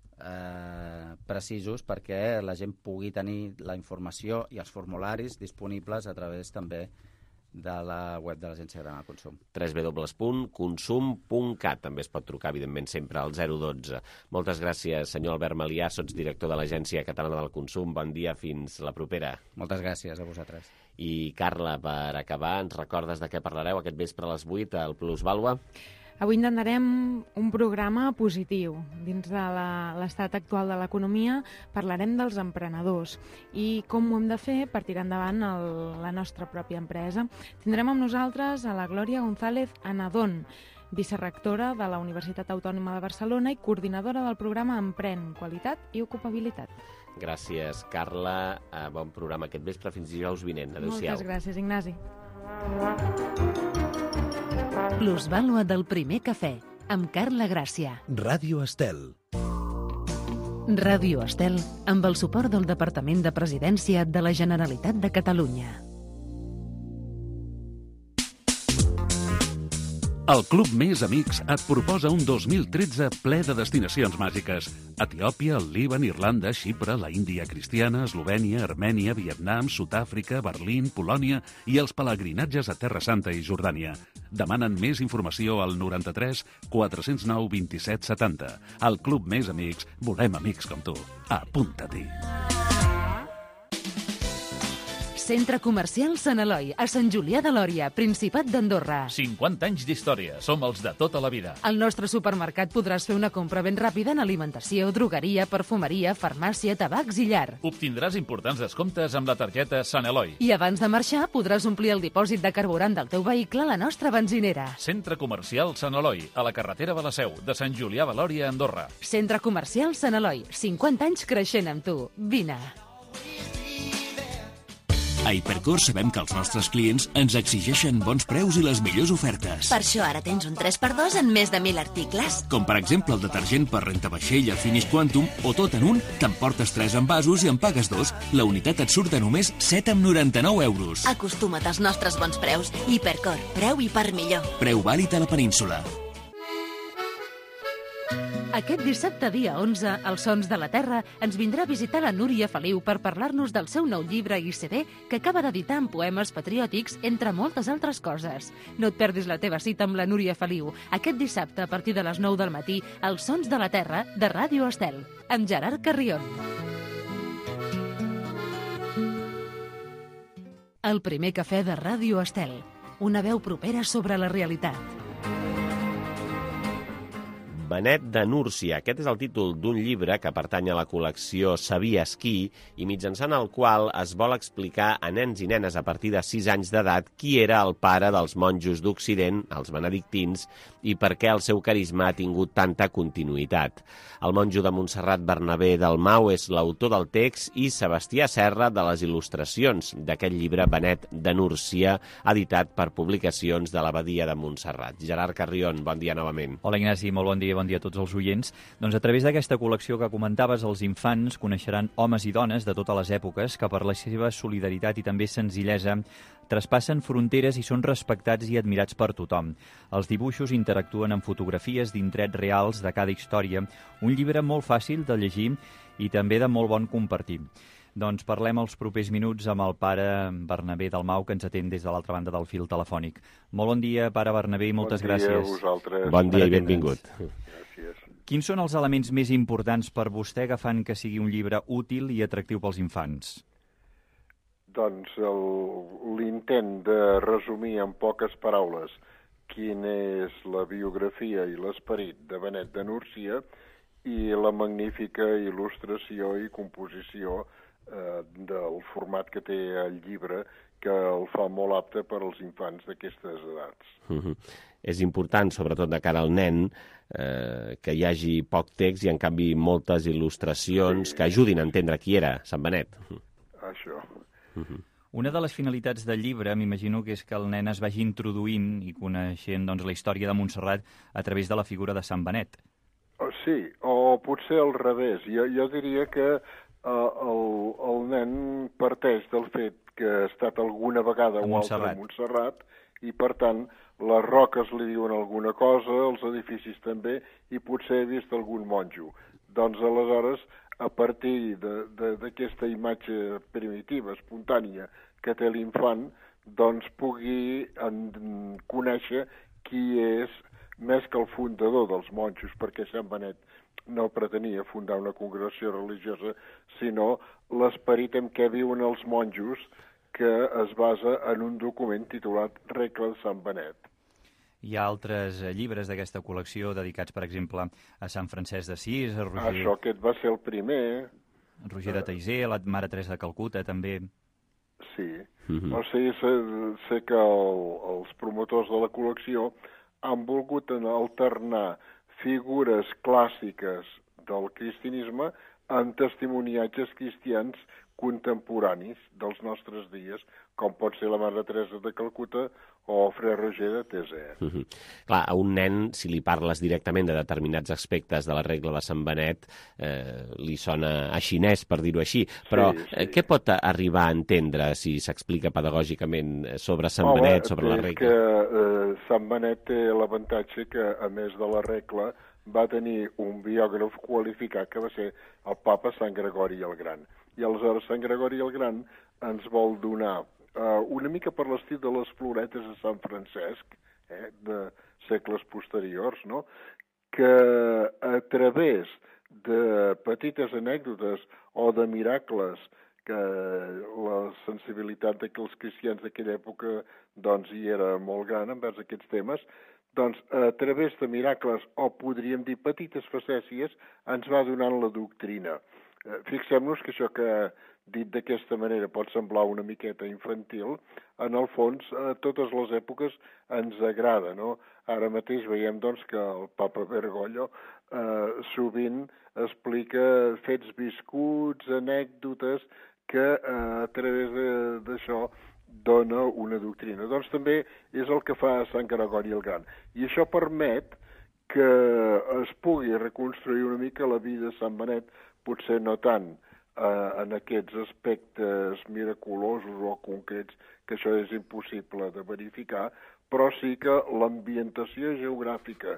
X: precisos perquè la gent pugui tenir la informació i els formularis disponibles a través també de la web de l'Agència Catalana del Consum.
B: www.consum.cat. També es pot trucar, evidentment, sempre al 012. Moltes gràcies, senyor Albert Melià, sotsdirector de l'Agència Catalana del Consum. Bon dia, fins la propera.
X: Moltes gràcies a vosaltres.
B: I, Carla, per acabar, ens recordes de què parlareu aquest vespre a les 8 al Plusvàlua?
W: Avui intentarem un programa positiu. Dins de l'estat actual de l'economia parlarem dels emprenedors i com ho hem de fer per tirar endavant la nostra pròpia empresa. Tindrem amb nosaltres a la Glòria González Anadón, vicerrectora de la Universitat Autònoma de Barcelona i coordinadora del programa Emprèn, Qualitat i Ocupabilitat.
B: Gràcies, Carla. Bon programa aquest vespre. Fins dijous vinent. Adéu-siau.
W: Moltes gràcies, Ignasi.
J: Plusvàlua del primer cafè, amb Carla Gràcia.
F: Ràdio Estel.
J: Ràdio Estel, amb el suport del Departament de Presidència de la Generalitat de Catalunya.
S: El Club Més Amics et proposa un 2013 ple de destinacions màgiques. Etiòpia, el Líban, Irlanda, Xipre, la Índia cristiana, Eslovènia, Armènia, Vietnam, Sud-àfrica, Berlín, Polònia i els pelegrinatges a Terra Santa i Jordània. Demanen més informació al 93 409 27 70. Al Club Més Amics volem amics com tu. Apunta-t'hi.
J: Centre Comercial Sant Eloi, a Sant Julià de Lòria, Principat d'Andorra.
G: 50 anys d'història. Som els de tota la vida.
J: Al nostre supermercat podràs fer una compra ben ràpida en alimentació, drogueria, perfumeria, farmàcia, tabacs i llar.
G: Obtindràs importants descomptes amb la targeta Sant Eloi.
J: I abans de marxar podràs omplir el dipòsit de carburant del teu vehicle a la nostra benzinera.
G: Centre Comercial Sant Eloi, a la carretera de la Seu, de Sant Julià de Lòria, Andorra.
J: Centre Comercial Sant Eloi, 50 anys creixent amb tu. Vine.
H: A Hipercor sabem que els nostres clients ens exigeixen bons preus i les millors ofertes.
F: Per això ara tens un 3x2 en més de 1.000 articles.
H: Com per exemple el detergent per rentavaixella Finish Quantum o tot en un, t'emportes 3 envasos i en pagues 2. La unitat et surt a només 7,99 euros.
F: Acostuma't als nostres bons preus. Hipercor, preu i per millor.
H: Preu vàlid a la península.
J: Aquest dissabte, dia 11, als Sons de la Terra, ens vindrà a visitar la Núria Feliu per parlar-nos del seu nou llibre i CD que acaba d'editar amb poemes patriòtics, entre moltes altres coses. No et perdis la teva cita amb la Núria Feliu aquest dissabte a partir de les 9 del matí als Sons de la Terra de Ràdio Estel, amb Gerard Carrion. El primer cafè de Ràdio Estel, una veu propera sobre la realitat.
B: Benet de Núrcia. Aquest és el títol d'un llibre que pertany a la col·lecció Sabies qui i mitjançant el qual es vol explicar a nens i nenes a partir de 6 anys d'edat qui era el pare dels monjos d'Occident, els benedictins, i per què el seu carisma ha tingut tanta continuïtat. El monjo de Montserrat Bernabé Dalmau és l'autor del text i Sebastià Serra de les il·lustracions d'aquest llibre Benet de Núrcia, editat per Publicacions de l'Abadia de Montserrat. Gerard Carrion, bon dia novament.
E: Hola Ignasi, molt bon dia a tots els oients. Doncs a través d'aquesta col·lecció que comentaves, els infants coneixeran homes i dones de totes les èpoques que per la seva solidaritat i també senzillesa traspassen fronteres i són respectats i admirats per tothom. Els dibuixos interactuen amb fotografies d'indrets reals de cada història, un llibre molt fàcil de llegir i també de molt bon compartir. Doncs parlem els propers minuts amb el pare Bernabé Dalmau, que ens atén des de l'altra banda del fil telefònic. Molt bon dia, pare Bernabé, i moltes gràcies.
R: Bon dia a vosaltres.
B: Bon dia i benvingut.
R: Gràcies.
E: Quins són els elements més importants per vostè que fan que sigui un llibre útil i atractiu pels infants?
R: Doncs l'intent de resumir en poques paraules quina és la biografia i l'esperit de Benet de Núrcia i la magnífica il·lustració i composició del format que té el llibre, que el fa molt apte per als infants d'aquestes edats.
B: És important, sobretot de cara al nen, que hi hagi poc text i, en canvi, moltes il·lustracions que ajudin a entendre qui era Sant Benet.
R: Això.
E: Una de les finalitats del llibre, m'imagino, que és que el nen es vagi introduint i coneixent la història de Montserrat a través de la figura de Sant Benet.
R: Sí, o potser al revés. Jo diria que el nen parteix del fet que ha estat alguna vegada o altra a Montserrat i, per tant, les roques li diuen alguna cosa, els edificis també, i potser ha vist algun monjo. Doncs, aleshores, a partir d'aquesta imatge primitiva, espontània, que té l'infant, doncs pugui conèixer qui és més que el fundador dels monjos, perquè Sant Benet no pretenia fundar una congregació religiosa, sinó l'esperit en què viuen els monjos, que es basa en un document titulat Regla de Sant Benet.
E: Hi ha altres llibres d'aquesta col·lecció dedicats, per exemple, a Sant Francesc d'Assís, a Roger...
R: Això, aquest va ser el primer.
E: Roger de Taizé, la Mare Teresa de Calcuta, també.
R: Sí. O sigui, sé que els promotors de la col·lecció han volgut alternar figures clàssiques del cristianisme amb testimoniatges cristians contemporanis dels nostres dies, com pot ser la Mare Teresa de Calcuta o Fre Roger de Taizé.
B: Clar, a un nen, si li parles directament de determinats aspectes de la regla de Sant Benet, li sona a xinès, per dir-ho així. Però què pot arribar a entendre si s'explica pedagògicament sobre Sant Benet, sobre la regla?
R: Que Sant Benet té l'avantatge que, a més de la regla, va tenir un biògraf qualificat que va ser el papa Sant Gregori el Gran. I aleshores Sant Gregori el Gran ens vol donar una mica per l'estil de les floretes de Sant Francesc, de segles posteriors, no? Que a través de petites anècdotes o de miracles, que la sensibilitat dels cristians d'aquella època doncs hi era molt gran envers aquests temes, doncs a través de miracles, o podríem dir petites facècies, ens va donant la doctrina. Fixem-nos que això que dit d'aquesta manera pot semblar una miqueta infantil, en el fons a totes les èpoques ens agrada, no? Ara mateix veiem doncs que el papa Bergoglio sovint explica fets viscuts, anècdotes
I: que a través d'això dona una doctrina. Doncs també és el que fa Sant Gregori el Gran. I això permet que es pugui reconstruir una mica la vida de Sant Benet, potser no tant en aquests aspectes miraculosos o concrets, que això és impossible de verificar, però sí que l'ambientació geogràfica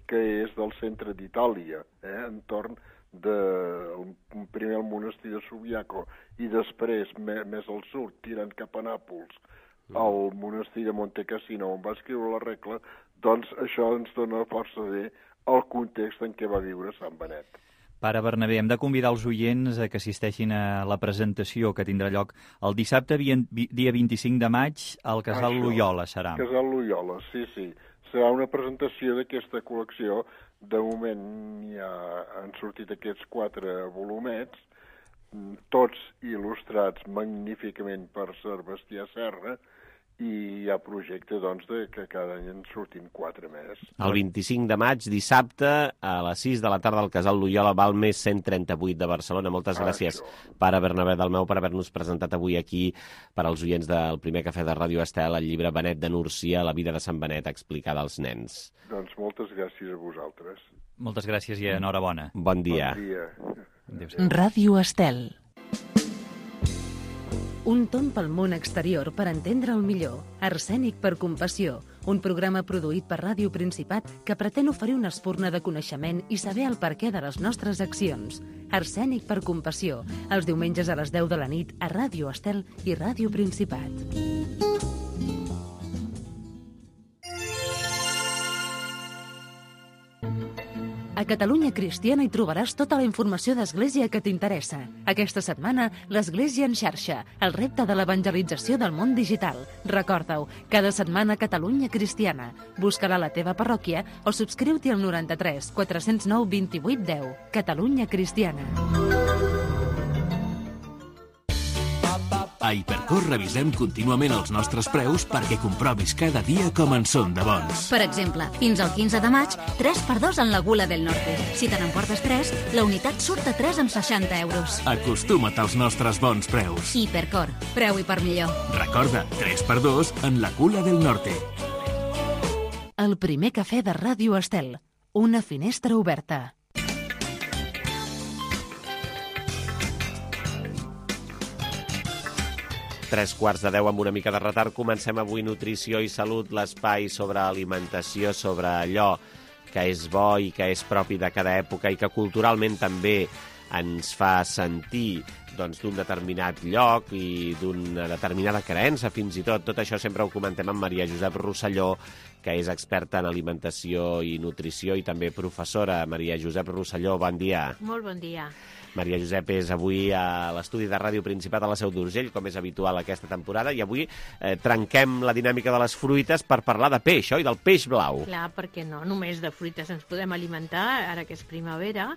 I: que és del centre d'Itàlia, entorn primer el monestir de Subiaco i després, més al sud, tirant cap a Nàpols, al monestir de Monte Cassino, on va escriure la regla, doncs això ens dona força bé el context en què va viure Sant Benet.
E: Pare Bernabé, hem de convidar els oients a que assisteixin a la presentació que tindrà lloc el dissabte, dia 25 de maig, al Casal Loyola, serà.
I: Casal Loyola, sí. Serà una presentació d'aquesta col·lecció. De moment ja han sortit aquests 4 volumets, tots il·lustrats magníficament per Sebastià Serra, i hi ha projecte, doncs, que cada any en surtin 4 més.
B: El 25 de maig, dissabte, a les 6 de la tarda al Casal Loyola, Balmes 138 de Barcelona. Moltes gràcies, pare Bernabé Dalmau, per haver-nos presentat avui aquí, per als oients del primer cafè de Ràdio Estel, el llibre Benet de Núrcia, la vida de Sant Benet explicada als nens.
I: Doncs moltes gràcies a vosaltres.
E: Moltes gràcies i enhorabona.
B: Bon dia.
I: Bon dia.
A: Ràdio Estel. Un tomb pel món exterior per entendre'l millor. Arsènic per compassió, un programa produït per Ràdio Principat que pretén oferir una espurna de coneixement i saber el perquè de les nostres accions. Arsènic per compassió, els diumenges a les 10 de la nit a Ràdio Estel i Ràdio Principat. A Catalunya Cristiana hi trobaràs tota la informació d'Església que t'interessa. Aquesta setmana, l'Església en xarxa, el repte de l'evangelització del món digital. Recorda-ho, cada setmana Catalunya Cristiana. Busca-la a la teva parròquia o subscriu-t'hi al 93 409 28 10. Catalunya Cristiana.
H: A Hipercor revisem contínuament els nostres preus perquè comprovis cada dia com en són de bons.
F: Per exemple, fins al 15 de maig, 3x2 en la Gula del Norte. Si te n'emportes 3, la unitat surt a 3 amb 60 euros.
H: Acostuma't als nostres bons preus.
F: Hipercor, preu i per millor.
H: Recorda, 3x2 en la Gula del Norte.
A: El primer cafè de Ràdio Estel. Una finestra oberta.
B: 9:45 amb una mica de retard. Comencem avui Nutrició i Salut, l'espai sobre alimentació, sobre allò que és bo i que és propi de cada època i que culturalment també ens fa sentir d'un determinat lloc i d'una determinada creença, fins i tot. Tot això sempre ho comentem amb Maria Josep Rosselló, que és experta en alimentació i nutrició i també professora. Maria Josep Rosselló, bon dia.
K: Molt bon dia.
B: Maria Josep és avui a l'estudi de Ràdio Principat a la Seu d'Urgell, com és habitual aquesta temporada, i avui trenquem la dinàmica de les fruites per parlar de peix, oi? Del peix blau.
K: Clar, perquè no només de fruites ens podem alimentar, ara que és primavera,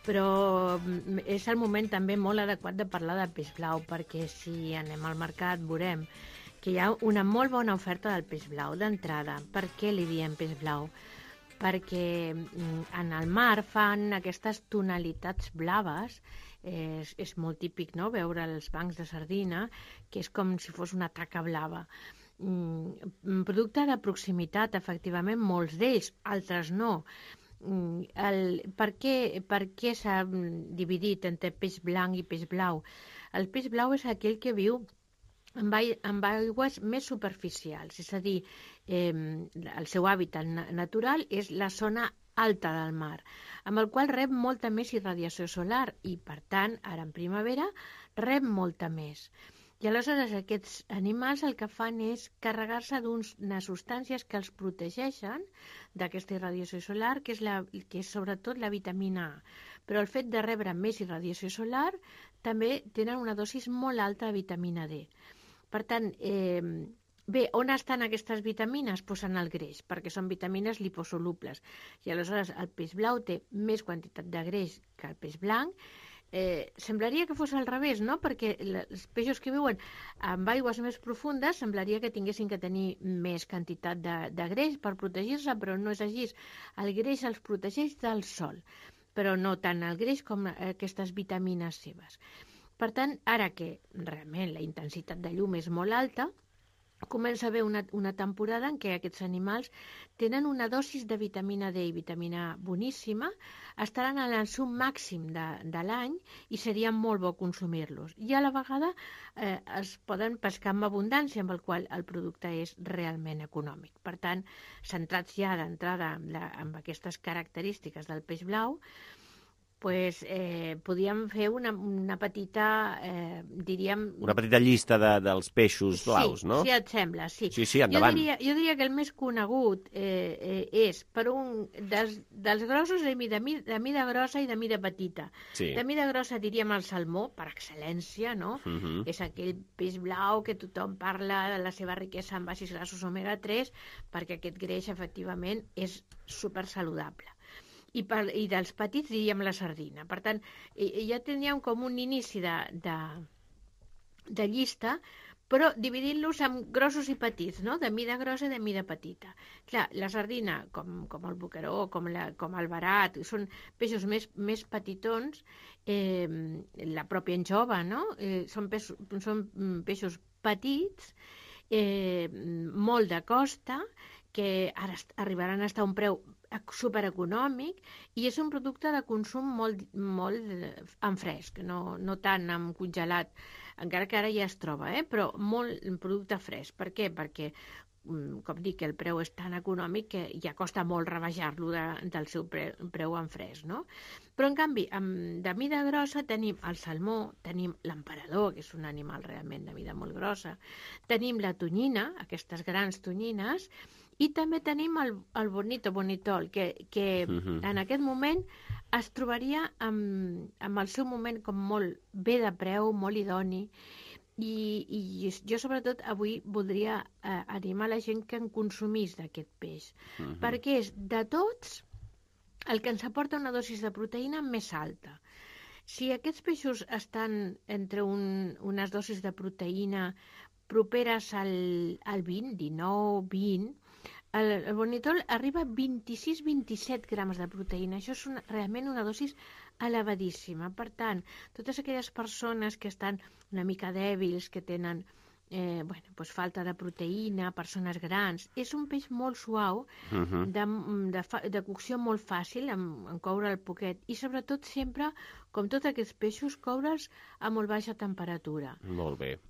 K: però és el moment també molt adequat de parlar de peix blau, perquè si anem al mercat veurem que hi ha una molt bona oferta del peix blau d'entrada. Per què li diem peix blau? Perquè en el mar fan aquestes tonalitats blaves, és molt típic, no?, veure els bancs de sardina, que és com si fos una taca blava. Producte de proximitat, efectivament, molts d'ells, altres no. Per què s'ha dividit entre peix blanc i peix blau? El peix blau és aquell que viu amb aigües més superficials, és a dir, el seu hàbitat natural és la zona alta del mar, amb el qual rep molta més irradiació solar i, per tant, ara en primavera, rep molta més. I aleshores aquests animals el que fan és carregar-se d'unes substàncies que els protegeixen d'aquesta irradiació solar, que és sobretot la vitamina A. Però el fet de rebre més irradiació solar també tenen una dosis molt alta de vitamina D. Per tant, bé, on estan aquestes vitamines? Doncs en el greix, perquè són vitamines liposolubles. I aleshores el peix blau té més quantitat de greix que el peix blanc. Semblaria que fos al revés, no? Perquè els peixos que viuen amb aigües més profundes semblaria que tinguessin que tenir més quantitat de greix per protegir-se, però no és així. El greix els protegeix del sol, però no tant el greix com aquestes vitamines seves. Per tant, ara que realment la intensitat de llum és molt alta, comença a haver una temporada en què aquests animals tenen una dosis de vitamina D i vitamina A boníssima, estaran en el seu màxim de l'any i seria molt bo consumir-los. I a la vegada es poden pescar amb abundància, amb el qual el producte és realment econòmic. Per tant, centrats ja d'entrada amb aquestes característiques del peix blau, podríem fer una petita, diríem...
B: Una petita llista dels peixos blaus, no?
K: Sí, et sembla, sí.
B: Sí, endavant.
K: Jo diria que el més conegut és per un dels grossos de mida grossa i de mida petita.
B: Sí.
K: De mida grossa diríem el salmó, per excel·lència, no? És aquell peix blau que tothom parla de la seva riquesa en àcids grassos omega-3, perquè aquest greix, efectivament, és supersaludable. I dels petits diríem la sardina. Per tant, ja teníem com un inici de llista, però dividint-los en grossos i petits, no? De mida grossa i de mida petita. Clar, la sardina, com el boqueró, com el verat, són peixos més petitons, la pròpia anxova, no? Són peixos petits, molt de costa, que ara arribaran a estar a un preu supereconòmic, i és un producte de consum molt en fresc, no tant en congelat, encara que ara ja es troba, però molt en producte fresc. Per què? Perquè, com dic, el preu és tan econòmic que ja costa molt rebaixar-lo del seu preu en fresc, no? Però, en canvi, de mida grossa tenim el salmó, tenim l'emperador, que és un animal realment de mida molt grossa, tenim la tonyina, aquestes grans tonyines, i també tenim el bonitol, que en aquest moment es trobaria amb el seu moment com molt bé de preu, molt idoni, i jo sobretot avui voldria animar la gent que en consumís d'aquest peix, perquè és de tots el que ens aporta una dosis de proteïna més alta. Si aquests peixos estan entre unes dosis de proteïna properes al 20, 19, 20, el bonitol arriba a 26-27 grams de proteïna. Això és realment una dosis elevadíssima. Per tant, totes aquelles persones que estan una mica dèbils, que tenen falta de proteïna, persones grans, és un peix molt suau, de cocció molt fàcil, en coure el poquet, i sobretot sempre, com tots aquests peixos, coure'ls a molt baixa temperatura.
B: Molt bé.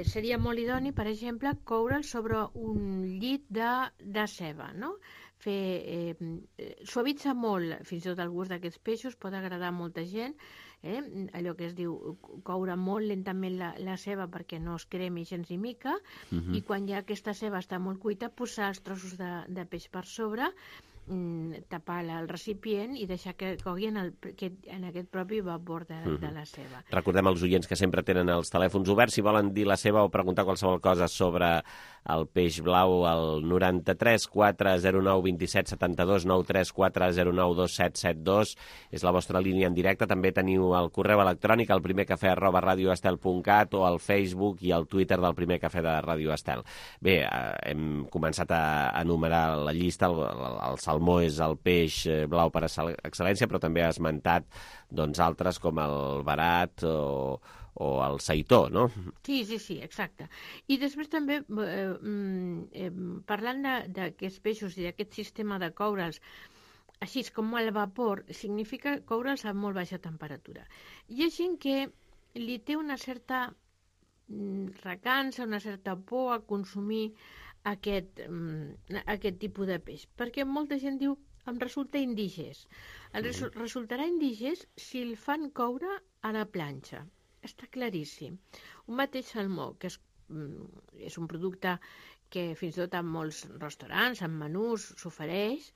K: Seria molt idoni, per exemple, coure'ls sobre un llit de ceba, no? Suavitza molt, fins i tot el gust d'aquests peixos, pot agradar a molta gent, allò que es diu coure molt lentament la ceba perquè no es cremi gens ni mica, i quan ja aquesta ceba està molt cuita, posar els trossos de peix per sobre, tapar el recipient i deixar que cogui en aquest propi vapor de la ceba.
B: Recordem als oients que sempre tenen els telèfons oberts, si volen dir la seva o preguntar qualsevol cosa sobre el peix blau, al 93 409 27 72, 93 409 2772, és la vostra línia en directe. També teniu el correu electrònic, el primercafè@radioestel.cat, o el Facebook i el Twitter del Primer Cafè de Ràdio Estel. Bé, hem començat a enumerar la llista. El salmó és el peix blau per excel·lència, però també ha esmentat altres com el verat o el seitó, no?
K: Sí, exacte. I després també, parlant d'aquests peixos i d'aquest sistema de coure'ls, així com el vapor, significa coure'ls a molt baixa temperatura. Hi ha gent que li té una certa recança, una certa por a consumir aquest tipus de peix, perquè molta gent diu em resulta indigest. Resultarà indigest si el fan coure a la planxa. Està claríssim. Un mateix salmó, que és un producte que fins i tot en molts restaurants, en menús, s'ofereix,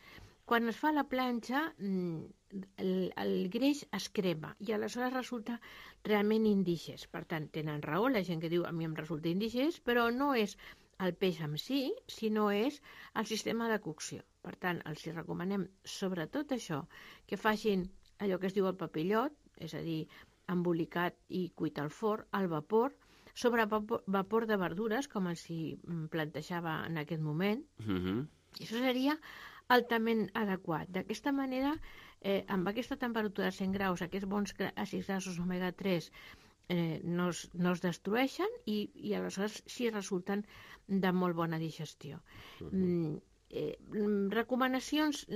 K: quan es fa a la planxa el greix es crema i aleshores resulta realment indigest. Per tant, tenen raó la gent que diu a mi em resulta indigest, però no és el peix en si, sinó és el sistema de cocció. Per tant, els recomanem sobretot això, que facin allò que es diu el papillot, és a dir, embolicat i cuit al forn, al vapor, sobre vapor de verdures, com els hi plantejava en aquest moment. I això seria altament adequat. D'aquesta manera, amb aquesta temperatura de 100 graus, aquests bons àcids grassos omega-3 no es destrueixen i aleshores sí resulten de molt bona digestió. Recomanacions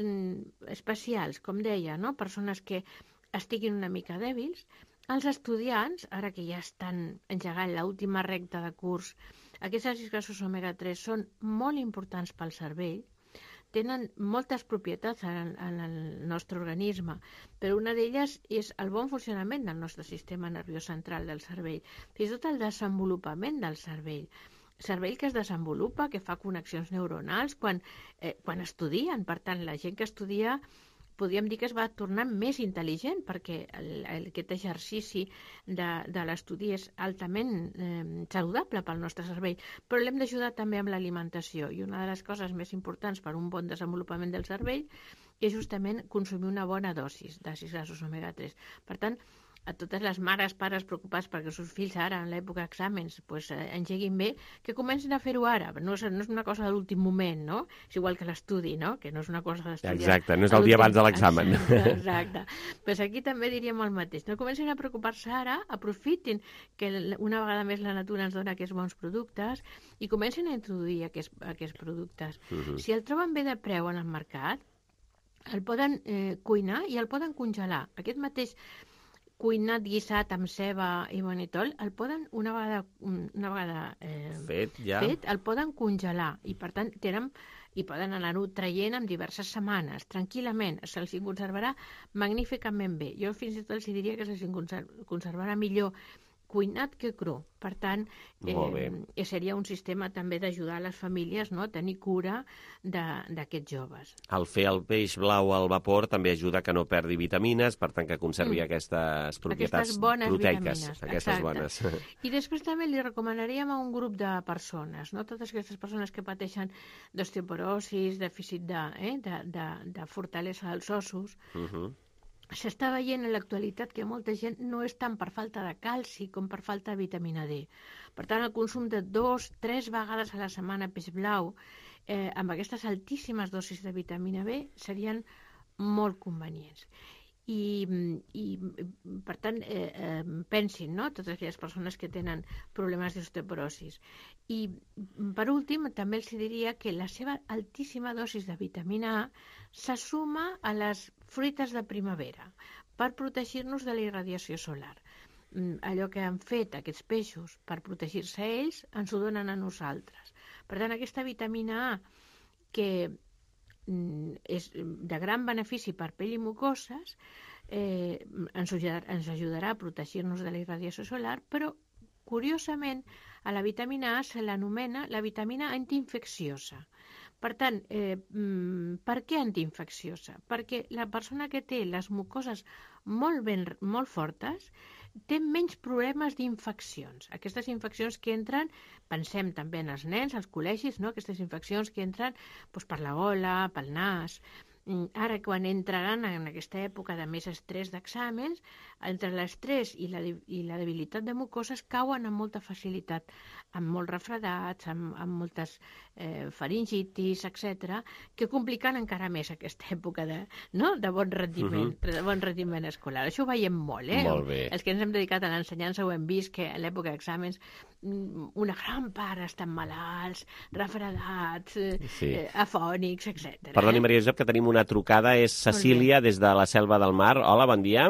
K: especials, com deia, no? Persones que estiguin una mica dèbils. Els estudiants, ara que ja estan engegant l'última recta de curs, aquests àcids grassos omega-3 són molt importants pel cervell, tenen moltes propietats en el nostre organisme, però una d'elles és el bon funcionament del nostre sistema nerviós central del cervell, fins i tot el desenvolupament del cervell. Cervell que es desenvolupa, que fa connexions neuronals quan estudien. Per tant, la gent que estudia podríem dir que es va tornar més intel·ligent perquè aquest exercici de l'estudi és altament saludable pel nostre cervell, però l'hem d'ajudar també amb l'alimentació, i una de les coses més importants per un bon desenvolupament del cervell és justament consumir una bona dosis d'àcids grassos omega-3. Per tant, a totes les mares, pares preocupats perquè els seus fills ara, en l'època d'exàmens, engeguin bé, que comencin a fer-ho ara. No és una cosa de l'últim moment, no? És igual que l'estudi, no? Que no és una cosa d'estudiar.
B: Exacte, no és el dia abans de l'examen.
K: Exacte. Doncs aquí també diríem el mateix. No comencin a preocupar-se ara, aprofitin que una vegada més la natura ens dona aquests bons productes i comencin a introduir aquests productes. Si el troben bé de preu en el mercat, el poden cuinar i el poden congelar. Aquest mateix cuinat, guisat amb ceba i bonitol, el poden, una vegada fet, el poden congelar i per tant i poden anar-ho traient en diverses setmanes, tranquil·lament, se'ls conservarà magníficament bé. Jo fins i tot els diria que se'ls conservarà millor cuinat que cru. Per tant, seria un sistema també d'ajudar les famílies a tenir cura d'aquests joves.
B: El fer el peix blau al vapor també ajuda que no perdi vitamines, per tant que conservi aquestes propietats proteiques. Aquestes bones.
K: I després també li recomanaríem a un grup de persones, totes aquestes persones que pateixen d'osteoporosis, dèficit de fortalesa dels ossos. S'està veient en l'actualitat que molta gent no és tant per falta de calci com per falta de vitamina D. Per tant, el consum de 2-3 vegades a la setmana peix blau amb aquestes altíssimes dosis de vitamina B serien molt convenients. I per tant, pensin, totes aquelles persones que tenen problemes d'osteoporosis. I, per últim, també els diria que la seva altíssima dosis de vitamina A se suma a les fruites de primavera per protegir-nos de la irradiació solar. Allò que han fet aquests peixos per protegir-se ells, ens ho donen a nosaltres. Per tant, aquesta vitamina A, que és de gran benefici per pell i mucoses, ens ajudarà a protegir-nos de la irradiació solar, però, curiosament, a la vitamina A se l'anomena la vitamina antiinfecciosa. Per tant, per què antiinfecciosa? Perquè la persona que té les mucoses molt fortes té menys problemes d'infeccions. Aquestes infeccions que entren, pensem també en els nens, als col·legis, aquestes infeccions que entren per la gola, pel nas. Ara, quan entraran en aquesta època de més estrès d'exàmens, entre l'estrès i la debilitat de mucoses cauen amb molta facilitat, amb molts refredats, amb moltes faringitis, etc., que compliquen encara més aquesta època de bon rendiment escolar. Això ho veiem molt,
B: Molt bé.
K: Els que ens hem dedicat a l'ensenyança ho hem vist, que a l'època d'exàmens una gran part estan malalts, refredats, afònics, etc.
B: Perdoni, Maria Josep, que tenim una trucada. És Cecília, des de la Selva del Mar. Hola, bon dia.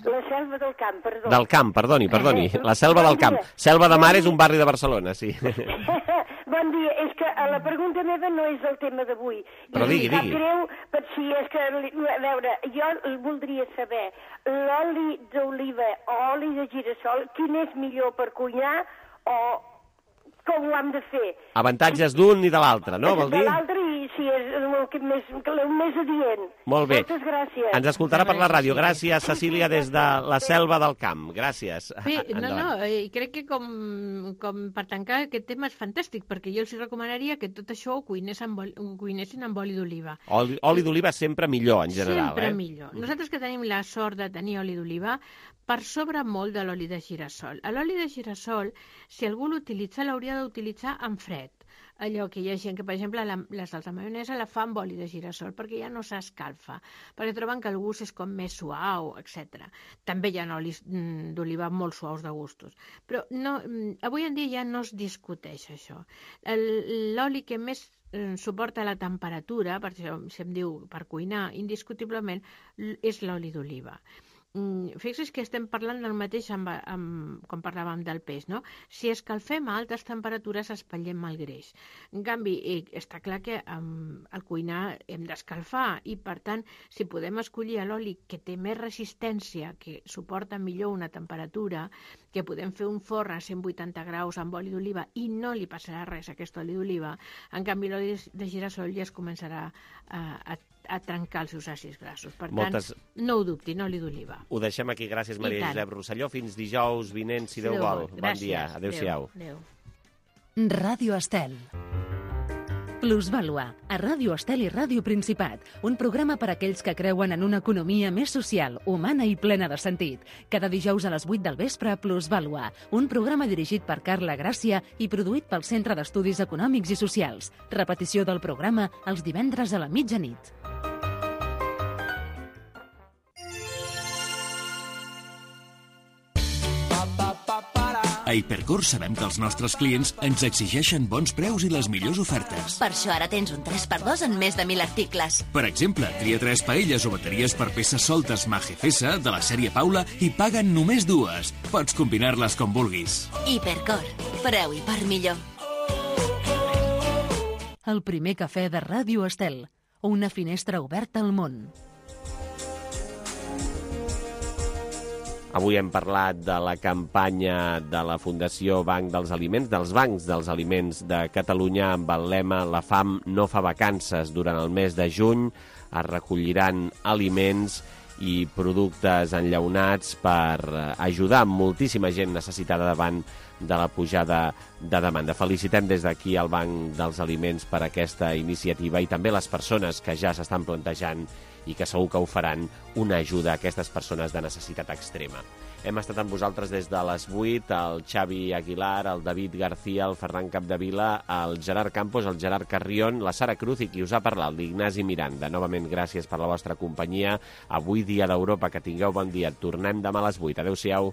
D: La Selva del Camp, perdó.
B: Del Camp, perdoni. La Selva del Camp. Selva de Mar és un barri de Barcelona, sí.
D: Bon dia. És que la pregunta meva no és el tema d'avui.
B: Però digui.
D: Sap greu, si és que, a veure, jo voldria saber l'oli d'oliva o oli de girassol, quin és millor per cuinar o com ho hem de fer?
B: Avantatges d'un i de l'altre, no? Vol dir?
D: De l'altre i si és el més adient.
B: Molt bé.
D: Moltes gràcies.
B: Ens escoltarà per la ràdio. Gràcies, Cecília, des de la Selva del Camp. Gràcies.
K: Bé, i crec que com per tancar aquest tema és fantàstic, perquè jo els recomanaria que tot això ho cuinessin amb oli d'oliva.
B: Oli d'oliva sempre millor, en general.
K: Sempre millor. Nosaltres que tenim la sort de tenir oli d'oliva, per sobre molt de l'oli de girassol. L'oli de girassol, si algú l'utilitza, l'hauria d'utilitzar en fred, allò que hi ha gent que, per exemple, la salsa maionesa la fa amb oli de girassol perquè ja no s'escalfa, perquè troben que el gust és com més suau, etc. També hi ha olis d'oliva molt suaus de gustos. Però no, avui en dia ja no es discuteix això. L'oli que més suporta la temperatura, per això se'm diu per cuinar, indiscutiblement, és l'oli d'oliva. Fixi's que estem parlant del mateix com parlàvem del peix, no? Si escalfem a altes temperatures espatllem el greix. En canvi, està clar que al cuinar hem d'escalfar i, per tant, si podem escollir l'oli que té més resistència, que suporta millor una temperatura, que podem fer un forn a 180 graus amb oli d'oliva i no li passarà res a aquest oli d'oliva, en canvi l'oli de girassol ja es començarà a trencar els seus àcids grassos. Per tant, no ho dubtin, oli d'oliva.
B: Ho deixem aquí. Gràcies, Maria Josep Rosselló. Fins dijous vinent, si Déu vol. Bon dia. Adéu-siau.
J: Ràdio Estel. Plusvàlua, a Ràdio Estel i Ràdio Principat, un programa per a aquells que creuen en una economia més social, humana i plena de sentit. Cada dijous a les 8 del vespre, Plusvàlua, un programa dirigit per Carla Gràcia i produït pel Centre d'Estudis Econòmics i Socials. Repetició del programa els divendres a la mitjanit.
H: A Hipercor sabem que els nostres clients ens exigeixen bons preus i les millors ofertes.
L: Per això ara tens un 3x2 en més de 1.000 articles.
H: Per exemple, tria 3 paelles o bateries per peces soltes Magefesa de la sèrie Paula i paguen només 2. Pots combinar-les com vulguis.
L: Hipercor. Preu i part millor.
J: El primer cafè de Ràdio Estel. Una finestra oberta al món.
B: Avui hem parlat de la campanya de la Fundació Banc dels Aliments, dels Bancs dels Aliments de Catalunya, amb el lema «La fam no fa vacances». Durant el mes de juny es recolliran aliments i productes enllaunats per ajudar moltíssima gent necessitada davant de la pujada de demanda. Felicitem des d'aquí al Banc dels Aliments per aquesta iniciativa i també les persones que ja s'estan plantejant i que segur que ho faran, una ajuda a aquestes persones de necessitat extrema. Hem estat amb vosaltres des de les 8, el Xavi Aguilar, el David García, el Ferran Capdevila, el Gerard Campos, el Gerard Carrion, la Sara Cruz i qui us ha parlat, l'Ignasi Miranda. Novament, gràcies per la vostra companyia. Avui, Dia d'Europa, que tingueu bon dia. Tornem demà a les 8. Adéu-siau.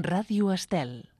J: Ràdio Estel.